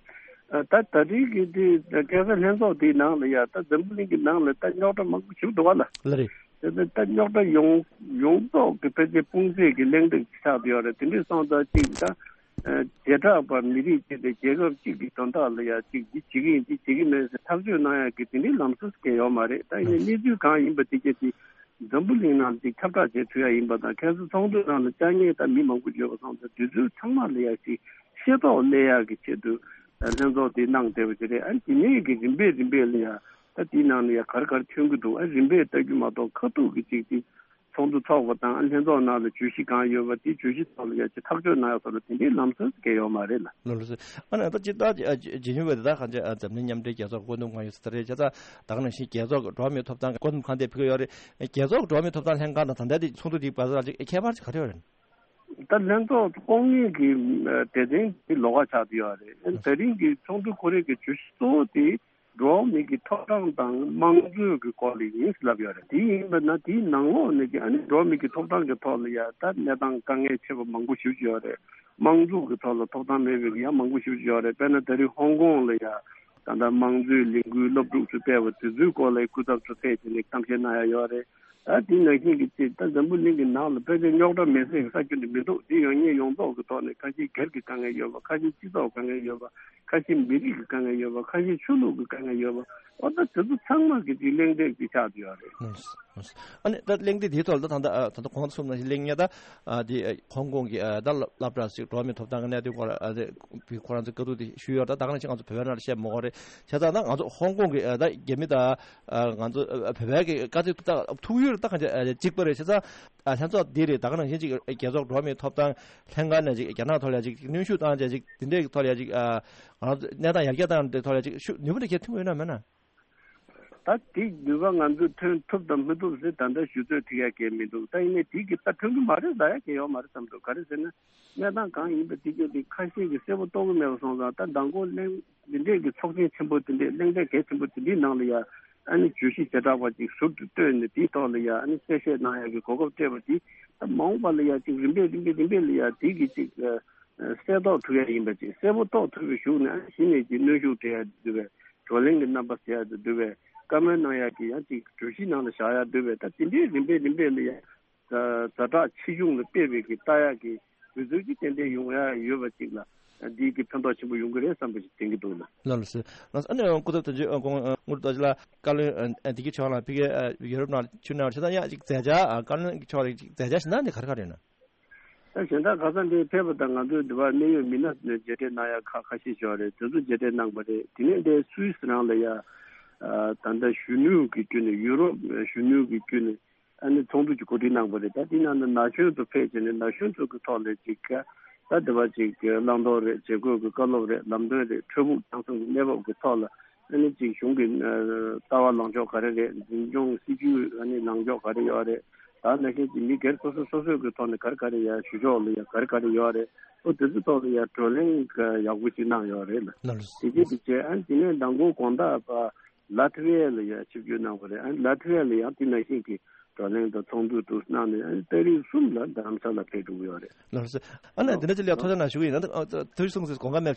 ཨ་ད་ད་རེས་ཀྱི་དེ་ཁ་སང་ལྷན་ཚོགས་དེའི་ནང་ལ་ཡ་ད་འཛམ་བུ་གླིང་གི་ནང་ལ་ད་རྙོག་དྲ་མང་པོ་བྱུང་འདུག་བ་ལ། ལགས་རེད། དེ་ནས་ད་རྙོག་དྲ་ཡོངས་ཡོངས་རྫོགས་ཀྱི་ཕལ་ཆེར་སྤུངས་ཚད་ཀྱི་གླེང་སྟེགས་ཆགས་བསྡད་ཡོད་རེད། དེ་འདྲས་སོང་ཙང་ཅིག་ད་ཨ་བྱེ་བྲག་པ་མི་རིགས་ཅིག་དང་རྒྱལ་ཁབ་ཅིག་གི་དོན་དག་ལ་ཡ་ཅིག་འདི་བྱེད་ཀྱི་ཡིན་འདི་བྱེད་ཀྱི་མེད་ཟེར་ཐག་གཅོད་གནང་ཡག་གི་དེ་འདྲའི་ལམ་སྲོལ་གང་ཡོད་མ་རེད། ད་ཡིན་ནའི་གནས་ཚུལ་གང་ཡིན་པ་དེ་གྱད་དེ་འཛམ་བུ་གླིང་ནང་དེ་ཁྱབ་བསྒྲགས་བྱེད་ཐུབ་ཡག་ཡིན་པ་དང་། ཁ་སང་ཚོགས་འདུ་ནང་ལ་བཅར་མཁན་ད་མི་མང་པོ་ཡོད་པ་སོང་ཙང་དེ་ཚོ་ཚང་མ་ལ་ཡ་ཅིག་ཤེས་རྟོགས་སླེབས་ཡག་གི་ཆེད་དུ་ལྷན་ཚོགས་དེ་གནང་བསྡད་པ་ཅིག་རེད། ཨ་ནི་དེ་ནས་ཀྱི་རིམ་པས་རིམ་པས་ལ་ཡ་ད་དེའི་ནང་ལ་ཡ་ག་རེ་ག་རེ་ཐོན་གྱི་འདུག་ཨ་རིམ་པས་ལྟ་རྒྱུ་མ་གཏོགས་ཁ་ཐུག་གི་ཅིག་དེ་ཚོགས་འདུ་ཚོགས་པ་དང་ལྷན་ཚོགས་ནང་ལ་བརྗོད་གཞི་གང་ཡོད་པ་དེ་བརྗོད་གཞི་ཐོག་ལ་ཡ་ཅིག་ཐག་གཅོད་གནང་ཡག་སོགས་ལ་དེ་འདྲའི་ལམ་སྲོལ་གང་ཡོད་མ་རེད་ལ། ལགས་སོ། ཨ་ནི་ད་ཅི་ད་ཇི་ནི་ཝ་དེ་ད་གང་ཅི་འཛམ་གླིང་མཉམ་འབྲེལ་རྒྱལ་ཚོགས་ཀྱི་བཀོད་འདོམས་ཁང་ཡོད་ས་རེད། བྱས་ཙང་ད་ག་ནང་བཞིན་རྒྱལ་ཚོགས་ཀྱི་འགྲོ་བ་མིའི་ཐོབ་ཐང་བཀོད་འདོམས་ཁང་དེ་ཕེབས་ཀྱི་ཡོད་རེད། རྒྱལ་ཚོགས་ཀྱི་འགྲོ་བ་མིའི་ཐོབ་ཐང་ལྷན་ཁང་དང་ད་ལྟ་དེ་ཚོགས་འདུ་དེའི་བར་ལ་ཅིག་ཁྱད་པར་ཅིག་ག་རེ་ཡོད་རེད། ད་ལྷན་ཚོགས་ལྐོག་ངན་གྱི་སྡེ་ཚན་དེ་ལོགས་ཀ་ཆགས་བསྡད་ཡོད་རེད། ད་རིང་གི་ཚོགས་འདུ་ཁོ་རེ་གི་བརྗོད་གཞི་གཙོ་བོ་དེ། འགྲོ་བ་མི་གི་ཐོབ་ཐང་དང་དམངས་གཙོའི་གི་སྐོར་ལ་ཡིན་ཟེར་ལབ་ཡོད་རེད། དེ་ཡིན་པ་ན་དེའི་ནང་ལོགས་ནས་ཀྱི་ཨ་ནི་འགྲོ་བ་མི་གི་ཐོབ་ཐང་གི་ཐོག་ལ་ཡ་ད་གནས་སྟངས་དཀའ་ངལ་ཆེ་བ་མང་པོ་ཞེ་པོ་ཅིག་ཡོད་རེད། དམངས་གཙོ་གི་ཐོག་ལ་ཐོབ་ཐང་མེད་པའི་ཡང་མང་པོ་ཞེ་པོ་ཅིག་ཡོད་རེད། དཔེར་ན་ད་རེས་ཧོང་ཀོང་ལ་ཡ་ད་ལྟ་དམངས་གཙོའི་ལས་འགུལ་སློབ་ཕྲུག་ཚོས་སྤེལ་བ་དེ་ཚོའི་སྐོར་ལ་སྐུ་ཚབ་ཚོ་ཕེབས་བྱས་ནས་གཏམ་བཤད་གནང་ཡ་ཡོད་རེད། ད་དེ་ནང་བཞིན་གྱི་ཅིག་ད་འཛམ་བུ་གླིང་གི་ནང་ལ་ཕལ་ཆེར་རྙོག་དྲ་མེད་ས་ཡི་ས་ཁུལ་ནི་མི་འདུག་དེ་ཡོད་ཉེན་ཡོངས་རྫོགས་ཀྱི་ཐོག་ནས་ཁ་ཤས་སྒེར་གྱི་དཀའ་ངལ་ཡོད་པ། ཁ་ཤས་སྤྱི་ཚོགས་དཀའ་ངལ་ཡོད་པ། ཁ་ཤས་མི་རིགས་ཀྱི་དཀའ་ངལ་ཡོད་པ། ཁ་ཤས་ཆོས་ལུགས་ཀྱི་དཀའ་ངལ་ཡོད་པ། འོ་ད་དེ་ཚོ་ཚང་མ་གི་ཅིག་གླེང་སྟེགས་ཅིག་ཆགས་བསྡད་ཡོད་རེད། ཨ་ནི་ད་གླེང་སྟེགས་དེའི་ཐོག་ལ་ད་ད་ད་ད་གོང་དུ་གསུངས་ནང་བཞིན་གླེང་ངེས་ད། ཨ་དེ་ཧོང་ཀོང་གི་ཨ་ད་སློབ་སློབ་གྲྭ་ཞིག་འགྲོ་བ་མིའི་ཐོབ་ཐང་གི་གནད་དོན་སྐོར་ལ་ཨ་དེ་ཁོ་རང་ཚོའི་བཀའ་བསྡུར་དེ་ཞུས་ཡོད། ད་ད་ག་ནང་བཞིན་ང་ཚོ་བོད་པའི་ནང་ལ་བཤད་མ་དགོས་རེད། བྱས་ཙང་ད་ང་ཚོ་ཧོང་ཀོང་གི་ཨ་ད་རྒྱ་མི་ད་ཨ་ང་ཚོ་ཨ་བོད་པའི་གི་དཀའ་ཚེགས་ད་ཐུག་ཡུལ་ད་གང་ཅི་ཨ་གཅིག་པ་རེད། བྱས་ཙང་ཨ་ལྷན་ཚོགས་འདི་རེད། ད་ག་ནང་བཞིན་ཅིག་རྒྱལ་ཚོགས་འགྲོ་བ་མིའི་ཐོབ་ཐང་ལྷན་ཁང་ནས་ཅིག་རྒྱ་ནག་ཐོག་ལ་ཅིག་གནོན་ཤུགས་བཏང་བྱས་ཅིག་དེ་འདྲའི་གི་ཐོག་ལ་ཅིག་ཨ་ང་ཚོ་གནས་སྟངས་ཡར་རྒྱས་བཏང་དེ་ཐོག་ལ་ཅིག་ཤུགས་ནུས་པ་འདྲ་ཁྱེད་ཐུག་ཡོད་ན་མེད་ན། ད་དེ་ནུས་པ་ང་ཚོས་ཐོན་ཐུབ་དང་མི་ཐུབ་ཟེར་ད་ལྟ་ཞུ་ཚོད་ཐིག་ཡ་གལ་མི་འདུག་ད་ཡིན་ནའི་དེ་གི་ད་ཐོན་གི་མ་རེད་ཟེར་ཡ་གལ་ཡོད་མ་རེད་བསམ་འདུག་ག་རེ་ཟེར་ན་གནས་སྟངས་གང་ཡིན་པ་དེ་གི་དེ་ཁ་ཤས་ཀྱིས་གསལ་པོ་རྟོགས་གི་མེད་པ་སོང་ཙང་ད་མདང་དགོང་གླེང་འདི་འདྲས་ཀྱི་ཚོགས་ཆེན་ཆེན་པོ་དེ་འདྲས་གླེང་སྟེགས་གལ་ཆེན་པོ་དེ་འདྲའི་ནང་ལ་ཡ་ཨ་ནི་བརྗོད་གཞི་བྱེ་བྲག་པ་ཅིག་ཟུར་དུ་བཏོན་ནས་དེའི་ཐོག་ལ་ཡ་ཨ་ནི་གསལ་བཤད་གནང་ཡ་གི་གོ་སྐབས་སྤྲད་པ་དེ་ད་མ་འོངས་པ་ལ་ཡ་ཅིག་རིམ་པས་རིམ་པས་རིམ་པས་ལ་ཡ་དེ་གི་ཅིག་གསལ་རྟོགས་ཐུབ་ཡ་ཡིན་པ་ཅིག་གསལ་པོ་རྟོགས་ཐུབ་པའི་གཞུག་ནས་ཨ་ནི་གཞི་ནས་ཀྱི་གནོན་ཤུགས་སྤྲད་ཡ་འདུག་པས། བགྲོ་གླེང་གི་རྣམ་པ་ཟེར་ཡ་དེ་འདུག་པས། བཀའ་མོལ་གནང་ཡ་གི་ཡང་ཅིག་གྲོས་གཞི་ནང་ལ་བཞག་ཡ་འདུག་པས། ད་དེ་འདྲའི་རིམ་པས་རིམ་པས་ལ་ཡ་ཛ་དྲག་ཆེ་ཆུང་ལ་དཔེ་བའི་གི་ལྟ་ཡ་གི་དུས་ཚོད་ཀྱི་ཏན་ཏན་ཡོང་ཡ་ཡོད་པ་ཅིག་ལ་འདིའི་གི་ཕན་ཐོགས་ཆེན་པོ་ཡོང་གི་རེད་བསམ་པ་ཞིག་དྲན་གྱི་འདུག་ལགས། ལགས་ལགས་སོ། ལགས་སོ། ཨ་ནི་སྐུ་ཚབ་དོན་གཅོད་ཨ་དངུལ་རྡོ་རྗེ་ལགས་བཀའ་བློན་ཨ་འདི་གའི་ཕྱོགས་ལ་ཕ་གིའི་ཨ་ཡོ་རོབ་ནང་ཕྱིར་གནང་བ་བྱས་ཙང་ཡང་ཅིག་མཛད་འཆར་ཨ་བཀའ་བློན་གྱི་ཕྱོགས་ལ་ཅིག་མཛད་འཆར་ཞིག་གནང་ནས་ག་རེ་ག་རེ་ཡོད་ན། ད་གཞན་དག་ཁ་སང་འདིར་ཕེབས་པ་དང་ང་ཚོའི་འདི་བར་གནད་ཡོད་མི་སྣ་ནས་མཇལ་འཕྲད་གནང་ཡ་ཁག་ཁ་ཤས་ཤིག་ཡོད་རེད། དེ་ཚོ་མཇལ་འཕྲད་གནང་པ་རེད། དེ་ནས་འདིར་སུད་སི་རང་ལ་ཡ་ཨ་ད་ལྟ་གཞོན་ནུ་གི་བརྒྱུད་ནས་ཡུ་རོབ་གཞོན་ནུ་གི་བརྒྱུད་ནས་ཨ་ནི་ཚོགས་འདུ་ཅིག་གོ་སྒྲིག་གནང་པ་རེད། ད་དེ་ནང་ནས་ན་གཞོན་ཚོ་ཕེབས་བྱས་ནས་ན་གཞོན་ཚོ་གི་ཐོག་ལ་ཅིག་ད་འདི་བར་ཅིག་བླང་དོར་རེད། བྱེད་དགོས་ཀྱི་བཀའ་སློབ་རེད། ལམ་སྟོན་རེད། འཕྲལ་ཕུགས་བྱུང་སོང་གི་གནས་བབ་ཀྱི་ཐོག་ལ་ཨ་ནི་ཅིག་གཞུང་གི་ལྟ་བ་ལངས་ཕྱོགས་ག་རེ་རེད། འཛིན་སྐྱོང་སྲིད་ཇུས་ཨ་ནི་ལངས་ཕྱོགས་ག་རེ་ཡོད་རེད། ད་ནང་བཞིན་གྱི་མི་སྒེར་སོ་སོ་སོ་སོའི་གི་ཐོག་ནས་ག་རེ་ག་རེ་ཡ་ཞུ་ཕྱོགས་ལ་ཡ་ག་རེ་ག་རེ་ཡོད་རེད། ཨོ་དེ་ཚོའི་ཐོག་ལ་ཡ་བགྲོ་གླེང་ག་ཡག་པོ་ཞིག་གནང་ཡོད་རེད་ལ། ལགས་ལགས། དེ་རྗེས་དེ་རྗེས་ཨ་ནི་དེ་ནས་མདང་དགོང་དགོང་དག་པ་ལ་ཐི་ཝི་ཡ་ལ་ཡ་ཆིབས་བསྒྱུར་གནང་བ་རེད། ཨ་ནི་ལ་ཐི་ཝི་ཡ་ལ་ཡང་དེ་ནང་བཞིན་གྱི་བགྲོ་གླེང་དང་ཚོགས་འདུ་དུ་གནང་ནས་ཨ་ནི་ཏ་རིག་གསུམ་ལ་རྡ་རམ་ས་ལ་ཕེབས་འགྲོ་གི་ཡོད་རེད། ལགས་སོ། ཨ་ནི་འདི་འདྲ་ཅིག་ལ་ཐུགས་རྗེ་གནང་ཞུ་གི་ཡིན། ད་ཐུགས་གསུང་ཟེར་དགོངས་པ་མེད།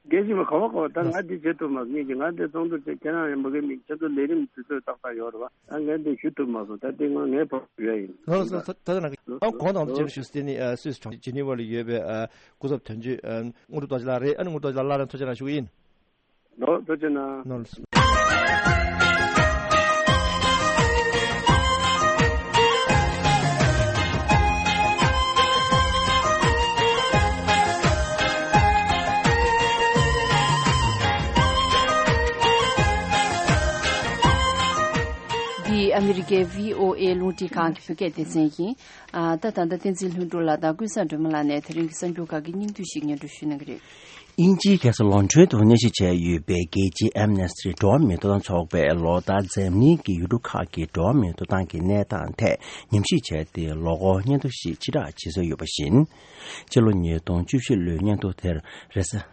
རྒན་ཞིག་མ་ག་བ་ག་བ་ད་ང་འདི་བྱེད་ཐུབ་མ་སོང་། ངེད་ཀྱི་ང་འདི་ཚོགས་འདུ་བྱེད་ཁྱེད་རང་ཡང་མ་གི་མིག་ཁྱེད་ཚོ་ལས་རིམ་དུས་ཚོད་ཏག་ཏག་ཡོད་རེད་བ། ད་ངས་འདི་ཞུ་ཐུབ་མ་སོང་། ད་འདི་ང་ངའི་བབ་ཞུ་ཡ་ཡིན། ལགས་སོ། ད་ད་ད་ང་གི་ཨ་གོང་དང་ཅིག་ཞུ་སྟེ་ནི་ཨ་སུད་སི་གྲོང་ཁྱེར་ཇི་ནི་ཝ་ལ་ཡོད་པའི་ཨ་སྐུ་ཚབ་དོན་གཅོད་ཨ་དངུལ་རྡོ་རྗེ་ལགས་རེད། ཨ་ནི་དངུལ་རྡོ་རྗེ་ལགས་སླར་ཡང་ཐུགས་རྗེ་གནང་ཞུ་གི་ཡིན། ལགས་ཐུགས་རྗེ་གནང་། ལགས་སོ། འདི་ཨ་མི་རི་ཀའི་བྷི་ཨོ་ཨེ་རླུང་འཕྲིན་ཁང་གི་བོད་སྐད་སྡེ་ཚན་ཡིན། ཨ་ད་ད་ལྟ་བསྟན་འཛིན་ལྷུན་གྲུབ་ལགས་དང་ཀུན་བཟང་སྒྲོལ་མ་ལགས་ནས་དེ་རིང་གི་གསར་འགྱུར་ཁག་གི་སྙིང་བསྡུས་ཤིག་སྙན་སྒྲོན་ཞུ་གནང་གི་རེད། དབྱིན་ཇིའི་རྒྱལ་ས་ལོན་ཀྲོན་དུ་གནས་གཟིགས་བྱས་ཡོད་པའི་རྒྱལ་སྤྱིའི་ཨེམ་ནེ་སི་ཊི་འགྲོ་བ་མིའི་ཐོབ་ཐང་ཚོགས་པས་ལོ་ལྟར་འཛམ་གླིང་གི་ཡུལ་གྲུ་ཁག་གི་འགྲོ་བ་མིའི་ཐོབ་ཐང་གི་གནས་སྟངས་ཐད་ཉམས་ཞིབ་བྱས་ཏེ་ལོ་འཁོར་སྙན་ཐོ་ཞིག་ཕྱིར་བསྒྲགས་བྱེད་སྲོལ་ཡོད་པ་བཞིན། སྤྱི་ལོ་ཉིས་སྟོང་བཅུ་བཞི་ལོའི་སྙན་ཐོ་དེར་རེས་གཟའ་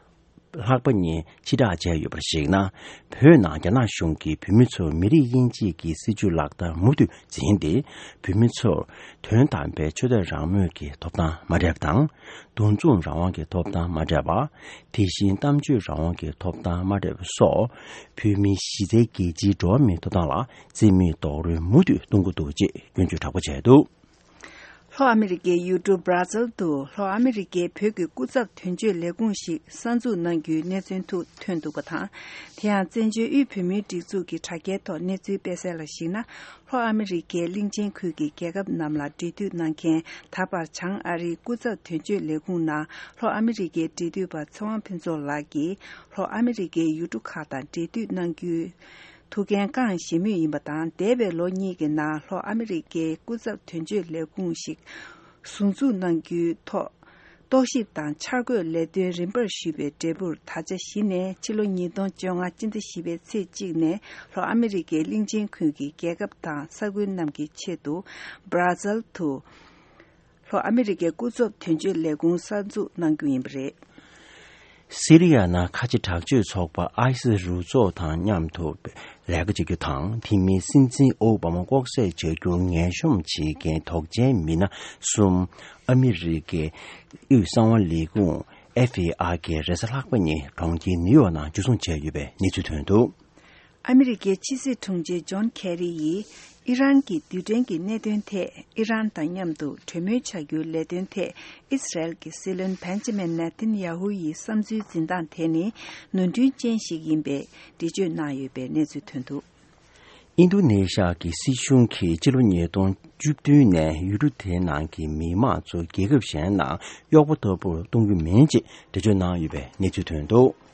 ལྷག་པ་ཉིན་ཕྱིར་བསྒྲགས་བྱས་ཡོད་པར་གཞིགས་ན། བོད་ནང་རྒྱ་ནག་གཞུང་གིས་བོད་མི་ཚོར་མི་རིགས་དབྱེ་འབྱེད་ཀྱི་སྲིད་བྱུས་ལག་བསྟར་མུ་མཐུད་འཛིན་ཏེ། བོད་མི་ཚོར་དོན་དམ་པའི་ཆོས་དད་རང་མོས་ཀྱི་ཐོབ་ཐང་མ་སྤྲད་པ་དང་། འདུ་འཛོམས་རང་དབང་གི་ཐོབ་ཐང་མ་སྤྲད་པ། དེ་བཞིན་གཏམ་བརྗོད་རང་དབང་གི་ཐོབ་ཐང་མ་སྤྲད་པ་སོགས། བོད་མིའི་གཞི་རྩའི་རྒྱལ་སྤྱིའི་འགྲོ་བ་མིའི་ཐོབ་ཐང་ལ་རྩིས་མེད་རྡོག་རོལ་མུ་མཐུད་གཏོང་གི་འདུག་ཅེས་སྐྱོན་བརྗོད་དྲག་པོ་བྱས་འདུག། ལྷོ་ཨ་མི་རི་ཀའི་ཡུལ་གྲུ་སྦྲ་ཛིལ་དུ་ལྷོ་ཨ་མི་རི་ཀའི་བོད་ཀྱི་སྐུ་ཚབ་དོན་གཅོད་ལས་ཁུངས་ཤིག་གསར་འཛུགས་གནང་རྒྱུའི་གནས་ཚུལ་ཐུག་ཐོན་འདུག་པ་དང་། དེ་ཡང་བཙན་བྱོལ་དབུས་བོད་མིའི་སྒྲིག་འཛུགས་ཀྱི་དྲ་རྒྱའི་ཐོག་གནས་ཚུལ་སྤེལ་གསལ་ལ་གཞིགས་ན། ལྷོ་ཨ་མི་རི་ཀའི་གླིང་ཆེན་ཁུལ་གྱི་རྒྱལ་ཁབ་རྣམས་ལ་འབྲེལ་མཐུད་གནང་མཁན་ད་བར་བྱང་ཨ་རིའི་སྐུ་ཚབ་དོན་གཅོད་ལས་ཁུངས་ནང་ལྷོ་ཨ་མི་རི་ཀའི་འབྲེལ་མཐུད་པ་ཚེ་དབང་ཕུན་ཚོགས་ལགས་ཀྱིས་ལྷོ་ཨ་མི་རི་ཀའི་ཡུལ་གྲུ་ཁག་དང་འབྲེལ་མཐུད་གནང་རྒྱུའི་ཐུགས་འགན་བསྐངས་བཞེས་མུས་ཡིན་པ་དང་། འདས་པའི་ལོ་གཉིས་ཀྱི་ནང་ལྷོ་ཨ་མི་རི་ཀའི་སྐུ་ཚབ་དོན་གཅོད་ལས་ཁུངས་ཤིག་ཟུར་འཛུགས་གནང་རྒྱུའི་ཐོག་རྟོག་ཞིབ་དང་འཆར་འགོད་ལས་དོན་རིམ་པར་ཞུས་པའི་འབྲས་བུར། ད་ཆ་གཞི་ནས་ཕྱི་ལོ་ཉིས་སྟོང་བཅོ་ལྔ་སྤྱི་ཟླ་བཞི་པའི་ཚེས་གཅིག་ནས་ལྷོ་ཨ་མི་རི་ཀའི་གླིང་ཆེན་ཁུལ་གྱི་རྒྱལ་ཁབ་དང་ས་ཁུལ་རྣམས་ཀྱི་ཆེད་དུ་སྦྲ་ཛིལ་དུ་ལྷོ་ཨ་མི་རི་ཀའི་སྐུ་ཚབ་དོན་གཅོད་ལས་ཁུངས་གསར་འཛུགས་གནང་རྒྱུ་ཡིན་པ་རེད། སི་རི་ཡ་ནང་ཁ་ཆེ་དྲག་སྤྱོད་ཚོགས་པ་ཨའི་སི་རུ་ཚོགས་དང་མཉམ་དུ་ལས་ཀ་བྱེད་རྒྱུ་དང་། དེ་མིན་སྲིད་འཛིན་ཨོ་བྷ་མ་ལྐོག་བསད་བྱ་རྒྱུར་ངན་གཤོམ་བྱེད་མཁན་དོགས་ཅན་མི་སྣ་གསུམ་ཨ་མི་རི་ཀའི་དབུས་གསང་བ་ལས་ཁུངས་ཨེཕ་བྷི་ཨའི་གི་རེས་གཟའ་ལྷག་པ་ཉིན་གྲོང་ཁྱེར་ནིའུ་ཡོག་ནང་འཇུ་བཟུང་བྱས་ཡོད་པའི་གནས་ཚུལ་ཐོན་འདུག། ཨ་མི་རི་ཀའི་ཕྱི་སྲིད་དྲུང་ཆེ་ཇོན་ཁེ་རི་ཡིས་ཨི་རན་གྱི་རྡུལ་ཕྲན་གྱི་གནད་དོན་ཐད་ཨི་རན་དང་མཉམ་དུ་གྲོས་མོལ་བྱ་རྒྱུའི་ལས་དོན་ཐད་ཨི་སི་རལ་གྱི་སྲིད་བློན་བན་ཇི་མིན་ནེ་ཐན་ཡ་ཧུ་ཡི་བསམ་ཚུལ་འཛིན་སྟངས་དེ་ནི་ནོར་འཁྲུལ་ཅན་ཞིག་ཡིན་པའི་འགྲེལ་བརྗོད་གནང་ཡོད་པའི་གནས་ཚུལ་ཐོན་འདུག། ཨིན་རྡུ་ནེ་ཤ་གི་སྲིད་གཞུང་གིས་ཕྱི་ལོ་ཉིས་སྟོང་བཅུ་བདུན་ནས་ཡུལ་གྲུ་དེའི་ནང་གི་མི་མང་ཚོ་རྒྱལ་ཁབ་གཞན་ནང་གཡོག་པོ་ལྟ་བུར་གཏོང་རྒྱུ་མིན་ཅེས་འགྲེལ་བརྗོད་གནང་ཡོད་པའི་གནས་ཚུལ་ཐོན་འདུག།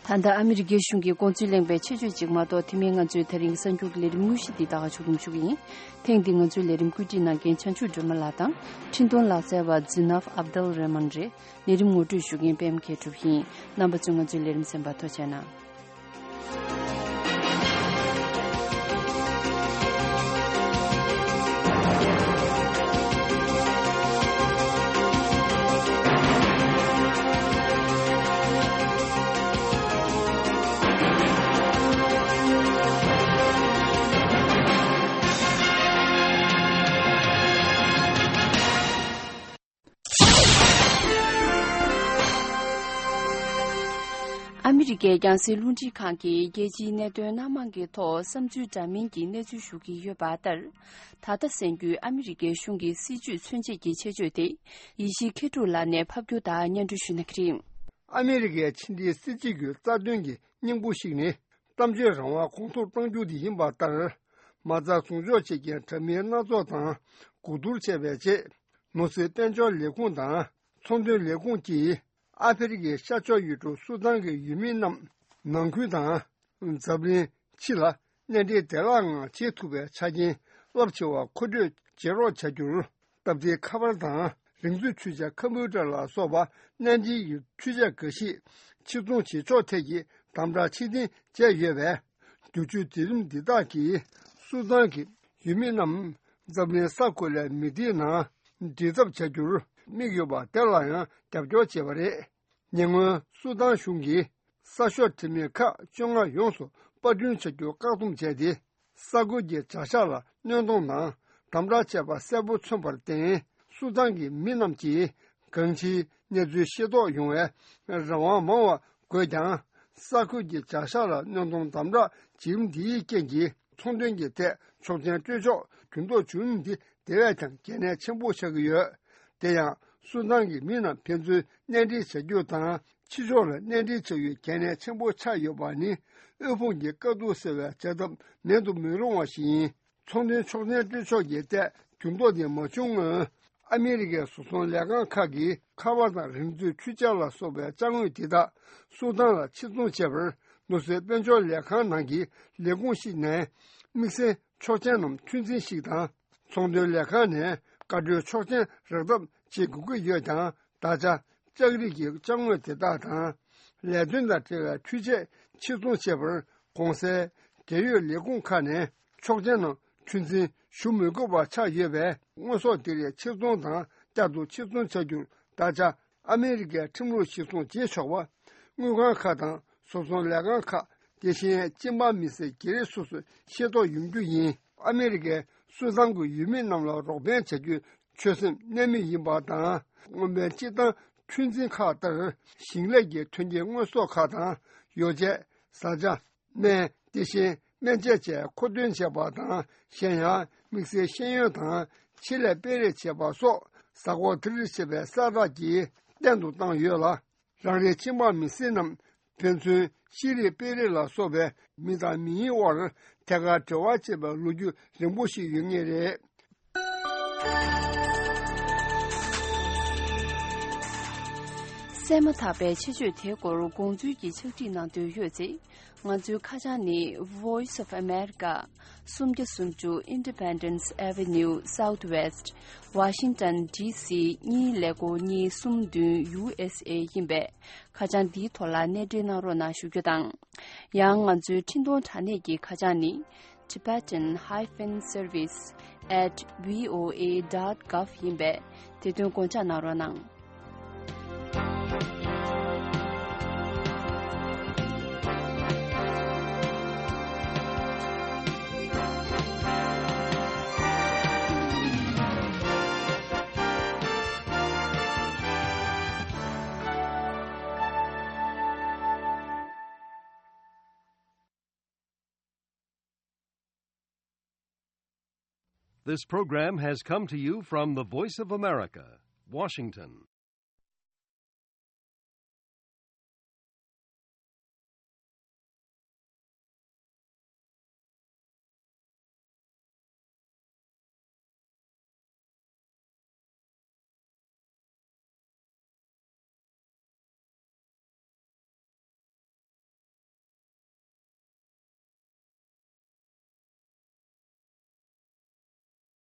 ད་ལྟ་ཨ་མི་རི་ཀའི་གཞུང་གི་དགོངས་ཚུལ་གླེང་བའི་ཆེད་བརྗོད་ཅིག་མ་གཏོགས། དེ་མིན་ང་ཚོའི་དེ་རིང་གི་གསར་འགྱུར་གྱི་ལས་རིམ་དངོས་གཞི་འདི་ད་ག་ཞུ་རྒྱུ་ཞུ་གི་ཡིན། ཐེངས་འདི་ང་ཚོའི་ལས་རིམ་བཀོད་སྒྲིག་གནང་མཁན་བྱང་ཆུབ་སྒྲོལ་མ་ལགས་དང་འཕྲིན་གཏོང་ལག་རྩལ་བ་ཛི་ནབ་ཨབ་དལ་རེ་མན་རེད། ལས་རིམ་ངོ་སྤྲོད་ཞུ་མཁན་པད་མ་མཁས་གྲུབ་ཡིན། རྣམ་པ་ཚོས་ང་ཚོའི་ལས་རིམ་གསན་པར་ཐུགས་རྗེ་གནང་། ཨ་མི་རི་ཀའི་རྒྱང་སྲིང་རླུང་འཕྲིན་ཁང་གིས་རྒྱལ་སྤྱིའི་གནད་དོན་སྣ་མང་གི་ཐོག་བསམ་ཚུལ་འདྲ་མིན་གྱི་གནས་ཚུལ་ཞུ་གི་ཡོད་པ་ལྟར། ད་ལྟ་གསན་རྒྱུའི་ཨ་མི་རི་ཀའི་གཞུང་གི་སྲིད་བྱུས་མཚོན་བྱེད་ཀྱི་ཆེད་བརྗོད་དེ། ཡེ་ཤེས་མཁས་གྲུབ་ལགས་ནས་ཕབ་སྒྱུར་དང་སྙན་སྒྲོན་ཞུ་གནང་གི་རེད། ཨ་མི་རི་ཀའི་ཕྱི་འབྲེལ་སྲིད་བྱུས་ཀྱི་རྩ་དོན་གྱི་སྙིང་པོ་ཞིག་ནི། གཏམ་བརྗོད་རང་དབང་གོང་མཐོར་གཏོང་རྒྱུ་དེ་ཡིན་པ་ལྟར། མ་རྩ་ཟུང་འཇོག་བྱེད་མཁན་དྲ་མིག་སྣ་ཚོགས་དང་གོ་བསྡུར་བྱས་པའི་རྗེས། ནོར་སྲིད་དཔལ་འབྱོར་ལས་ཁུངས་དང་ཚོང་དོན་ལས་ཁུངས་ཀྱིས། ཨ་ཧྥེ་རི་ཁའི་ཤར་ཕྱོགས་ཡུལ་གྲུ་སུ་དཱན་གྱི་ཡུལ་མི་རྣམས་ནང་ཁུལ་དང་། འཛམ་གླིང་ཕྱི་ལ་གནས་འབྲེལ་བདེ་བླག་ངང་བྱེད་ཐུབ་པའི་ཆ་རྐྱེན་རླབས་ཆེ་བ་མཁོ་སྤྲོད་བྱེད་རོགས་བྱ་རྒྱུར། སྟབས་བདེའི་ཁ་པར་དང་རིག་མཛོད་འཕྲུལ་ཆས་ཀམ་པུ་ཊར་ལ་སོགས་པ་གནད་འགག་གི་འཕྲུལ་ཆས་འགའ་ཞིག་ཕྱིར་ཚོང་བྱེད་ཕྱོགས་ཐད་ཀྱི་དམ་དྲག་ཕྱིར་འཐེན་བྱས་ཡོད་པས། བསྒྱུར་བཅོས་མཛད་རིམ་འདི་དག་གིས་སུ་དཱན་གྱི་ཡུལ་མི་རྣམས་འཛམ་གླིང་ས་ཁུལ་ལས་མི་སྡེའི་ནང་འདྲེས་ཐབས་བྱ་རྒྱུར་དམིགས་ཡོད་པ་དེ་ལ་ཡང་རྒྱབ་སྐྱོར་བྱས་པ་རེད། ཉེ་སྔོན་སུ་དཱན་གཞུང་གིས་གསར་ཤོག་དྲི་མེད་ཁག་བཅོ་ལྔ་ཡོངས་སུ་པར་སྐྲུན་བྱ་རྒྱུ་བཀག་སྡོམ་བྱས་ཏེ། ས་ཁུལ་གྱི་བྱ་གཞག་ལ་གནོད་སྡོང་དང་དམ་དྲག་བྱས་པ་གསལ་པོ་མཚོན་པར་བརྟེན། སུ་དཱན་གྱི་མི་རྣམས་ཀྱིས་གང་ཅིའི་གནས་ཚུལ་ཤེས་རྟོགས་ཡོང་བའི་རང་དབང་མང་བ་དགོས་ཀྱང་། ས་ཁུལ་གྱི་བྱ་གཞག་ལ་གནོད་སྡོང་དམ་དྲག་བྱེད་རིམ་འདིའི་རྐྱེན་གྱིས་ཚོང་དོན་གྱི་ཐད་ཆོག་མཆན་སྤྲོད་ཕྱོགས་འགྱུར་ལྡོག་བྱུང་རིམ་འདི་དེ་བས་ཀྱང་གལ་གནད་ཆེན་པོ་ཆགས་ཀྱི་ཡོད། དེ་ཡང་སུ་དཱན་གྱི་མི་རྣམས་ཕན་ཚུན་གནས་འབྲེལ་བྱ་རྒྱུ་དང་ཕྱི་ཕྱོགས་ལ་གནས་འབྲེལ་བྱ་རྒྱུ་གལ་གནད་ཆེན་པོ་ཆགས་ཡོད་པ་ནི། དབུལ་ཕོངས་ཀྱི་དཀའ་སྡུག་སེལ་བའི་བྱ་ཐབས་མེད་དུ་མི་རུང་བ་ཞིག་ཡིན། ཚོང་དོན་ཆོག་མཆན་སྤྲོད་ཕྱོགས་ཀྱི་ཐད་འགྱུར་ལྡོག་དེ་མ་བྱུང་སྔོན། ཨ་མི་རི་ཀའི་བཟོ་ཚོང་ལས་ཁང་ཁག་གིས་ཁ་པར་དང་རིག་མཛོད་འཕྲུལ་ཆས་ལ་སོགས་པའི་ཅ་དངོས་དེ་དག་སུ་དཱན་ལ་ཕྱིར་ཚོང་བྱས་པར། ནོར་སྲིད་དཔལ་འབྱོར་ལས་ཁང་ནང་གི་ལས་ཁུངས་ཤིག་ནས་དམིགས་བསལ་ཆོག་མཆན་ནམ་ཁྲིམས་འཛིན་ཞིག་དང་། ཚོང་དོན་ལས་ཁང་ནས་བཀའ་འཁྲོལ་ཆོག་མཆན་རག་ཐབས་བྱེད་དགོས་ཀྱི་ཡོད་ཀྱང་། ད་ཆ་ལྕགས་རིགས་ཀྱི་ཅ་དངོས་དེ་དག་དང་། ལས་དོན་དང་འབྲེལ་བའི་འཕྲུལ་ཆས་ཕྱིར་ཚོང་བྱེད་པར་གོང་གསལ་རྒྱལ་ཡོངས་ལས་ཁུངས་ཁག་ནས་ཆོག་མཆན་ནམ་ཁྲིམས་འཛིན་ཞུ་མི་དགོས་པ་ཆགས་ཡོད་པས། དངོས་ཟོག་དེ་རིགས་ཕྱིར་ཚོང་དང་བསྐྱར་དུ་ཕྱིར་ཚོང་བྱ་རྒྱུར་ད་ཆ་ཨ་མི་རི་ཀའི་ཁྲིམས་ལུགས་གཞིར་བཟུང་བྱེད་ཆོག་པ། དངུལ་ཁང་ཁག་དང་བཟོ་ཚོང་ལས་ཁང་ཁག་དེ་བཞིན་སྤྱི་འབངས་མི་སེར་བརྒྱ་རེ་སོ་སོས་ཤེས་རྟོགས་ཡོང་རྒྱུ་ཡིན། ཨ་མི་རི་ཀས་སུ་དཱན་གྱི་ཡུལ་མི་རྣམས་ལ་རོགས་ཕན་བྱ་རྒྱུའི་ཆོད་སེམས་གནད་མེད་ཡིན་པ་དང་། དངོས་ཕན་སྤྱི་བཏང་ཁྲུས་འཛིན་ཁག་ལྟར་ཞིང་ལས་ཀྱི་ཐོན་སྐྱེད་དངོས་ཟོག་ཁག་དང་། ཡོ་བྱད། བཟའ་བཅའ། སྨན། དེ་བཞིན་སྨན་དཔྱད་བཅས་མཁོ་འདོན་བྱས་པ་དང་། གཞན་ཡང་དམིགས་བསལ་ཤེས་ཡོན་དང་ཆེད་ལས་སྤེལ་རེས་བྱས་པ་སོགས། གཟའ་འཁོར་དེར་བྱས་པའི་གསལ་བསྒྲགས་ཀྱིས་བརྟན་དུ་བཏང་ཡོད་ལ། རང་རེའི་སྤྱི་འབངས་མི་སེར་རྣམས་ཕན་ཚུན་ཤེས་རིག་སྤེལ་རེས་ལ་སོགས་པའི་མི་དང་མི་ཡི་དབར་ཐད་ཀར་འབྲེལ་བ་བྱེད་པའི་ལོ་རྒྱུས་རིང་པོ་ཞིག་ཡོད་ངེས་རེད། གསན་མ་ཐག་པའི་ཆེད་བརྗོད་དེའི་སྐོར་དགོངས་ཚུལ་གྱི་ཕྱག་བྲིས་གནང་འདོད་ཡོད་ཚེ། ང་ཚོའི་ཁ་བྱང་ནི། Voice of America། སུམ་བརྒྱ་སུམ་ཅུ་Independence Avenue Southwest། Washington D C གཉིས་ཀླད་ཀོར་གཉིས་གསུམ་བདུན། U S A ཡིན་པས། ཁ་བྱང་འདིའི་ཐོག་ལ་གནས་འབྲེལ་གནང་རོགས་གནང་ཞུ་རྒྱུ་དང་། ཡང་ང་ཚོའི་འཕྲིན་གཏོང་དྲ་གནས་ཀྱི་ཁ་བྱང་ནི། Tibetan hyphen service at V O A dot gov ཡིན་པས། དེ་དོན་དགོངས་འཇགས་གནང་རོགས་གནང་། This program has come to you from the Voice of America, Washington.